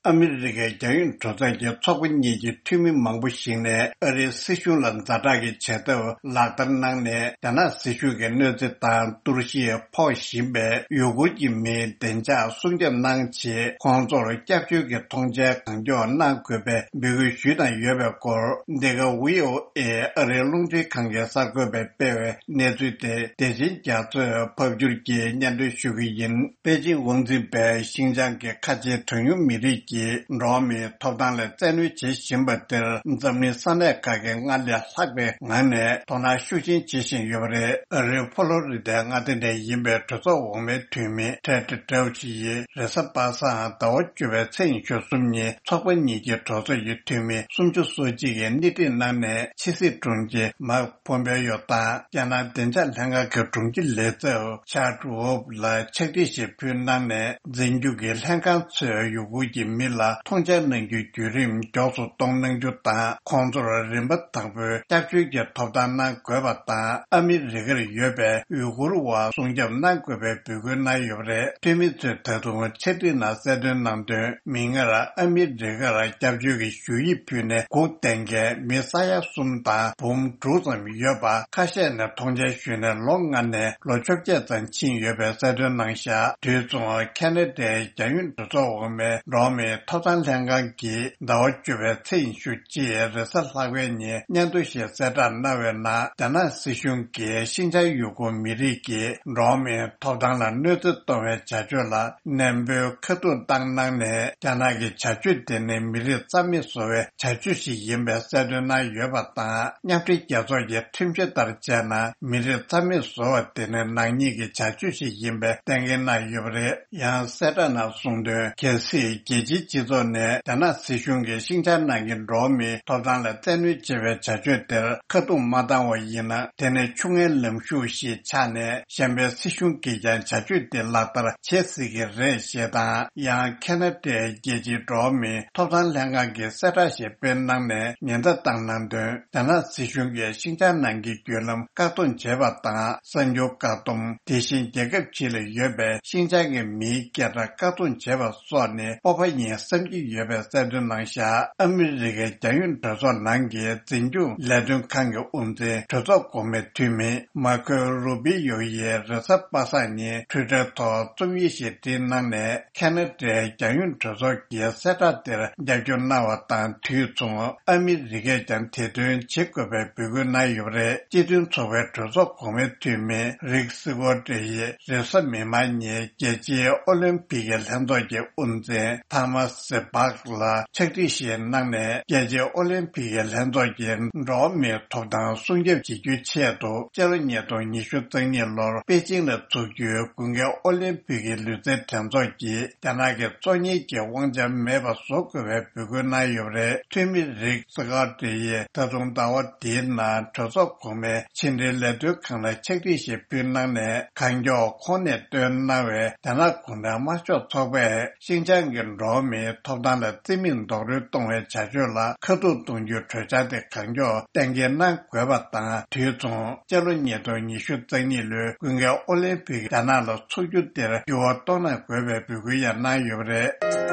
ཨ་མི་རི་ཀའི་རྒྱལ་ཡོངས་གྲོས་ཚོགས་ཀྱི་ཚོགས་པ་གཉིས་ཀྱི་འཐུས་མི་མང་པོ་ཞིག་ནས་ཨ་རིའི་སྲིད་གཞུང་ལ་ཛ་དྲག་གི་བྱེད་ཐབས་ལག་བསྟར་གནང་ནས། རྒྱ་ནག་སྲིད་གཞུང་གི་གནོད་འཚེ་དང་གཏོར་བཤིག་ཕོག་བཞིན་པའི་ཡུ་གུར་གྱི་མིའི་བདེ་འཇགས་སྲུང་སྐྱོབ་གནང་ཆེད་ཁོང་ཚོར་སྐྱབས་བཅོལ་གྱི་མཐོང་མཆན་གང་མགྱོགས་གནང་དགོས་པའི་འབོད་སྐུལ་ཞུས་གནང་ཡོད་པའི་སྐོར། འདི་ག་ཝི་ཨོ་ཨེ་ཨ་རིའི་རླུང་འཕྲིན་ཁང་གིས་གསར་འགོད་པར་སྤེལ་བའི་གནས་ཚུལ་དེ་བདེ་ཆེན་རྒྱ་མཚོས་ཕབ་བསྒྱུར་གྱིས་སྙན་སྒྲོན་ཞུ་གི་ཡིན། པེ་ཅིང་དབང་འཛིན་པས་ཤིན་ཅང་གི་ཁ་ཆེའི་གྲངས་ཉུང་མི་རིགས་ ཀྱིས་འགྲོ་བ་མིའི་ཐོབ་ཐང་ལ་བཙན་གནོན་བྱེད་བཞིན་པ་དེར་འཛམ་གླིང་ས་གནས་ཁག་གིས་སྔར་ལས་ལྷག་པའི་ངང་ནས་དོ་སྣང་ཤུགས་ཆེན་བྱེད་བཞིན་ཡོད་པ་རེད། ཨ་རིའི་ཕོ་ལོ་རི་ཌའི་མངའ་སྡེ་ནས་ཡིན་པའི་གྲོས་ཚོགས་འོག་མའི་འཐུས་མི་ཊེ་ཌི་ཌེ་ཝི་ཆི་ཡིས་རེས་གཟའ་པ་སངས་ཟླ་བ་བཅུ་པའི་ཚེས་ཉི་ཤུ་གསུམ་ཉིན་ཚོགས་པ་གཉིས་ཀྱི་གྲོས་ཚོགས་ཀྱི་འཐུས་མི་སུམ་ཅུ་སོ་གཅིག་གིས་སྣེ་ཁྲིད་གནང་ནས་ཕྱི་སྲིད་དྲུང་ཆེ་མཱིག་པོམ་པེ་ཡོ་དང་རྒྱ་ནག་བདེ་འཇགས་ལྷན་ཁང་གི་དྲུང་ཆེ་ལས་ཚབ་ཆར་ཝུབ་ལ་ཕྱག་བྲིས་ཤིག་ཕུལ་གནང་ནས། འཛིན་སྐྱོང་གི་ལྷན་ཁང་ཚོས་ཡུ་གུར་གྱི་མི་ལ་མཐོང་ཆེན་གནང་རྒྱུའི་བརྒྱུད་རིམ་མགྱོགས་སུ་གཏོང་གནང་རྒྱུ་དང་། ཁོང་ཚོར་རིམ་པ་དང་པོའི་སྐྱབས་བཅོལ་གྱི་ཐོབ་ཐང་གནང་དགོས་པ་དང་། ཨ་མི་རི་ཀར་ཡོད་པའི་ཡུ་གུར་བ་སྲུང་སྐྱོབ་གནང་དགོས་པའི་འབོད་སྐུལ་གནང་ཡོད་པ་རེད། འཐུས་མི་ཚོས་ད་དུང་ཕྱག་བྲིས་ནང་གསལ་སྟོན་གནང་དོན། མིག་སྔར་ཨ་མི་རི་ཀར་སྐྱབས་བཅོལ་གྱི་ཞུ་ཡིག་ཕུལ་ནས་སྒུག་བསྡད་མཁན་མི་ས་ཡ་གསུམ་དང་འབུམ་དྲུག་ཙམ་ཡོད་པ། ཁ་ཤས་ནས་མཐོང་མཆན་ཞུས་ནས་ལོ་ལྔ་ནས་ལོ་བཅོ་བརྒྱད་ཙམ་ཕྱིན་ཡོད་པའི་གསལ་སྟོན་གནང་བཞག་དུས་མཚུངས་ཁེ་ན་ཌའི་རྒྱལ་ཡོངས་གྲོས་ཚོགས་འོག་མའི་འགྲོ་བ་མིའི་ཐོབ་ཐང་ལྷན་ཁང་གིས་ཟླ་བ་བཅུ་པའི་ཚེས་ཉི་ཤུ་གཅིག་རེས་གཟའ་ལྷག་པའི་ཉིན་སྙན་ཐོ་ཞིག་གསལ་བསྒྲགས་གནང་བའི་ནང་། རྒྱ་ནག་སྲིད་གཞུང་གིས་ཤིན་ཅང་ཡུ་གུར་མི་རིགས་ཀྱི་འགྲོ་བ་མིའི་ཐོབ་ཐང་ལ་གནོད་འཚེ་གཏོང་བའི་བྱ་སྤྱོད་ལ་ནན་པོའི་ཁ་ཐུག་བཏང་གནང་ནས། རྒྱ་ནག་གི་བྱ་སྤྱོད་དེ་ནི་མི་རིགས་རྩ་མེད་བཟོ་བའི་བྱ་སྤྱོད་ཞིག་ཡིན་པའི་གསལ་སྟོན་གནང་ཡོད་པ་དང་། མཉམ་འབྲེལ་རྒྱལ་ཚོགས་ཀྱི་ཁྲིམས་གཞི་ལྟར་བྱས་ན། མི་རིགས་རྩ་མེད་བཟོ་བ་དེ་ནི་ནག་ཉེས་ཀྱི་བྱ་སྤྱོད་ཞིག་ཡིན་པའི་གཏན་འཁེལ་གནང་ཡོད་པ་རེད། ཡང་གསལ་བསྒྲགས་ནང་གསུངས་དོན། གལ་སྲིད་རྒྱལ་སྤྱིའི་སྤྱི་ཚོགས་ནས་རྒྱ་ནག་སྲིད་གཞུང་གིས་ཤིན་ཅང་ནང་གི་འགྲོ་བ་མིའི་ཐོབ་ཐང་ལ་བཙན་གནོན་བྱེད་པའི་བྱ་སྤྱོད་དེར་ཁ་རྡུང་མ་བཏང་བ་ཡིན་ན། དེ་ནི་ཆུང་ངུའི་ལམ་ཞུགས་ཤིག་ཆགས་ནས། གཞན་པའི་སྲིད་གཞུང་གིས་ཀྱང་བྱ་སྤྱོད་དེ་ལག་བསྟར་བྱེད་སྲིད་ཀྱི་རེད་ཞེས་དང་། ཡང་ཁེ་ན་ཌའི་རྒྱལ་སྤྱིའི་འགྲོ་བ་མིའི་ཐོབ་ཐང་ལྷན་ཁང་གིས་གསལ་བསྒྲགས་ཤིག་སྤེལ་གནང་ནས་ཉེན་བརྡ་བཏང་གནང་དོན། རྒྱ་ནག་སྲིད་གཞུང་གིས་ཤིན་ཅང་ནང་གི་བརྒྱུད་ལམ་བཀག་སྡོམ་བྱས་པ་དང་། གསར་འགྱུར་བཀག་སྡོམ། དེ་བཞིན་རྒྱལ་ཁབ་ཕྱི་ལ་ཡོད་པའི་ཤིན་ཅང་གི་མིའི་སྐད་གྲགས་བཀག་སྡོམ་བྱས་པ་སོགས་ནི་སྤོབས་པ་ཡིན་བསམ་གྱི་ཡོད་པའི་གསལ་སྟོན་གནང་བཞག་ཨ་མི་རི་ཀའི་རྒྱལ་ཡོངས་གྲོས་ཚོགས་ནང་གི་འཛིན་སྐྱོང་ལས་དོན་ཁང་གི་དབུ་འཛིན་གྲོས་ཚོགས་གོང་མའི་འཐུས་མི་མར་ཁོ་རུ་པི་ཡོ་ཡིས་རེས་གཟའ་པ་སངས་ཉིན་ཊུའི་ཊར་ཐོག་རྩོམ་ཡིག་ཞིག་བྲིས་གནང་ནས། ཁེ་ན་ཌའི་རྒྱལ་ཡོངས་གྲོས་ཚོགས་ཀྱི་གསལ་བསྒྲགས་དེར་རྒྱབ་སྐྱོར་གནང་བ་དང་། དུས་མཚུངས་ཨ་མི་རི་ཀས་ཀྱང་དེ་དོན་བྱེད་དགོས་པའི་འབོད་སྐུལ་གནང་ཡོད་པ་རེད། སྤྱི་མཐུན་ཚོགས་པའི་གྲོས་ཚོགས་གོང་མའི་འཐུས་མི་རིག་སི་ཀོ་ཏྲེ་ཡིས་རེས་གཟའ་མིག་དམར་ཉིན་རྒྱལ་སྤྱིའི་ཨོ་ལིམ་ཕིག་གི་ལྷན་ཚོགས་ཀྱི་དབུ་འཛིན་ཐ་མ་སི་པག་ལ་ཕྱག་བྲིས་ཤིག་གནང་ནས། རྒྱལ་སྤྱིའི་ཨོ་ལིམ་ཕིག་གི་ལྷན་ཚོགས་ཀྱིས་འགྲོ་བ་མིའི་ཐོབ་ཐང་སྲུང་སྐྱོབ་བྱེད་རྒྱུའི་ཆེད་དུ། སྤྱི་ལོ་ཉིས་སྟོང་ཉི་ཤུ་རྩ་གཉིས་ལོར་པེ་ཅིང་ལ་འཚོགས་རྒྱུའི་དགུན་ཁའི་ཨོ་ལིམ་ཕིག་གི་ལུས་རྩལ་འགྲན་ཚོགས་ཀྱིས་རྒྱ་ནག་གི་གཙོ་གཉེར་གྱི་དབང་ཆ་མེད་པ་བཟོ་དགོས་པའི་འབོད་སྐུལ་གནང་ཡོད་པ་རེད། འཐུས་མི་རིག་སི་ཀོ་ཏྲེ་ཡིས་ད་དུང་ཟླ་བ་འདིའི་ནང་གྲོས་ཚོགས་གོང་མའི་ཕྱི་འབྲེལ་ལས་དོན་ཁང་ལ་ཕྱག་བྲིས་ཤིག་ཕུལ་གནང་ནས། གང་མགྱོགས་ཁོང་ནས་བཏོན་གནང་བའི་རྒྱ་ནག་གུང་ཁྲན་དམར་ཤོག་ཚོགས་པས་ཤིན་ཅང་གི་འགྲོ་བ་མིའི་ཐོབ་ཐང་ལ་བརྩི་མེད་རྡོག་རོལ་གཏོང་བའི་བྱ་སྤྱོད་ལ་ཁ་ཐུག་གཏོང་རྒྱུའི་གྲོས་འཆར་དེ་གང་མགྱོགས་གཏན་འཁེལ་གནང་དགོས་པ་དང་། དུས་མཚུངས་སྤྱི་ལོ་ཉིས་སྟོང་ཉི་ཤུ་རྩ་གཉིས་ལོའི་དགུན་ཁའི་ཨོ་ལིམ་ཕིག་རྒྱ་ནག་ལ་འཚོགས་རྒྱུ་དེར་འགྱུར་བ་གཏོང་གནང་དགོས་པའི་འབོད་སྐུལ་ཡང་གནང་ཡོད་པ་རེད།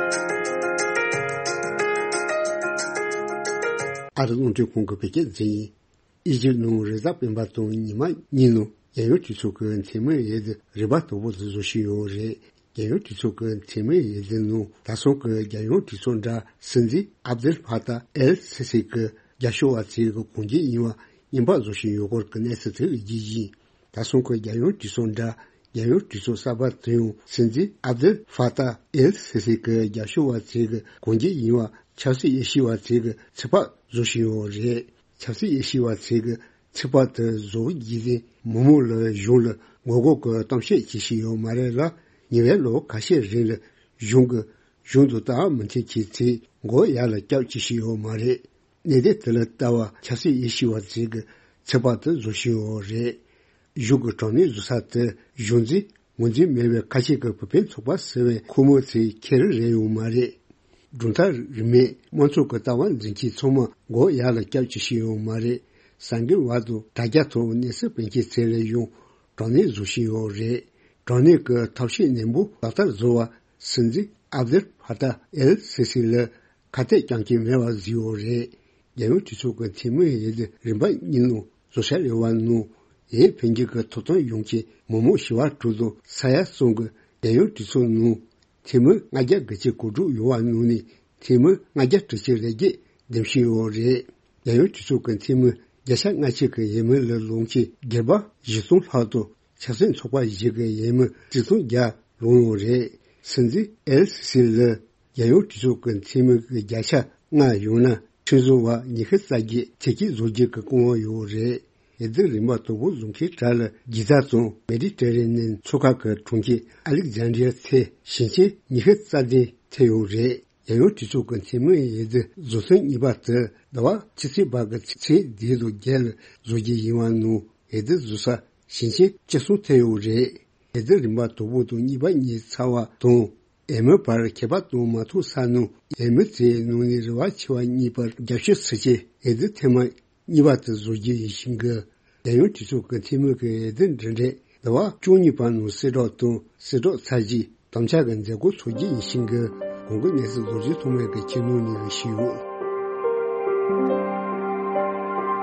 ཨ་རི་རླུང་འཕྲིན་ཁང་གི་བོད་སྐད་སྡེ་ཡིན། ཨི་ཇིབ་ནང་རེས་གཟའ་སྤེན་པ་དང་ཉི་མ་གཉིས་ནང་རྒྱལ་ཡོངས་གྲོས་ཚོགས་ཀྱི་འཐུས་མི་འོས་བསྡུ་རིམ་པ་དང་པོ་དེ་བཟོ་བཞིན་ཡོད་རེད། རྒྱལ་ཡོངས་གྲོས་ཚོགས་ཀྱི་འཐུས་མི་འོས་བསྡུ་ནང་ད་སོང་གི་རྒྱལ་ཡོངས་གྲོས་ཚོགས་འདྲ་སྲིད་འཛིན་ཨབ་དེལ་ཕ་ཏཱ་ཨེལ་སི་སི་གི་རྒྱབ་སྐྱོར་བ་ཚོས་གི་གང་ཅི་ཡིན་པ་རྔན་པ་བཟོ་བཞིན་ཡོད་སྐོར་གྱི་གནས་ཚུལ་དེ་རྒྱས་ཡིན། ད་སོང་གི་རྒྱལ་ཡོངས་གྲོས་ཚོགས་འདྲ་རྒྱལ་ཡོངས་གྲོས་ཚོགས་གསར་པ་དེ་ཡང་སྲིད་འཛིན་ཨབ་དེལ་ཕ་ཏཱ་ཨེལ་སི་སི་གི་རྒྱབ་སྐྱོར་བ་ཚོས་གི་གང་ཅི་ཡིན་པ་ཆབ་སྲིད་དབྱེ་ཞིབ་པ་ཚོས་གི་ཚོད་དཔག་བཟོ་བཞིན་ཡོད་རེད། ཆབ་སྲིད་དབྱེ་ཞིབ་པ་ཚོས་གི་ཚོད་དཔག་དེ་བཟོ་རྒྱུ་དེ་མི་མང་ལ་གཞུང་ལ་ངོ་རྒོལ་གྱི་གཏམ་བཤད་བྱེད་བཞིན་ཡོད་མ་རེད་ལ། ཉེ་བའི་ལོ་ཁ་ཤས་རིང་ལ་གཞུང་གི་གཞུང་དུ་ལྟ་བ་མི་མཐུན་གྱི་ཚེ་མགོ་ཡར་ལ་བཀྱག་བྱེད་བཞིན་ཡོད་མ་རེད། གནད་དོན་དེ་ལ་ལྟ་བ་ཆབ་སྲིད་དབྱེ་ཞིབ་པ་ཚོས་གི་ཚོད་དཔག་དེ་བཟོ་བཞིན་ཡོད་རེད། གཞུང་གི་དྲག་གནོན་བཟོ་ས་དེ་གཞུང་འཛིན་ངོས་འཛིན་མེད་པའི་ཁ་ཆེ་གི་བུ་སྤུན་ཚོགས་པ་ཟེར་བའི་ཁོ་མོ་ཚོའི་ཁྱེར་རེ་ཡོང་མ་རེད། གྲུབ་མཐའ་རིས་མེད་དམངས་གཙོ་གི་ལྟ་བ་འཛིན་མཁན་ཚང་མ་མགོ་ཡར་ལ་བཀྱག་བྱེད་བཞིན་ཡོད་མ་རེད། གསར་འགྱུར་བར་དུ་དྲ་རྒྱ་ཐོག་གནས་ཚུལ་སྤེལ་མཁན་ཚོ་ལ་ཡང་དྲག་གནོན་བཟོ་བཞིན་ཡོད་རེད། དྲག་གནོན་གྱི་ཐབས་ཤེས་ནན་པོ་ལག་བསྟར་བཟོ་བར་སྲིད་འཛིན་ཨབ་དེལ་ཕ་ཏཱ་ཨེལ་སི་སི་ལ་ཁ་གཏད་རྐྱང་རྐྱང་མེད་པ་བཟོས་ཡོད་རེད། རྒྱལ་ཡོངས་གྲོས་ཚོགས་ཀྱི་འཐུས་མི་འོས་བསྡུ་རིམ་པ་གཉིས་ནང་བཟོ་འཆར་ཡོད་པ་ནང་། འོས་འཕེན་རྒྱུ་གི་ཐོབ་ཐང་ཡོང་མཁན་མི་མང་བྱེ་བ་དྲུག་དང་ས་ཡ་གསུམ་གྱི་རྒྱལ་ཡོངས་གྲོས་ཚོགས་ནང་འཐུས་མི་ལྔ་བརྒྱ་དགུ་བཅུ་གོ་དྲུག་ཡོད་པ་ནང་ནས་འཐུས་མི་ལྔ་བརྒྱ་དྲུག་ཅུ་རེ་བརྒྱད་འདེམས་ཤིང་ཡོད་རེད། རྒྱལ་ཡོངས་གྲོས་ཚོགས་ཀྱི་འཐུས་མི་བརྒྱ་ཆ་ལྔ་བཅུ་གི་འོས་མི་ལ་ལངས་མཁན་སྒེར་པ་བཞི་སྟོང་ལྷག་དང་། ཆབ་སྲིད་ཚོགས་པ་བཞི་གི་འོས་མི་ཆིག་སྟོང་བརྒྱ་ལངས་ཡོད་རེད། སྲིད་འཛིན་ཨེལ་སི་སི་ལ་ རྒྱལ་ཡོངས་གྲོས་ཚོགས་ཀྱི་འཐུས་མི་གི་བརྒྱ་ཆ་ལྔ་ཡོང་ན་ཁྲིམས་བཟོ་བ་ཉི་ཤུ་རྩ་བརྒྱད་ཚེ་སྐྱིད་བཟོ་རྒྱུ་གི་སྐུ་དབང་ཡོད་རེད། འོས་བསྡུ་རིམ་པ་དང་པོ་བཟོ་མཁན་གྲས་ལ་སྒྱིས་ཚ་དང་མེ་ཌི་ཊེ་རེ་ནེན་མཚོ་ཁ་གི་གྲོང་ཁྱེར་ཨ་ལེག་ཛན་ཌི་ཡ་ཚེ་ཞིང་ཆེན་ཉི་ཤུ་རྩ་བདུན་ཐེ་ཡོད་རེད། རྒྱལ་ཡོངས་གྲོས་ཚོགས་ཀྱི་འཐུས་མི་འོས་བསྡུ་བཟོ་ཐེངས་གཉིས་པ་དེ་ཟླ་བ་ཕྱི་ཚེས་བར་གྱི་ཚེས་བདུན་དང་བརྒྱད་ལ་བཟོ་རྒྱུ་ཡིན་པ་ནང་འོས་བསྡུ་བཟོ་ས་ཞིང་ཆེན་བཅུ་གསུམ་ཐེ་ཡོད་རེད། འོས་བསྡུ་རིམ་པ་དང་པོ་དང་གཉིས་པ་གཉིས་ཚར་བ་དང་འོས་མིའི་བར་ཁྱད་པར་དང་མ་ཐུག་ས་ནང་འོས་མི་ཚོའི་ནང་ནས་རེ་བ་ཆེ་བ་གཉིས་པར་རྒྱབ་སྐྱོར་ཟེར་གྱི་འོས་བསྡུ་ཐེངས་མ་གཉིས་པ་དེ་བཟོ་རྒྱུ་ཡིན་ཞིང་གི། རྒྱལ་ཡོངས་གྲོས་ཚོགས་ཀྱི་འཐུས་མི་གི་འོས་བསྡུ་འབྲེལ་འདྲེས་ཟླ་བ་བཅུ་གཉིས་པ་ནང་གསལ་བསྒྲགས་དང་གསལ་བསྒྲགས་ཚར་རྗེས་དམ་བཅའ་གི་མཛད་སྒོ་འཚོགས་རྒྱུ་ཡིན་ཞིང་གི། གོང་གི་གནས་ཚུལ་རྡོ་རྗེ་ཐོགས་མེད་ཀྱིས་ཁྱེད་རྣམས་ནས་ཞུས་ཡོད།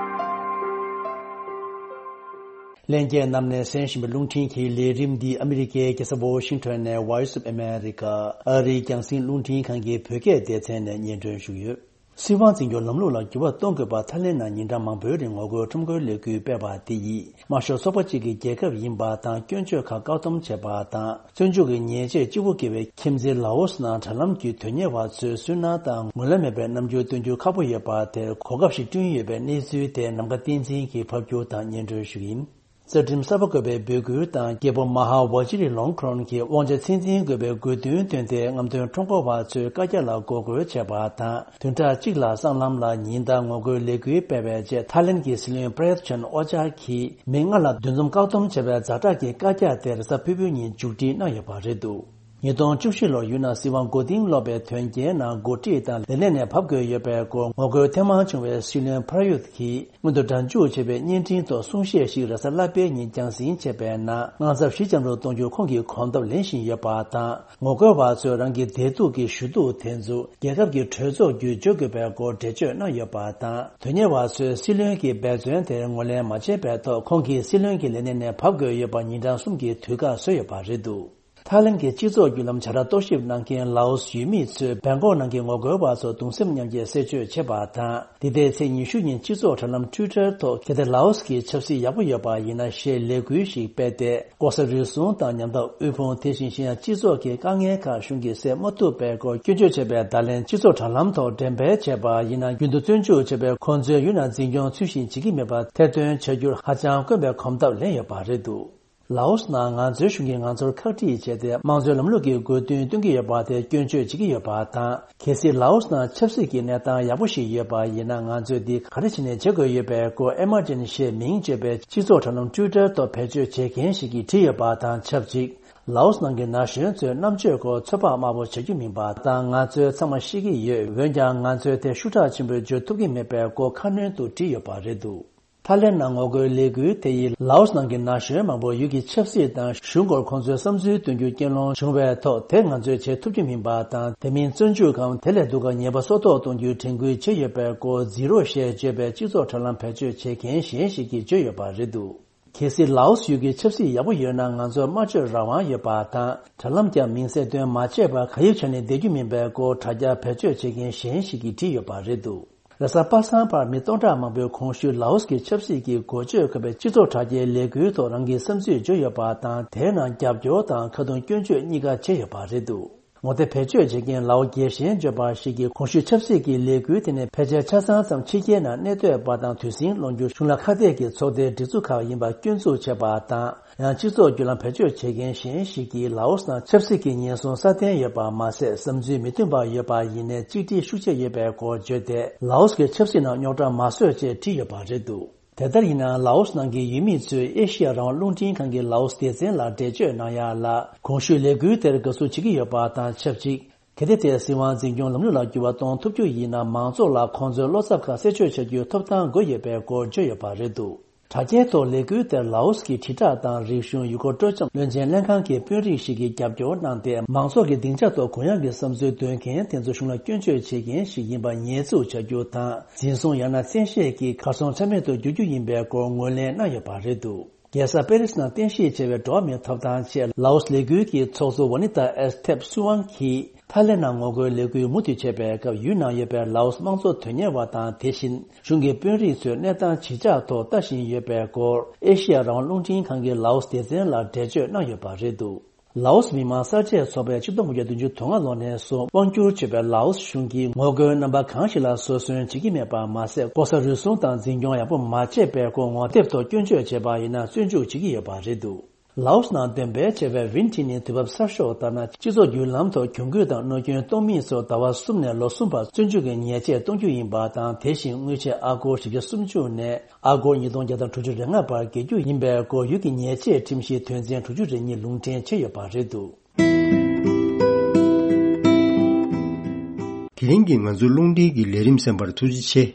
ལྷན་རྒྱས་རྣམས་ནས་གསན་བཞིན་པའི་རླུང་འཕྲིན་གྱི་ལས་རིམ་འདི་ཨ་མི་རི་ཀའི་རྒྱལ་ས་ཝོ་ཤིང་ཊོན་ནས་Voice of America ཨ་རིའི་རྒྱང་སྲིང་རླུང་འཕྲིན་ཁང་གི་བོད་སྐད་སྡེ་ཚན་ནས་སྙན་སྒྲོན་ཞུ་གི་ཡོད། སྲིད་དབང་འཛིན་སྐྱོང་ལམ་ལུགས་ལ་འགྱུར་བ་གཏོང་དགོས་པ། ཐའི་ལེན་ནང་ཉིན་གྲངས་མང་པོའི་རིང་ངོ་རྒོལ་ཁྲོམ་སྐོར་ལས་འགུལ་སྤེལ་བ་དེ་ཡིས་དམར་ཤོག་ཚོགས་པ་གཅིག་གི་རྒྱལ་ཁབ་ཡིན་པ་དང་སྐྱོན་བརྗོད་ཁག་བཀག་སྡོམ་བྱས་པ་དང་། བཙོན་འཇུག་གི་ཉེས་ཆད་ལྕི་པོ་བཀལ་བའི་ཁྱིམ་མཚེས་ལའོ་སི་ནང་དྲ་ལམ་བརྒྱུད་དོན་གཉེར་བ་ཚོས་སུན་སྣང་དང་ངོས་ལེན་མེད་པའི་རྣམ་འགྱུར་སྟོན་རྒྱུ་ཁག་པོ་ཡོད་པ་དེར་གོ་སྐབས་ཤིག་བསྐྲུན་ཡོད་པའི་གནས་ཚུལ་དེ་ནམ་མཁའ་བསྟན་འཛིན་གྱིས་ཕབ་སྒྱུར་དང་སྙན་སྒྲོན་ཞུ་གི་ཡིན། རྩ་ཁྲིམས་གསར་པ་བཀོད་པའི་འབོད་སྐུལ་དང་རྒྱལ་པོ་མ་ཧཱ་ཝ་ཇི་རི་ལོང་ཁོན་གྱི་དབང་ཆ་ཚད་འཛིན་དགོས་པའི་དགོས་འདུན་བཏོན་ཏེ་རྔམ་སྟོན་ཁྲོམ་སྐོར་བ་ཚོས་བཀའ་རྒྱ་ལ་འགོག་རྒོལ་བྱས་པ་དང་། བདུན་ཕྲག་གཅིག་ལ་སྲང་ལམ་ལ་ཉིན་ལྟར་ངོ་རྒོལ་ལས་འགུལ་སྤེལ་བའི་རྗེས་ཐའི་ལེན་གྱི་སྲིད་བློན་པྲ་ཡུད་ཅན་ཨོ་ཅཱ་གིས་མི་ལྔ་ལ་འདུ་འཛོམས་བཀག་སྡོམ་བྱས་པའི་ཛ་དྲག་གི་བཀའ་རྒྱ་དེ་རེས་གཟའ་ཕུར་བུའི་ཉིན་མཇུག་སྒྲིལ་གནང་ཡོད་པ་རེད་འདུག་ཉིས་སྟོང་བཅུ་བཞི་ལོར་ཡུལ་ནང་སྲིད་དབང་མགོ་རྟིང་སློག་པའི་དོན་རྐྱེན་ནང་འགོ་ཁྲིད་དང་ལས་གནས་ནས་བབས་དགོས་ཡོད་པའི་སྐོར་ངོ་རྒོལ་ཐེངས་མང་བྱུང་བའི་སྲིད་བློན་པྲ་ཡུད་ཀྱིས་སྔོན་དུ་སྒྲ་འཇུག་བྱས་པའི་བརྙན་འཕྲིན་ཐོག་གསུང་བཤད་ཞིག་རེས་གཟའ་ལྷག་པའི་ཉིན་རྒྱང་སྲིང་བྱས་པའི་ནང་དངངས་འཚབ་ཞི་འཇམ་རུ་གཏོང་རྒྱུར་ཁོང་གིས་གོམ་སྟབས་ལེན་བཞིན་ཡོད་པ་དང་། ངོ་རྒོལ་བ་ཚོས་རང་གི་བདེ་སྡུག་གི་ཞུ་གཏུག་དེ་ཚོ་རྒྱལ་ཁབ་ཀྱི་གྲོས་ཚོགས་བརྒྱུད་འཇོག་དགོས་པའི་སྐོར་འགྲེལ་བརྗོད་གནང་ཡོད་པ་དང་། དོན་གཉེར་བ་ཚོས་སྲིད་བློན་གྱི་འབད་བརྩོན་དེར་ངོས་ལེན་མ་བྱས་པའི་ཐོག་ཁོང་གིས་སྲིད་བློན་གྱི་ལས་གནས་ནས་བབས་དགོས་ཡོད་པ་ཉིན་གྲངས་གསུམ་གྱི་དུས་བཀག་བཟོས་ཡོད་པ་རེད་འདུག་ཐའི་ལེན་གྱི་སྤྱི་ཚོགས་བརྒྱུད་ལམ་བྱ་བར་རྟོག་ཞིབ་གནང་མཁན་ལའོ་སི་ཡུལ་མི་ཚོས་བྷན་ཀོག་ནང་གི་ངོ་རྒོལ་བ་ཚོར་གདུང་སེམས་མཉམ་སྐྱེད་གསལ་བརྗོད་བྱས་པ་དང་། འདི་ཟླའི་ཚེས་ཉི་ཤུ་ཉིན་སྤྱི་ཚོགས་དྲ་ལམ་ཊུའི་ཊར་ཐོག་གལ་ཏེ་ལའོ་སི་གི་ཆབ་སྲིད་ཡག་པོ་ཡོད་པ་ཡིན་ན་ཞེས་ལས་འགུལ་ཞིག་སྤེལ་ཏེ། ལྐོག་ཟ་རུལ་སུངས་དང་ཉམས་ཐག་དབུལ་ཕོངས། དེ་བཞིན་གཞན་ཡང་སྤྱི་ཚོགས་ཀྱི་དཀའ་ངལ་ཁག་གཞུང་གིས་སེལ་མ་ཐུབ་པའི་སྐོར་སྐྱོན་བརྗོད་བྱས་པའི་བརྡ་ལན་སྤྱི་ཚོགས་དྲ་ལམ་ཐོག་འགྲེམས་སྤེལ་བྱས་པ་ཡིན་ན། རྒྱུན་དུ་བཙོན་འཇུག་བྱས་པའི་ཁོང་ཚོའི་ཡུལ་ནང་འཛིན་སྐྱོང་ཚུལ་བཞིན་བྱེད་ཀྱི་མེད་པར་ཐེར་འདོན་བྱ་རྒྱུར་ཧ་ཅང་དཀོན་པའི་གོམ་སྟབས་ལེན་ཡོད་པ་རེད་འདུག་ལའོ་སི་ནང་ང་ཚོའི་གཞུང་གིས་ང་ཚོར་ཁག་དཀྲིས་བྱས་ཏེ་དམངས་གཙོའི་ལམ་ལུགས་ཀྱི་དགོས་འདུན་སྟོན་གྱི་ཡོད་པ་དེ་སྐྱོན་བརྗོད་བྱེད་ཀྱི་ཡོད་པ་དང་། གལ་སྲིད་ལའོ་སི་ནང་ཆབ་སྲིད་ཀྱི་གནས་སྟངས་ཡག་པོ་ཞིག་ཡོད་པ་ཡིན་ན། ང་ཚོས་འདི་ག་རེ་བྱས་ནས་བྱེད་དགོས་ཡོད་པའི་སྐོར་ཨེ་མར་ཇེན་ཞེས་མིང་བརྗོད་པའི་སྤྱི་ཚོགས་དྲ་ལམ་ཊུའི་ཊར་ཐོག་བེད་སྤྱོད་བྱེད་མཁན་ཞིག་གིས་བྲིས་ཡོད་པ་དང་ཆབས་ཅིག་ལའོ་སི་ནང་གི་ན་གཞོན་ཚོས་རྣམ་དཔྱོད་སྐོར་ཚོད་དཔག་དམའ་པོ་བྱ་རྒྱུ་མིན་པ་དང་། ང་ཚོས་ཚང་མ་ཤེས་ཀྱི་ཡོད། འོན་ཀྱང་ང་ཚོས་དེ་ཤུགས་དྲག་ཆེན་པོས་བརྗོད་ཐུབ་ཀྱི་མེད་པའི་སྐོར་ཁ་སྣོན་དུ་བྲིས་ཡོད་པ་རེད་འདུག་ཐའི་ལེན་ནང་ངོ་རྒོལ་ལས་འགུལ་དེ་ཡིས་ལའོ་སི་ནང་གི་ན་གཞོན་མང་པོ་ཡུལ་གྱི་ཆབ་སྲིད་དང་གཞུང་སྐོར་ཁོང་ཚོའི་བསམ་ཚུལ་འདོན་རྒྱུ་རྐྱེན་སློང་བྱུང་བའི་ཐོག་དེ་ང་ཚོས་བྱེད་ཐུབ་རྒྱུ་མིན་པ་དང་། དེ་མིན་བཙོན་འཇུག་གམ་དེ་ལས་སྡུག་ག་ཉེས་པ་སྲོག་ཐོག་གཏོང་རྒྱུའི་དྲན་སྐུལ་བྱས་ཡོད་པའི་སྐོར་ཛི་རོ་ཞེས་བརྗོད་པའི་སྤྱི་ཚོགས་དྲ་ལམ་བེད་སྤྱོད་བྱེད་མཁན་གཞན་ཞིག་གིས་བརྗོད་ཡོད་པ་རེད་འདུག་གལ་སྲིད་ལའོ་སི་ཡུལ་གྱི་ཆབ་སྲིད་ཡག་པོ་ཡོད་ན། ང་ཚོར་སྨྲ་བརྗོད་རང་དབང་ཡོད་པ་དང་། དྲ་ལམ་བརྒྱུད་མིང་གསལ་སྟོན་མ་བྱས་པར་ག་ཡེ་བྱས་ནས་བསྡད་རྒྱུ་མིན་པའི་སྐོར་དྲ་རྒྱ་བེད་སྤྱོད་བྱེད་མཁན་གཞན་ཞིག་གིས་བྲིས་ཡོད་པ་རེད་འདུག་རེས་གཟའ་པ་སངས་བར་མི་སྟོང་ཕྲག་མང་པོས་གོང་ཞུས་ལའོ་སི་གི་ཆབ་སྲིད་ཀྱི་འགོ་བརྗོད་འཁོད་པའི་སྤྱི་ཚོགས་དྲ་རྒྱའི་ལས་འགུལ་ཐོག་རང་གི་བསམ་ཚུལ་བརྗོད་ཡོད་པ་དང་། དེའི་ནང་རྒྱབ་སྐྱོར་དང་ཁ་རྡུང་སྐྱོན་བརྗོད་གཉིས་ཀ་བྱས་ཡོད་པ་རེད་འདུག་ངོ་དེབ་བེད་སྤྱོད་བྱེད་མཁན་ལའོ་རྒྱལ་ཞེན་བརྗོད་པ་ཞིག་གིས་གོང་ཞུས་ཆབ་སྲིད་ཀྱི་ལས་འགུལ་དེ་ནི་ཕལ་ཆེར་ཆ་ཚང་ཙམ་ཕྱི་རྒྱལ་ནང་གནས་སྡོད་པ་དང་དུས་ཟིང་སློང་རྒྱུ་གཞུང་ལ་ཁ་གཏད་ཀྱི་ཚོགས་སྡེའི་སྒྲིག་འཛུགས་ཁག་ཡིན་པ་སྐྱོན་འཛུགས་བྱས་པ་དང་། ཡང་སྤྱི་ཚོགས་བརྒྱུད་ལམ་བེད་སྤྱོད་བྱེད་མཁན་གཞན་ཞིག་གིས་ལའོ་སི་ནང་ཆབ་སྲིད་ཀྱི་ཉེན་སྲུང་སྲ་བརྟན་ཡོད་པ་མ་ཟད། བསམ་ཚུལ་མི་མཐུན་པ་ཡོད་པ་ཡིན་ནའི་གཅིག་སྒྲིལ་ཤུགས་ཆེ་ཡོད་པའི་སྐོར་བརྗོད་དེ། ལའོ་སི་གི་ཆབ་སྲིད་ནང་རྙོག་དྲ་མ་བཟོས་ཅེས་བྲིས་ཡོད་པ་རེད་འདུག་དེ་ལྟར་ཡིན་ནའང་། ལའོ་སི་ནང་གི་ཡུལ་མི་ཚོས་ཨེ་ཤི་ཡ་རང་དབང་རླུང་འཕྲིན་ཁང་གི་ལའོ་སི་སྡེ་ཚན་ལ་འགྲེལ་བརྗོད་གནང་ཡག་ལ། གོང་ཞུས་ལས་འགུལ་དེར་དགའ་བསུ་བྱེད་ཀྱི་ཡོད་པ་དང་ཆབས་ཅིག་གལ་ཏེ་དེས་སྲིད་དབང་འཛིན་སྐྱོང་ལམ་ལུགས་ལ་འགྱུར་བ་གཏོང་ཐུབ་རྒྱུ་ཡིན་ན། མང་ཚོགས་ལ་ཁོང་ཚོའི་བློ་འཚབ་ཁག་གསལ་བརྗོད་བྱ་རྒྱུའི་ཐོབ་ཐང་དགོས་ཡོད་པའི་སྐོར་བརྗོད་ཡོད་པ་རེད་འདུག་དྲ་རྒྱའི་ཐོག་ལས་འགུལ་དེར་ལའོ་སི་གི་དྲིལ་བསྒྲགས་དང་རིག་གཞུང་ཡུལ་སྐོར་སྤྲོ་འཆམ་བློན་ཆེན་ལྷན་ཁང་གི་དཔོན་རིགས་ཤིག་གིས་རྒྱབ་སྐྱོར་གནང་སྟེ། མང་ཚོགས་ཀྱི་སྡིངས་ཆ་ཐོག་གུ་ཡངས་ཀྱི་བསམ་ཚུལ་འདོན་མཁན་དེ་ཚོ་གཞུང་ལ་སྐྱོན་བརྗོད་བྱེད་མཁན་ཞིག་ཡིན་པ་ཉེས་འཛུགས་བྱ་རྒྱུ་དང་། འཛིན་བཟུང་ཡང་ན་བཙན་ཤེད་ཀྱིས་གར་སོང་ཆ་མེད་དུ་བསྒྱུར་རྒྱུ་ཡིན་པའི་སྐོར་ངོས་ལེན་གནང་ཡོད་པ་རེད་འདུག་རྒྱལ་ས་པེ་རིས་ནང་རྟེན་གཞི་བྱས་པའི་འགྲོ་བ་མིའི་ཐོབ་ཐང་ཆེད་ལའོ་སི་ལས་འགུལ་གྱི་ཚོགས་གཙོ་ཝ་ནི་ཏཱ་ཨེས་ཐེབ་སུ་ཝང་གིས། ཐའི་ལེན་ནང་ངོ་རྒོལ་ལས་འགུལ་མུ་མཐུད་བྱས་པའི་སྐབས། ཡུལ་ནང་ཡོད་པའི་ལའོ་སི་དམངས་གཙོ་དོན་གཉེར་བ་དང་། དེ་བཞིན་གཞུང་གི་དཔོན་རིགས་ཚོས་གནས་སྟངས་ཇི་ཆགས་ཐོག་ལྟ་བཞིན་ཡོད་པའི་སྐོར། ཨེ་ཤི་ཡ་རང་དབང་རླུང་འཕྲིན་ཁང་གི་ལའོ་སི་སྡེ་ཚན་ལ་འགྲེལ་བརྗོད་གནང་ཡོད་པ་རེད་འདུག་ལའོ་སི་མི་དམངས་གསར་བརྗེའི་ཚོགས་པས་ཆིག་སྟོང་དགུ་བརྒྱ་བདུན་ཅུ་དོན་ལྔ་ལོ་ནས་བཟུང་དབང་སྒྱུར་བྱེད་པའི་ལའོ་སི་གཞུང་གིས་ངོ་རྒོལ་རྣམ་པ་གང་ཞིག་ལ་བཟོད་གསོལ་བྱེད་ཀྱི་མེད་པ་མ་ཟད། ལྐོག་ཟ་རུལ་སུངས་དང་འཛིན་སྐྱོང་ཡག་པོ་མ་བྱས་པའི་སྐོར་ངོ་དེབ་ཐོག་སྐྱོན་བརྗོད་བྱས་པ་ཡིན་ན་བཙོན་འཇུག་བྱེད་ཀྱི་ཡོད་པ་རེད་འདུག་ལའོ་སི་ནང་འདོན་སྤེལ་བྱས་པའི་ཝིན་ཊི་ནི་དུས་བབ་གསར་ཤོག་ལྟར་ན། སྤྱི་ཚོགས་བརྒྱུད་ལམ་ཐོག་གྱོང་གུད་དང་གནོད་སྐྱོན་གཏོང་མིན་སོགས་ཟླ་བ་གསུམ་ནས་ལོ་གསུམ་བར་བཙོན་འཇུག་གི་ཉེས་ཆད་གཏོང་རྒྱུ་ཡིན་པ་དང་། དེ་བཞིན་དངུལ་ཆད་ཨ་སྒོར་བཞི་བརྒྱ་སུམ་ཅུ་ནས་ཨ་སྒོར་ཉིས་སྟོང་བརྒྱ་དང་དྲུག་ཅུ་རེ་ལྔ་བར་འགེལ་རྒྱུ་ཡིན་པའི་སྐོར་ཡུལ་གྱི་ཉེས་ཆད་ཁྲིམས་གཞིའི་དོན་ཚན་དྲུག་ཅུ་རེ་གཉིས་ལུང་འདྲེན་བྱས་ཡོད་པ་རེད་འདུག་དེ་རིང་གི་ང་ཚོའི་རླུང་འཕྲིན་གྱི་ལས་རིམ་གསན་པར་ཐུགས་རྗེ་ཆེ།